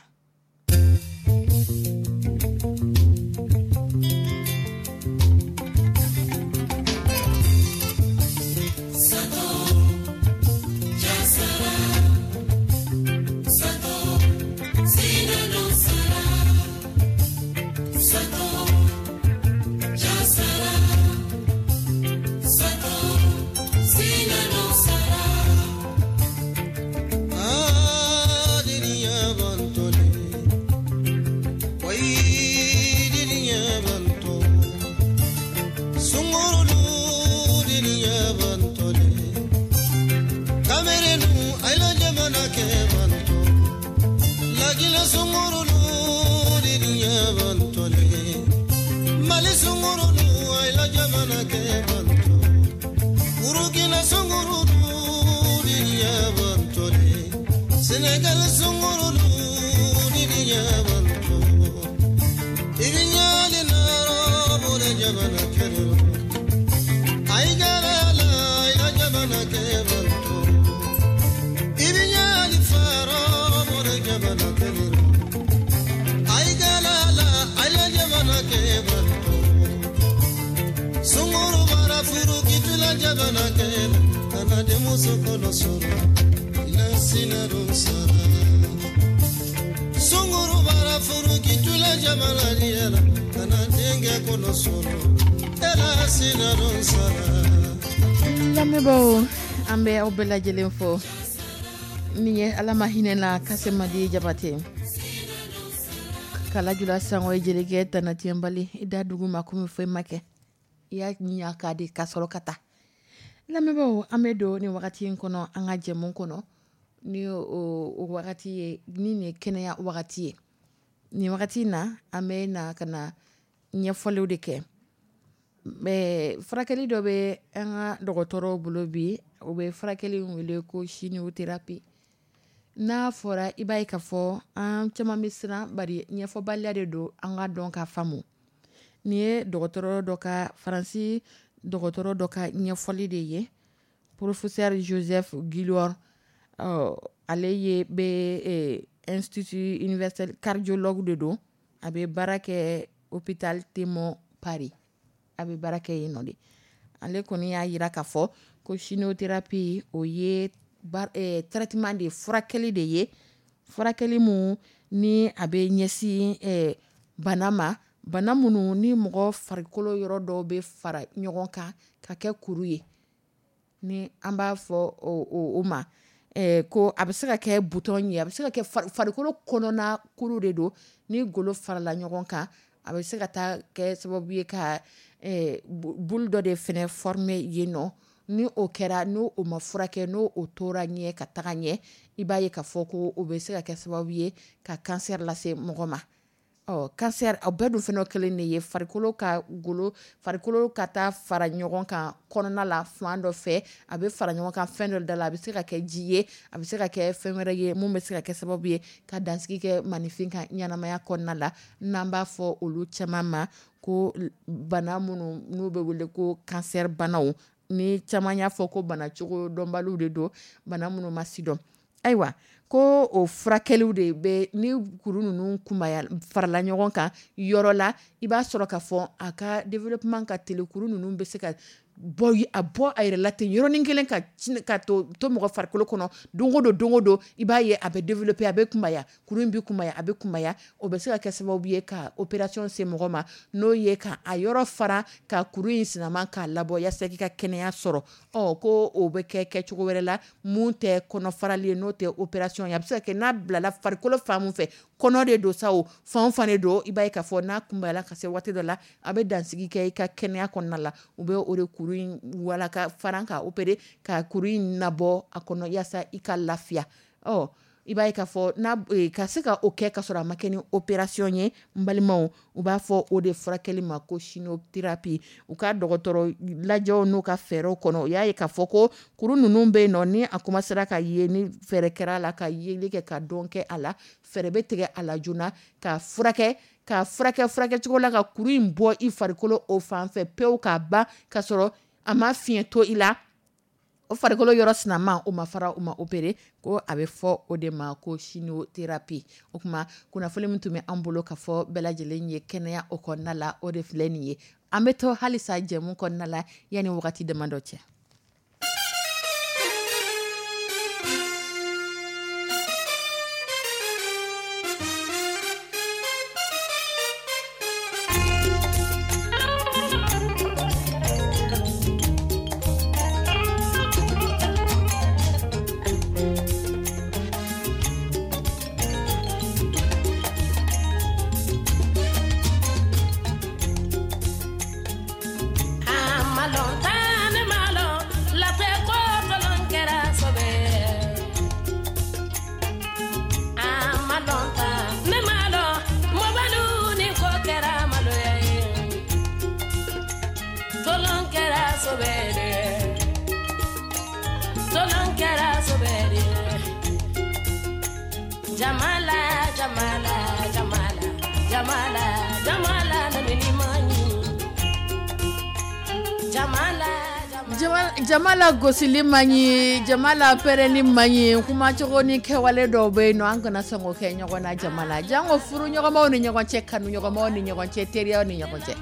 Lamɛnbaaw, an bɛ aw bɛɛ lajɛlen fo. Nin ye Ala ma hinɛ na Kasemadi Jabate Kalajula Sango ye jelikɛ tana tiɲɛbali i da dugu ma komi foyi ma kɛ, i y'a ɲa k'a di ka sɔrɔ ka taa. Lamɛnbaaw, an bɛ don nin wagati in kɔnɔ an ka jɛmu kɔnɔ, ni o wagati ye ni nin ye kɛnɛya wagati ye. Nin wagati in na, an bɛ na ka na ɲɛfɔliw de kɛ. Mais furakɛli dɔ bɛ an ka dɔgɔtɔrɔw bolo bi, o bɛ furakɛli in wele ko chimiothérapie. N'a fɔra, i b'a ye k'a fɔ an caman bɛ siran, bari ɲɛfɔbaliya de don an ka dɔn ka faamu. Nin ye dɔgɔtɔrɔ dɔ ka, Faransi dɔgɔtɔrɔ dɔ ka ɲɛfɔli de ye, professeur Joseph Guillor. Ale ye bɛ institut universel cardiologue de don, a bɛ baara kɛ hôpital Tenon Paris, a bɛ baara kɛ yen nɔ de. Ale kɔni y'a jira k'a fɔ ko chimiothérapie, o ye traitement de ye, furakɛli de ye, furakɛli mun ni a bɛ ɲɛsin bana ma, bana minnu ni mɔgɔ farikolo yɔrɔ dɔw bɛ fara ɲɔgɔn kan ka kɛ kuru ye, ni an b'a fɔ o ma ko a bɛ se ka kɛ bouton ye, a bɛ se ka kɛ farikolo kɔnɔna kuru de don, ni golo farala ɲɔgɔn kan, a bɛ se ka taa kɛ sababu ye ka boule dɔ de fɛnɛ former yen nɔ. Ni o kɛra, n'o o ma furakɛ, n'o o tora ɲɛ ka taga ɲɛ, i b'a ye k'a fɔ ko o bɛ se ka kɛ sababu ye ka cancer lase mɔgɔ ma. Ɔ cancer, o bɛɛ dun fɛnɛ kelen de ye farikolo ka golo, farikolo ka taa fara ɲɔgɔn kan kɔnɔna la fan dɔ fɛ, a bɛ fara ɲɔgɔn kan fɛn dɔ da la, a bɛ se ka kɛ ji ye, a bɛ se ka kɛ fɛn wɛrɛ ye mun bɛ se ka kɛ sababu ye ka dansigi kɛ maninfin ka ɲɛnamaya kɔnɔna la, n'an b'a fɔ olu caman ma ko bana minnu n'u bɛ wele ko cancer banaw, ni caman y'a fɔ ko bana cogo dɔnbaliw de don, bana minnu ma sidɔn. Ayiwa, ko o furakɛliw de bɛ ni kuru ninnu kunbaya farala ɲɔgɔn kan yɔrɔ la, i b'a sɔrɔ k'a fɔ a ka développement ka teli, kuru ninnu bɛ se ka bɔ a bɔ a yɛrɛ la ten yɔrɔnin kelen ka ka to mɔgɔ farikolo kɔnɔ don o don, don o don i b'a ye a bɛ développer, a bɛ kunbaya, kuru in bɛ kunbaya, a bɛ kunbaya. O bɛ se ka kɛ sababu ye ka opération se mɔgɔ ma, n'o ye ka a yɔrɔ fara, ka kuru in sinama k'a labɔ yaasa k'i ka kɛnɛya sɔrɔ. Ɔ ko o bɛ kɛ kɛcogo wɛrɛ la mun tɛ kɔnɔfarali ye, n'o tɛ opération ye. A bɛ se ka kɛ n'a bilala farikolo fan mun fɛ, kɔnɔ de don sa o, fan fan de don, i b'a ye k'a fɔ n'a kunbayala ka se waati dɔ la, a bɛ dansigi kɛ i ka kɛnɛya kɔnɔna la. U bɛ o de kuru in wala ka fara ka opérer, ka kuru in nabɔ a kɔnɔ yaasa i ka lafiya. Ɔ I b'a ye k'a fɔ n'a ka se ka o kɛ ka sɔrɔ a ma kɛ ni opération ye, n balimaw, u b'a fɔ o de furakɛli ma ko chimiothérapie. U ka dɔgɔtɔrɔ lajɛw n'u ka fɛɛrɛw kɔnɔ, u y'a ye k'a fɔ ko kuru ninnu bɛ yen nɔ, ni a commencera ka ye, ni fɛɛrɛ kɛra a la ka yeli kɛ ka dɔn kɛ a la, fɛɛrɛ bɛ tigɛ a la joona ka furakɛ, ka furakɛ furakɛcogo la ka kuru in bɔ i farikolo o fan fɛ pewu k'a ban, ka sɔrɔ a ma fiɲɛ to i la, o farikolo yɔrɔ sinama o ma fara, o ma opéré, ko a bɛ fɔ o de ma ko chimiothérapie. O tuma kunnafoni min tun bɛ an bolo ka fɔ bɛɛ lajɛlen ye kɛnɛya o kɔnɔna la, o de filɛ nin ye. An bɛ to halisa jɛmu kɔnɔna la yanni wagati damadɔ cɛ. Jama la gosili man ɲi, jama la pɛrɛnni man ɲi, kumacogo ni kɛwale dɔw bɛ yen nɔ, an kana sɔn k'o kɛ ɲɔgɔn na jama la, janko furu ɲɔgɔnmaw ni ɲɔgɔn cɛ, kanu ɲɔgɔnmaw ni ɲɔgɔn cɛ, teriyaw ni ɲɔgɔn cɛ.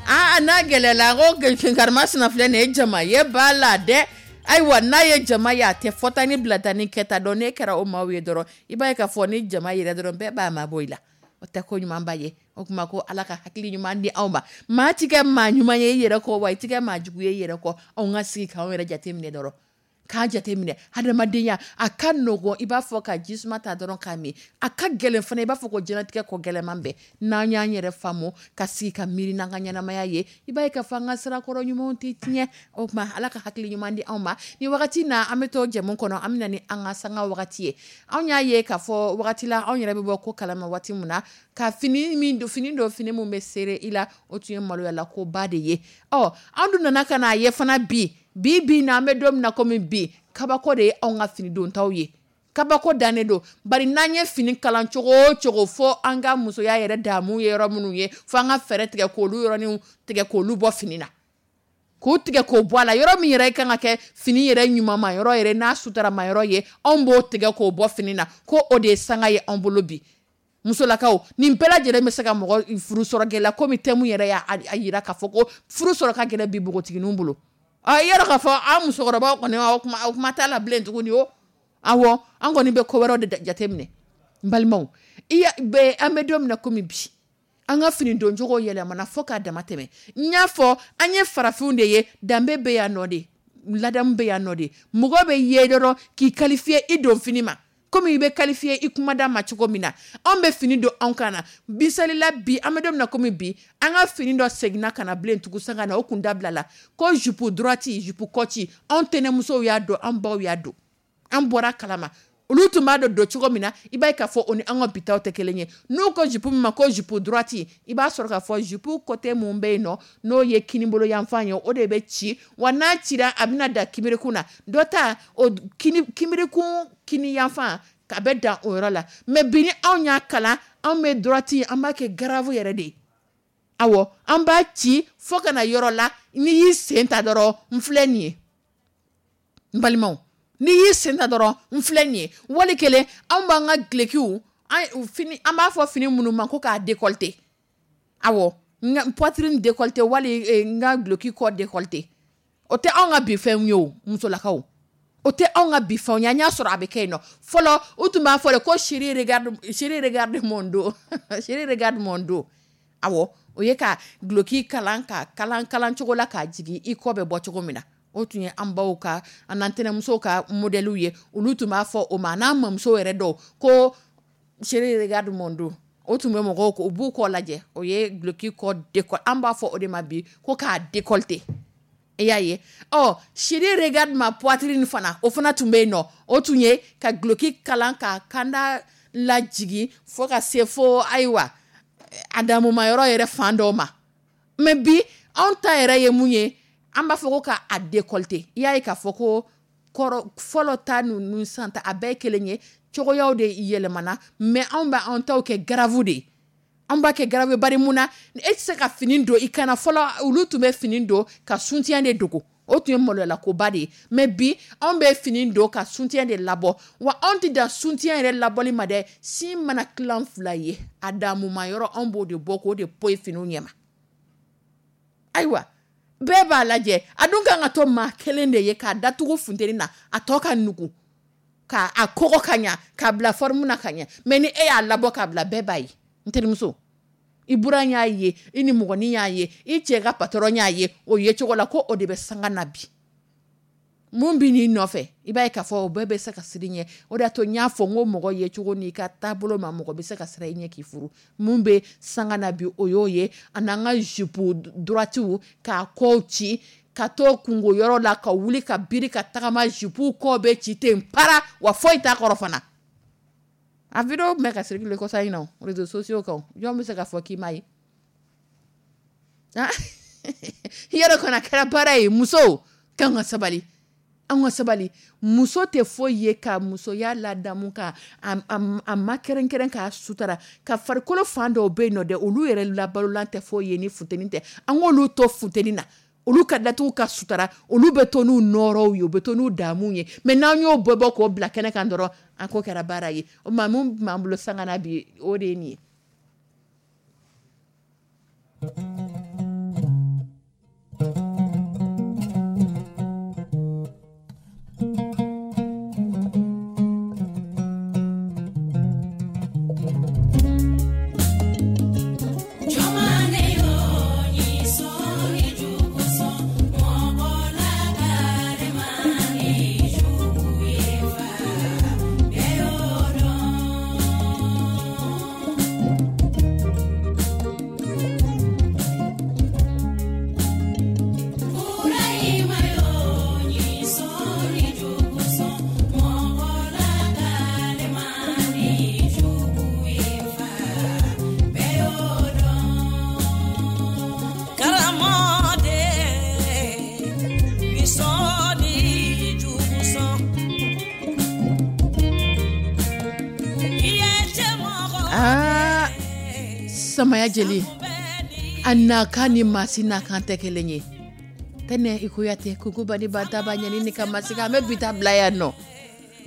Aa, n'a gɛlɛla ko karimasina filɛ nin ye, jama ye b'a la dɛ. Ayiwa, n'a ye jama ye, a tɛ fɔta ni bilata ni kɛta dɔn. N'e kɛra o maaw ye dɔrɔn, i b'a ye k'a fɔ ni jama yɛrɛ dɔrɔn, bɛɛ b'a mabɔ i la. O tɛ ko ɲumanba ye. O tuma ko Ala ka hakili ɲuman di aw ma. Maa ti kɛ maa ɲuman ye i yɛrɛ kɔ, wa i ti kɛ maa jugu ye i yɛrɛ kɔ. Anw ka sigi k'anw yɛrɛ jateminɛ dɔrɔn, k'a jateminɛ hadamadenya a ka nɔgɔn, i b'a fɔ ka jisuma ta dɔrɔn k'a min. A ka gɛlɛn fana, i b'a fɔ ko diɲɛlatigɛ ko gɛlɛnman bɛɛ. N'an y'an yɛrɛ faamu ka sigi ka miiri n'an ka ɲɛnamaya ye, i b'a ye k'a fɔ an ka sirakɔrɔ ɲumanw tɛ tiɲɛ. O tuma Ala ka hakili ɲuman di anw ma. Ni wagati na, an bɛ to jɛmu kɔnɔ, an bɛ na ni an ka sanga wagati ye. Anw y'a ye k'a fɔ wagati la, anw yɛrɛ bɛ bɔ ko kalama waati min na, ka fini min don, fini don, fini min bɛ seere i la, o tun ye maloyala koba de ye. Ɔ, an dun nana ka n'a ye fana bi bi bi na, an bɛ don min na komi bi, kabako de ye anw ka fini dontaw ye. Kabako dannen don, bari n'an ye fini kalan cogo o cogo, fo an ka musoya yɛrɛ damu ye yɔrɔ minnu ye, fo an ka fɛɛrɛ tigɛ k'olu yɔrɔninw tigɛ k'olu bɔ fini na, k'u tigɛ k'o bɔ a la. Yɔrɔ min yɛrɛ kan ka kɛ fini yɛrɛ ɲumanma yɔrɔ yɛrɛ n'a sutarama yɔrɔ ye, anw b'o tigɛ k'o bɔ fini na, ko o de ye sanga ye anw bolo bi. Musolakaw, nin bɛɛ lajɛlen bɛ se ka mɔgɔ furu sɔrɔ gɛlɛya, komi thème yɛrɛ y'a jira k'a fɔ ko furu sɔrɔ ka gɛlɛn bi npogotigininw bolo. I y'a dɔn k'a fɔ an musokɔrɔbaw kɔni, o kuma t'a la bilen tuguni o. Awɔ, an kɔni bɛ ko wɛrɛw de jateminɛ. N balimaw, an bɛ don min na komi bi, an ka fini doncogo yɛlɛmana fo k'a dama tɛmɛ. N y'a fɔ, an ye farafinw de ye, danbe bɛ yan nɔ de, ladamu bɛ yan nɔ de. Mɔgɔ bɛ ye dɔrɔn k'i qualifier i don fini ma, komi i bɛ qualifier i kumada ma cogo min na. Anw bɛ fini don anw kan na. Bisalila bi, an bɛ don min na komi bi, an ka fini dɔ seginna ka na bilen tugun sanga na, o kun dabila la ko jupe droite, jupe kɔci. Anw tɛnɛmusow y'a don, an baw y'a don, an bɔra kalama. Olu tun b'a dɔn don cogo min na, i b'a ye k'a fɔ o ni an ka bitaw tɛ kelen ye. N'u ko jupe min ma ko jupe droite, i b'a sɔrɔ k'a fɔ jupe côté mun bɛ yen nɔ, n'o ye kinibolo yanfan ye, o de bɛ ci. Wa n'a cira, a bɛna dan kimirikun na. Dɔ ta o kimirikun kini yanfan, a bɛ dan o yɔrɔ la. Mais bi ni anw y'a kalan, anw bɛ droite, an b'a kɛ grave yɛrɛ de ye. Awɔ, an b'a ci fo ka na yɔrɔ la, n'i y'i sen ta dɔrɔn, n filɛ nin ye. N balimaw, n'i y'i sen ta dɔrɔn, n filɛ nin ye. Wali kelen, anw b'an ka dulokiw, an b'a fɔ fini minnu ma ko k'a décolleté. Awɔ, n ka poitrine décolleté, wali n ka duloki kɔ décolleté. O tɛ anw ka bi fɛnw ye o, musolakaw. O tɛ anw ka bi fɛnw ye. An y'a sɔrɔ a bɛ kɛ yen nɔ. Fɔlɔ, u tun b'a fɔ de ko chérie regarde, chérie regarde mon dos. Chérie regarde mon dos. Awɔ, o ye ka duloki kalan, ka kalan kalan cogo la k'a jigin i kɔ bɛ bɔ cogo min na. O tun ye an baw ka, an n'an tɛnɛmusow ka modèle ye. Olu tun b'a fɔ o ma, n'an mamuso yɛrɛ dɔw, ko chérie regarde mon dos. O tun bɛ mɔgɔw ko, u b'u kɔ lajɛ. O ye duloki kɔ décolleté. An b'a fɔ o de ma bi ko k'a décolleté. I y'a ye, ɔ chérie regarde ma poitrine fana, o fana tun bɛ yen nɔ. O tun ye ka duloki kalan ka kanda lajigin fo ka se fo ayiwa a damuma yɔrɔ yɛrɛ fan dɔw ma. Mais bi anw ta yɛrɛ ye mun ye? An b'a fɔ ko ka a décolleté. I y'a ye k'a fɔ ko kɔrɔ fɔlɔ ta ninnu san ta, a bɛɛ ye kelen ye, cogoyaw de yɛlɛmana. Mais anw bɛ anw taw kɛ grave de ye, an b'a kɛ grave. Bari mun na e tɛ se ka fini don i kana? Fɔlɔ olu tun bɛ fini don ka soutien de dogo, o tun ye maloyalakoba de ye. Mais bi anw bɛ fini don ka soutien de labɔ. Wa anw tɛ dan soutien yɛrɛ labɔli ma dɛ, sin mana tilan fila ye, a damuma yɔrɔ, anw b'o de bɔ k'o de poyi finiw ɲɛma. Ayiwa, bɛɛ b'a lajɛ, a dun kan ka to maa kelen de ye k'a datugu funteni na, a tɔ ka nugu k'a a kɔgɔ ka ɲa, k'a bila forme na ka ɲɛ. Mais ni e y'a labɔ k'a bila, bɛɛ b'a ye. N terimuso, i buran y'a ye, i ni mɔgɔnin y'a ye, i cɛ ka patron y'a ye o ye cogo la ko o de bɛ sanga na bi. Mun bɛ n'i nɔfɛ, i b'a ye k'a fɔ o bɛɛ bɛ se ka siran i ɲɛ. O de y'a to n y'a fɔ n ko mɔgɔ ye cogo n'i ka taabolo ma, mɔgɔ bɛ se ka siran i ɲɛ k'i furu. Mun bɛ sanga na bi, o y'o ye. A n'an ka jupe droitew k'a kɔw ci ka to kungo yɔrɔ la, ka wuli ka biri ka tagama, jupe kɔ bɛ ci ten para, wa foyi t'a kɔrɔ fana. A vidéo tun bɛ ka circuler kɔsa in na réseaux sociaux kan. Jɔn bɛ se k'a fɔ k'i m'a ye? Yɔrɔ kɔni a kɛra baara ye. Musow k'an ka sabali, an ka sabali. Muso tɛ foyi ye ka musoya ladamu, ka a ma kɛrɛnkɛrɛn, k'a sutara, ka farikolo fan dɔw bɛ yen nɔ dɛ, olu yɛrɛ labalolan tɛ foyi ye ni funteni tɛ. An k'olu to funteni na, olu ka datugu ka sutara, olu bɛ to n'u nɔrɔw ye, u bɛ to n'u damuw ye. Mais n'an y'o bɔ bɔ k'o bila kɛnɛ kan dɔrɔn, an ko kɛra baara ye. O ma mun b'an bolo sanga na bi, o de ye nin ye. Samaya jeli a nakan ni maasi nakan tɛ kelen ye. Tɛnɛ i Kuyate kukuba ni bataba ɲani ni ka masika, an bɛ bi ta bila yan nɔ.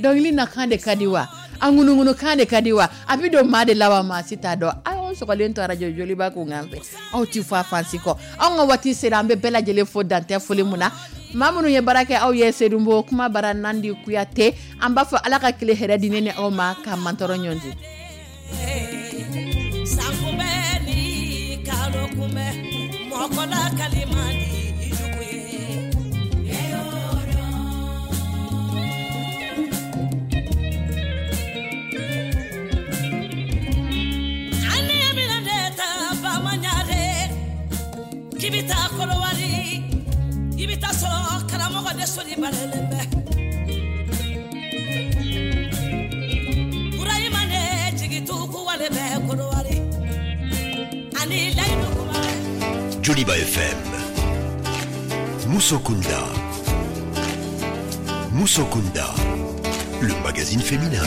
Dɔnkili nakan de ka di wa, a ŋunuŋunu kan de ka di wa, a bɛ don maa de la wa, maa si t'a dɔn. Aw sɔgɔlen to arajo Joliba kun kan fɛ, aw ti fɔ a fansi kɔ. Anw ka waati sera, an bɛ bɛɛ lajɛlen fo dantɛ foli mun na. Maa minnu ye baara kɛ aw ye, Sedunbo kuma bara Nandi Kuyate, an b'a fɔ Ala ka tile hɛrɛ di ne ni aw ma, ka mantɔrɔ ɲɔgɔn di. Joliba FM, Moussokunda. Moussokunda, le magazine féminin.